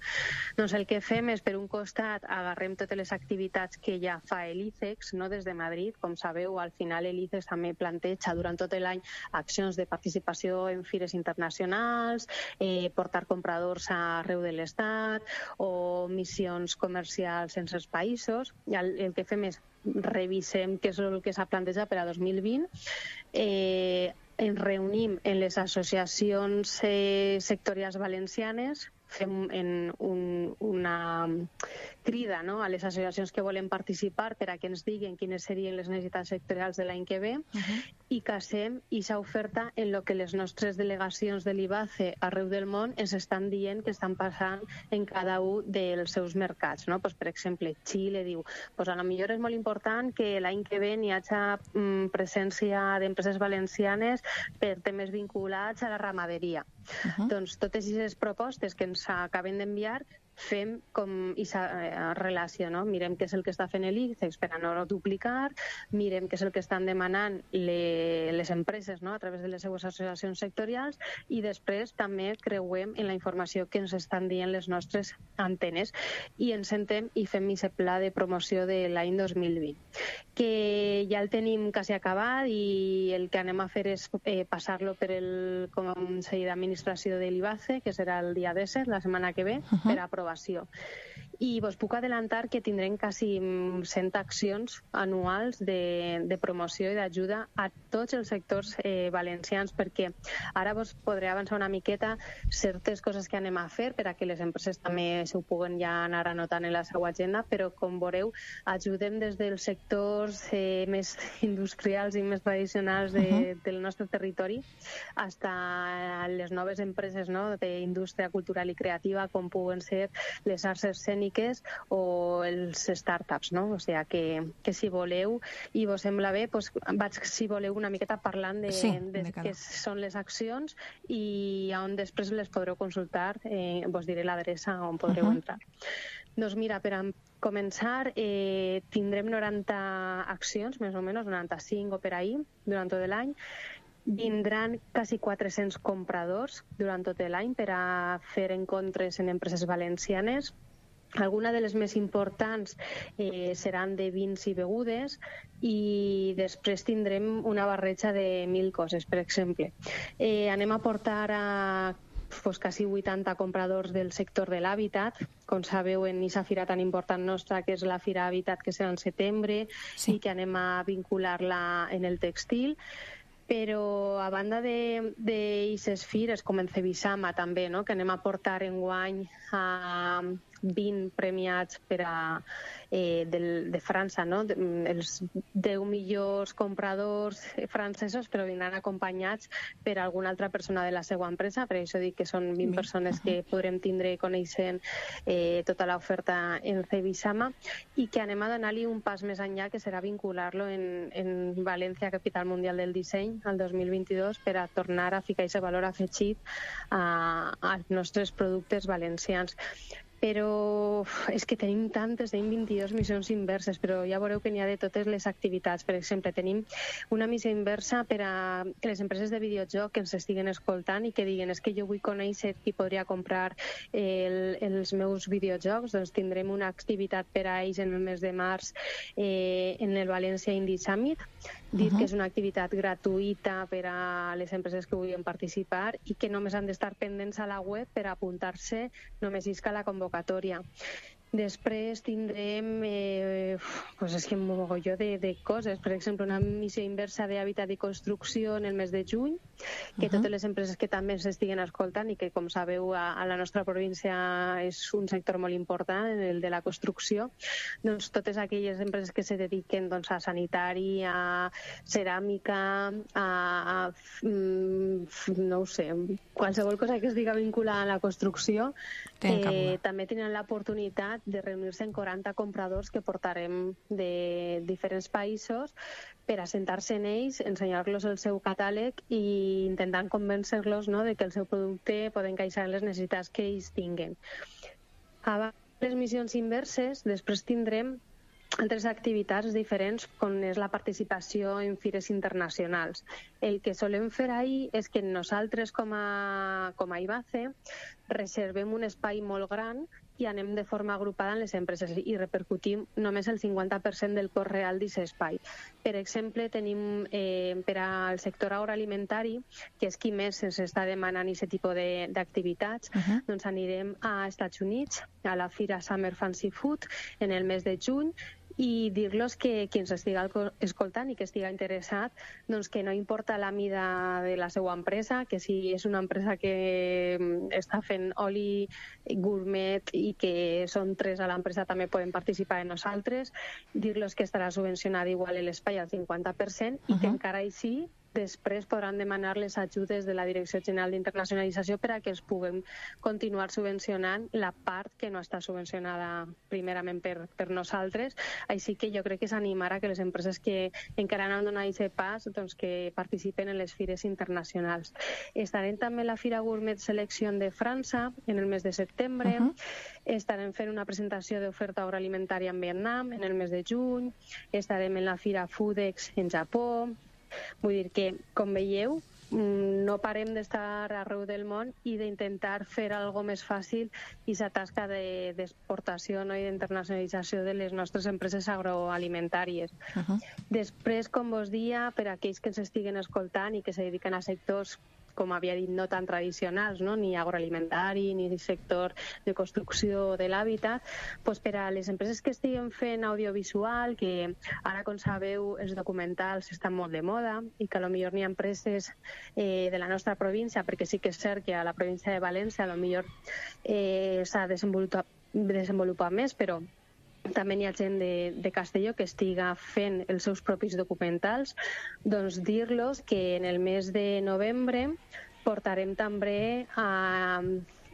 Doncs el que fem és, per un costat, agarrem totes les activitats que ja fa l'ICEX, no?, des de Madrid. Com sabeu, al final l'ICEX també planteja durant tot l'any accions de participació en fires internacionals, eh, portar compradors arreu de l'Estat o missions comercials en els països. I el, el que fem és revisem què és el que s'ha plantejat per a dos mil vint, eh, ens reunim en les associacions eh, sectorials valencianes, fem en un, una crida, no?, a les associacions que volen participar per a que ens diguen quines serien les necessitats sectorials de l'any que ve uh-huh. i casem aquesta oferta en el que les nostres delegacions de l'IBACE arreu del món ens estan dient que estan passant en cada un dels seus mercats, no? Pues, per exemple, Xile diu, pues, a lo millor és molt important que l'any que ve hi hagi mm, presència d'empreses valencianes per temes vinculats a la ramaderia. Uh-huh. Doncs totes aquestes propostes que ens acaben d'enviar fem com aquesta relació, no? Mirem què és el que està fent l'ICEX per a no duplicar, mirem què és el que estan demanant le, les empreses, no?, a través de les seues associacions sectorials, i després també creuem en la informació que ens estan dient les nostres antenes i ens sentem i fem aquest pla de promoció de l'any dos mil vint, que ja el tenim quasi acabat i el que anem a fer és eh, passar-lo per el Consell d'Administració de l'IBACE, que serà el dia disset, la setmana que ve, uh-huh. per aprovar. I vos puc adelantar que tindrem quasi cent accions anuals de, de promoció i d'ajuda a tots els sectors eh, valencians, perquè ara vos podré avançar una miqueta certes coses que anem a fer per a que les empreses també s'ho puguen ja anar anotant en la seva agenda, però com veureu ajudem des dels sectors eh, més industrials i més tradicionals de, uh-huh. del nostre territori fins a les noves empreses, no?, d'indústria cultural i creativa, com puguen ser les arts escèniques o els startups, no? O sigui que, que si voleu i vos sembla bé, doncs vaig, si voleu, una miqueta parlant de, sí, de, de què són les accions i on després les podreu consultar, eh, vos diré l'adreça on podreu uh-huh. entrar. Doncs mira, per a començar, eh, tindrem noranta accions, més o menys, noranta-cinc o per ahí, durant tot l'any. Vindran quasi quatre-cents compradors durant tot l'any per a fer encontres en empreses valencianes. Alguna de les més importants eh, seran de vins i begudes i després tindrem una barreja de mil coses, per exemple. Eh, anem a portar a pues, quasi vuitanta compradors del sector de l'hàbitat, com sabeu, en aquesta fira tan important nostra, que és la Fira Hàbitat, que serà en setembre, sí. i que anem a vincular-la en el textil. Però a banda d'aquestes fires, com en Cebisama també, no?, que anem a portar enguany a, vint premiats per a, eh, del, de França, no? Els deu millors compradors francesos, però vindran acompanyats per alguna altra persona de la seva empresa, per això dic que són vint persones que podrem tindre coneixent eh, tota l'oferta en Cebisama, i que anem a donar-li un pas més enllà, que serà vincular-lo en, en València, capital mundial del disseny, al dos mil vint-i-dos, per a tornar a ficar aquest valor afegit a, als nostres productes valencians. Però és que tenim tantes, tenim vint-i-dues missions inverses, però ja veureu que n'hi ha de totes les activitats. Per exemple, tenim una missió inversa per a que les empreses de videojoc que ens estiguen escoltant i que diguen és que jo vull conèixer qui podria comprar el, els meus videojocs, doncs tindrem una activitat per a ells en el mes de març eh, en el València Indie Summit. Dir uh-huh. que és una activitat gratuïta per a les empreses que vulguin participar i que només han d'estar pendents a la web per apuntar-se, només isca la convocatòria. Després tindrem eh, pues és que un mogolló de, de coses. Per exemple, una missió inversa d'hàbitat i construcció en el mes de juny, que uh-huh. totes les empreses que també s'estiguen escoltant i que, com sabeu, a, a la nostra província és un sector molt important, el de la construcció, doncs totes aquelles empreses que se dediquen doncs, a sanitari, a ceràmica, a, a mm, no ho sé, qualsevol cosa que es diga vinculada a la construcció, eh, també tenen l'oportunitat de reunir-se en quaranta compradors que portarem de diferents països per assentar-se en ells, ensenyar-los el seu catàleg i intentant convèncer-los, no, de que el seu producte pot encaixar en les necessitats que ells tinguen. Abans de les missions inverses, després tindrem altres activitats diferents, com és la participació en fires internacionals. El que solem fer ahir és que nosaltres, com a, com a I B A C E, reservem un espai molt gran i anem de forma agrupada en les empreses i repercutim només el cinquanta per cent del cost real d'aquest espai. Per exemple, tenim eh, per al sector agroalimentari, que és qui més ens està demanant aquest tipus d'activitats, uh-huh. doncs anirem a Estats Units, a la Fira Summer Fancy Food, en el mes de juny, i dir-los que qui ens estiga escoltant i que estiga interessat, doncs que no importa la mida de la seva empresa, que si és una empresa que està fent oli gourmet i que són tres a l'empresa també poden participar en nosaltres, dir-los que estarà subvencionat igual l'espai al cinquanta per cent i uh-huh. que encara així després podran demanar les ajudes de la Direcció General d'Internacionalització per a que es puguem continuar subvencionant la part que no està subvencionada primerament per, per nosaltres. Així que jo crec que és animar a que les empreses que encara no han donat aquest pas doncs que participen en les fires internacionals. Estarem també a la Fira Gourmet Selection de França en el mes de setembre. Uh-huh. Estarem fent una presentació d'oferta agroalimentària en Vietnam en el mes de juny. Estarem en la Fira Foodex en Japó. Vull dir que, com veieu, no parem d'estar arreu del món i d'intentar fer alguna més fàcil aquesta tasca d'exportació, no, i d'internacionalització de les nostres empreses agroalimentàries. Uh-huh. Després, com vos dia, per a aquells que ens estiguen escoltant i que se dediquen a sectors, com havia dit, no tan tradicionals, no? Ni agroalimentari, ni sector de construcció de l'hàbitat, doncs per a les empreses que estiguen fent audiovisual, que ara, com sabeu, els documentals estan molt de moda i que potser n'hi ha empreses eh, de la nostra província, perquè sí que és cert que a la província de València potser eh, s'ha desenvolupat, desenvolupat més, però també n'hi ha gent de, de Castelló que estiga fent els seus propis documentals, doncs dir-los que en el mes de novembre portarem també a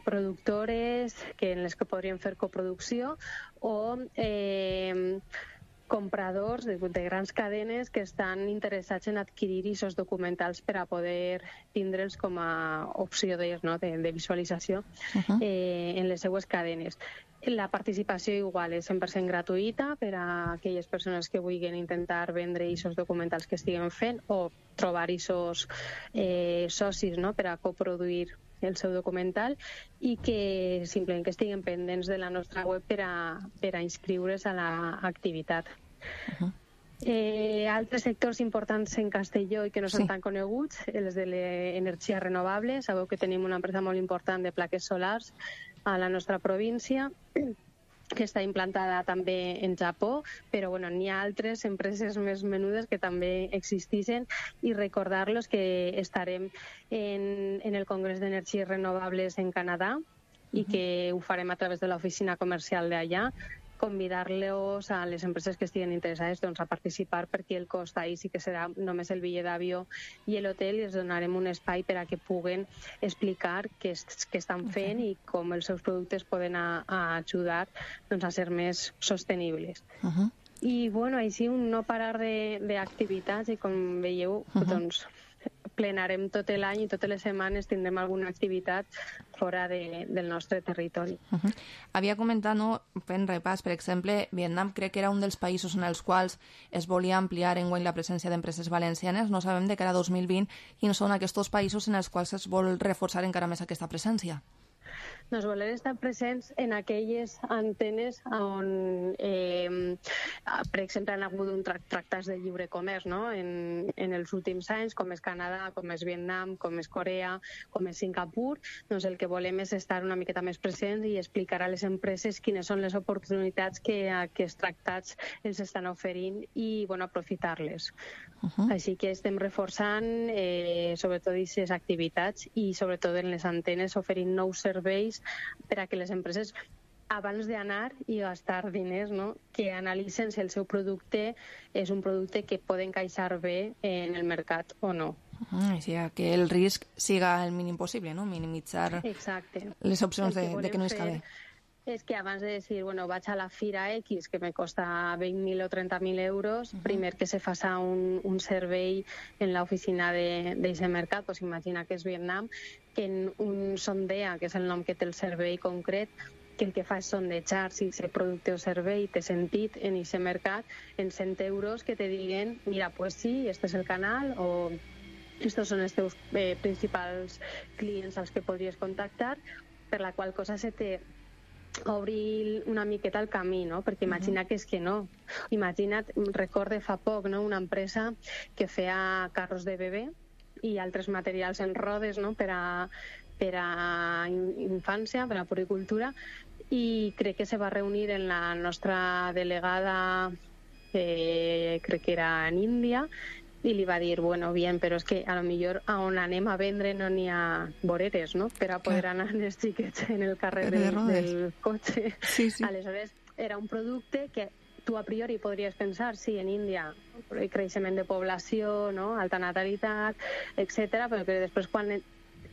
productores que en les que podrien fer coproducció o eh, compradors de, de grans cadenes que estan interessats en adquirir aquests documentals per a poder tindre'ls com a opció de, no, de, de visualització uh-huh. eh, en les seues cadenes. La participació igual és cent per cent gratuïta per a aquelles persones que vulguin intentar vendre aquests documentals que estiguen fent o trobar aquests eh, socis, no, per a coproduir el seu documental i que simplement que estiguen pendents de la nostra web per a, per a inscriure's a l'activitat. Uh-huh. Eh, altres sectors importants en Castelló i que no són sí. tan coneguts, els de l'energia renovable. Sabeu que tenim una empresa molt important de plaques solars a la nostra província, que està implantada també en Japó, però bueno, n'hi ha altres empreses més menudes que també existeixen i recordar-los que estarem en, en el Congrés d'Energies Renovables en Canadà i que ho farem a través de l'oficina comercial d'allà, convidar-los a les empreses que estiguen interessades doncs, a participar, perquè el cost ahir sí que serà només el bitllet d'avió i l'hotel, i els donarem un espai per a que puguen explicar què, què estan fent okay. i com els seus productes poden a, a ajudar doncs, a ser més sostenibles. Uh -huh. I bueno, així un no parar d'activitats i com veieu, uh -huh. doncs plenarem tot l'any i totes les setmanes tindrem alguna activitat fora de, del nostre territori. Uh -huh. Havia comentat, no, fent repàs, per exemple, Vietnam crec que era un dels països en els quals es volia ampliar enguany la presència d'empreses valencianes. No sabem de cara a dos mil vint quins són aquests països en els quals es vol reforçar encara més aquesta presència. Nos volem estar presents en aquelles antenes on, eh, per exemple, han hagut un tra tractats de lliure comerç no? en, en els últims anys, com és Canadà, com és Vietnam, com és Corea, com és Singapur. Doncs el que volem és estar una miqueta més presents i explicar a les empreses quines són les oportunitats que aquests tractats els estan oferint i bueno, aprofitar-les. Uh -huh. Així que estem reforçant eh, sobretot aquestes activitats i sobretot en les antenes oferint nous serveis per a que les empreses abans d'anar i gastar diners, no? que analitzen si el seu producte és un producte que pot encaixar bé en el mercat o no. Uh, o sigui, que el risc siga el mínim possible, no? Minimitzar Exacte. les opcions de, de que no isca bé. És que abans de dir, bueno, vaig a la Fira X, que me costa vint mil o trenta mil euros, uh -huh. primer que se faça un, un servei en l'oficina d'aquest mercat, pues imagina que és Vietnam, que en un sondea, que és el nom que té el servei concret, que el que fa és sondejar si aquest producte o servei té sentit en aquest mercat, en cent euros que te diguen, mira, pues sí, este és el canal, o estos són els teus eh, principals clients als que podries contactar, per la qual cosa se té obrir una miqueta el camí, no? Perquè imagina uh -huh. que és que no. Imagina't, recorde fa poc, no? Una empresa que feia carros de bebè i altres materials en rodes, no? Per a, per a infància, per a puricultura, i crec que se va reunir en la nostra delegada, eh, crec que era en Índia, i li va dir, bueno, bien, però és que a lo millor a on anem a vendre no n'hi ha voreres, no?, per a poder anar els xiquets en el carrer del, del cotxe. Sí, sí. Aleshores, era un producte que tu a priori podries pensar, sí, en Índia, creixement de població, no?, alta natalitat, etcètera, però que després quan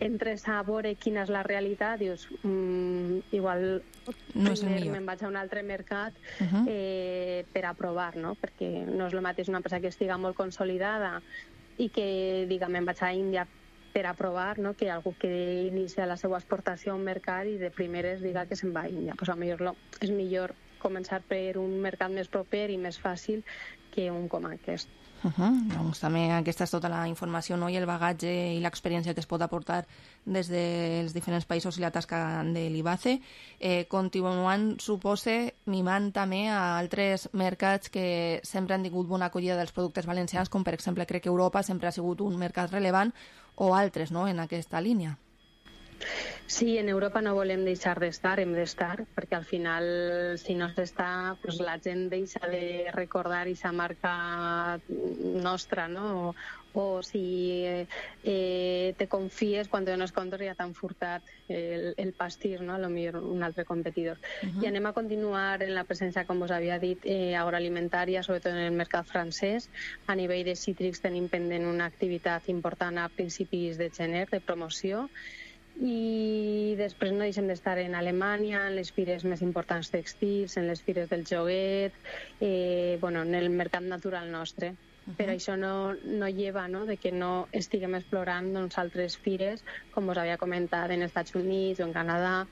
entres a veure quina és la realitat, dius, mm, igual no me'n vaig a un altre mercat uh -huh. eh, per a provar, no? Perquè no és el mateix una empresa que estiga molt consolidada i que diga, me'n vaig a Índia per a provar, no? Que algú que inicia la seva exportació a un mercat i de primeres diga que se'n va a Índia. Pues a millor és millor començar per un mercat més proper i més fàcil que un com aquest. Uh -huh. Doncs també aquesta és tota la informació, no? I el bagatge i l'experiència que es pot aportar des dels diferents països i la tasca de l'I B A C E. Eh, continuant, supose, mimant també a altres mercats que sempre han tingut bona acollida dels productes valencians, com per exemple crec que Europa sempre ha sigut un mercat rellevant, o altres, no?, en aquesta línia. Sí, en Europa no volem deixar d'estar, hem d'estar, perquè al final, si no s'està, pues la gent deixa de recordar aquesta marca nostra, no? O, o si eh, te confies, quan te dones compte ja t'han furtat el, el pastís, no? A lo millor un altre competidor. Uh-huh. I anem a continuar en la presència, com us havia dit, eh, agroalimentària, sobretot en el mercat francès. A nivell de cítrics tenim pendent una activitat important a principis de gener, de promoció, i després no deixem d'estar en Alemanya, en les fires més importants textils, en les fires del joguet, eh, bueno, en el mercat natural nostre. Uh-huh. Però això no, no lleva, no?, de que no estiguem explorant doncs, altres fires, com us havia comentat, en Estats Units o en Canadà,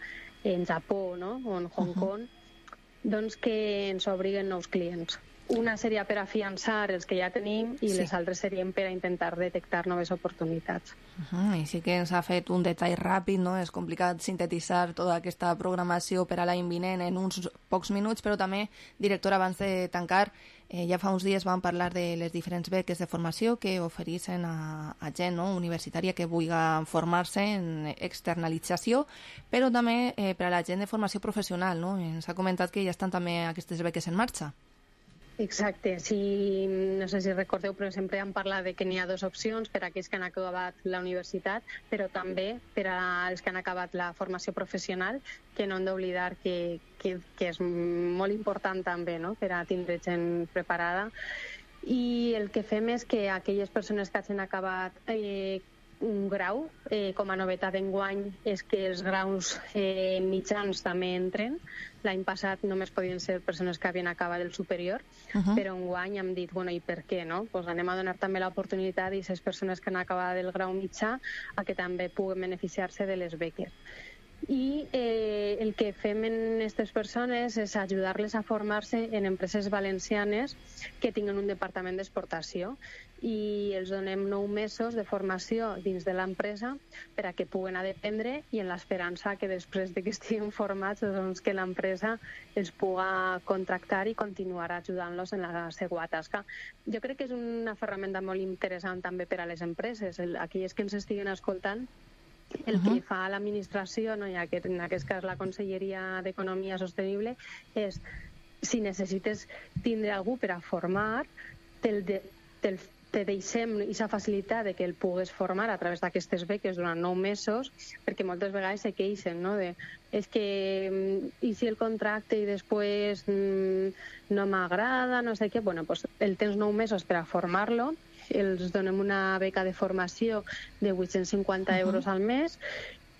en Japó, no?, o en Hong Kong, uh-huh. doncs que ens obriguen nous clients. Una seria per afiançar els que ja tenim i sí. les altres serien per a intentar detectar noves oportunitats. Uh-huh. I sí que ens ha fet un detall ràpid, no? És complicat sintetitzar tota aquesta programació per a l'any vinent en uns pocs minuts, però també, directora, abans de tancar, eh, ja fa uns dies vam parlar de les diferents beques de formació que ofereixen a, a gent, no?, universitària que vulgui formar-se en externalització, però també eh, per a la gent de formació professional, no? Ens ha comentat que ja estan també aquestes beques en marxa. Exacte, sí, no sé si recordeu, però sempre hem parlat de que n'hi ha dues opcions per a aquells que han acabat la universitat, però també per als que han acabat la formació professional, que no hem d'oblidar que, que, que és molt important també, no?, per a tindre gent preparada. I el que fem és que aquelles persones que hagin acabat eh, un grau, eh, com a novetat d'enguany, és que els graus eh, mitjans també entren. L'any passat només podien ser persones que havien acabat el superior, uh-huh. però enguany hem dit, bueno, i per què, no? Pues anem a donar també l'oportunitat a aquestes persones que han acabat el grau mitjà a que també puguen beneficiar-se de les beques. I eh, el que fem en aquestes persones és ajudar-les a formar-se en empreses valencianes que tinguen un departament d'exportació, i els donem nou mesos de formació dins de l'empresa per a que puguen aprendre, i en l'esperança que després de que estiguin formats, doncs que l'empresa els puga contractar i continuar ajudant-los en la seva tasca. Jo crec que és una ferramenta molt interessant també per a les empreses. Aquelles que ens estiguen escoltant, el que fa l'administració, no, ja que en aquest cas la Conselleria d'Economia Sostenible, és si necessites tindre algú per a formar, te'l de, te te deixem aquesta facilitat de que el pugues formar a través d'aquestes beques durant nou mesos, perquè moltes vegades se queixen, no?, de és que i si el contracte i després mm, no m'agrada, no sé què, bueno, pues el tens nou mesos per a formar-lo, els donem una beca de formació de vuit-cents cinquanta euros al mes,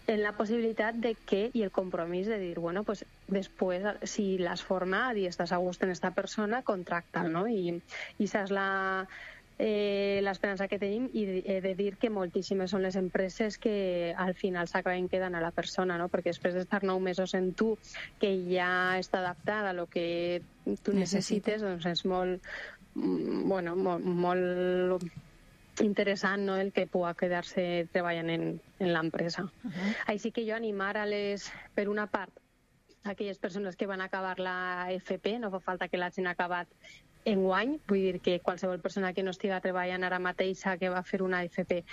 en la possibilitat de que, i el compromís de dir, bueno, pues després, si l'has format i estàs a gust en aquesta persona, contracta'l, no? I, i això és la, eh, l'esperança que tenim, i he de dir que moltíssimes són les empreses que al final s'acaben quedant a la persona, no? Perquè després d'estar nou mesos en tu, que ja està adaptada a lo que tu necessites, doncs és molt, bueno, molt, molt interessant, no?, el que pugui quedar-se treballant en, en l'empresa. Uh-huh. Així que jo animar a les, per una part, aquelles persones que van acabar la F P, no fa falta que l'hagin acabat enguany, vull dir que qualsevol persona que no estiga treballant ara mateixa, que va fer una F P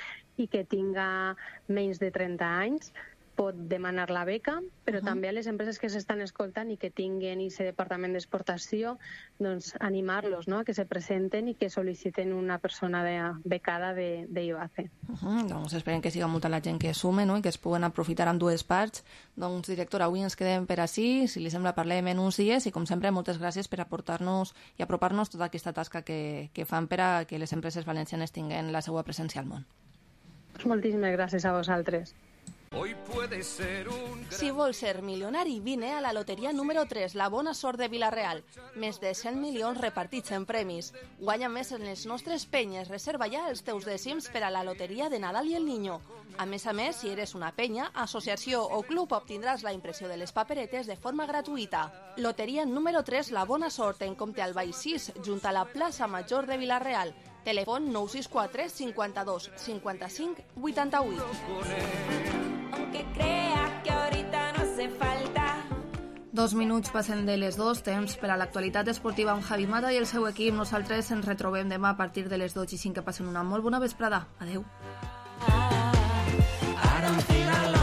i que tinga menys de trenta anys, pot demanar la beca, però uh-huh. també a les empreses que s'estan escoltant i que tinguen aquest departament d'exportació, doncs animar-los, no?, a que se presenten i que sol·liciten una persona de, becada de, de I B A C E. Uh-huh. Doncs esperem que siga molta la gent que sume, no?, i que es puguen aprofitar en dues parts. Doncs, directora, avui ens quedem per ací. Si li sembla, parlem en uns dies, i com sempre, moltes gràcies per aportar-nos i apropar-nos tota aquesta tasca que, que fan per a que les empreses valencianes tinguen la seva presència al món. Moltíssimes gràcies a vosaltres. Hoy puede ser un... Si vols ser milionari, vine a la loteria número tres, la bona sort de Vila-real. Més de cent milions repartits en premis. Guanya més en les nostres penyes. Reserva ja els teus dècims per a la loteria de Nadal i el Niño. A més a més, si eres una penya, associació o club, obtindràs la impressió de les paperetes de forma gratuïta. Loteria número tres, la bona sort, en Comte Albà i sis, junt a la plaça Major de Vila-real. Telèfon nou sis quatre cinquanta-dos cinquanta-cinc vuitanta-vuit. Aunque crea que ahorita no hace falta. Dos minuts passen de les dos, temps per a l'actualitat esportiva amb Javi Mata i el seu equip. Nosaltres ens retrobem demà a partir de les dotze i cinc. Que passen una molt bona vesprada. Adeu. I don't feel alive.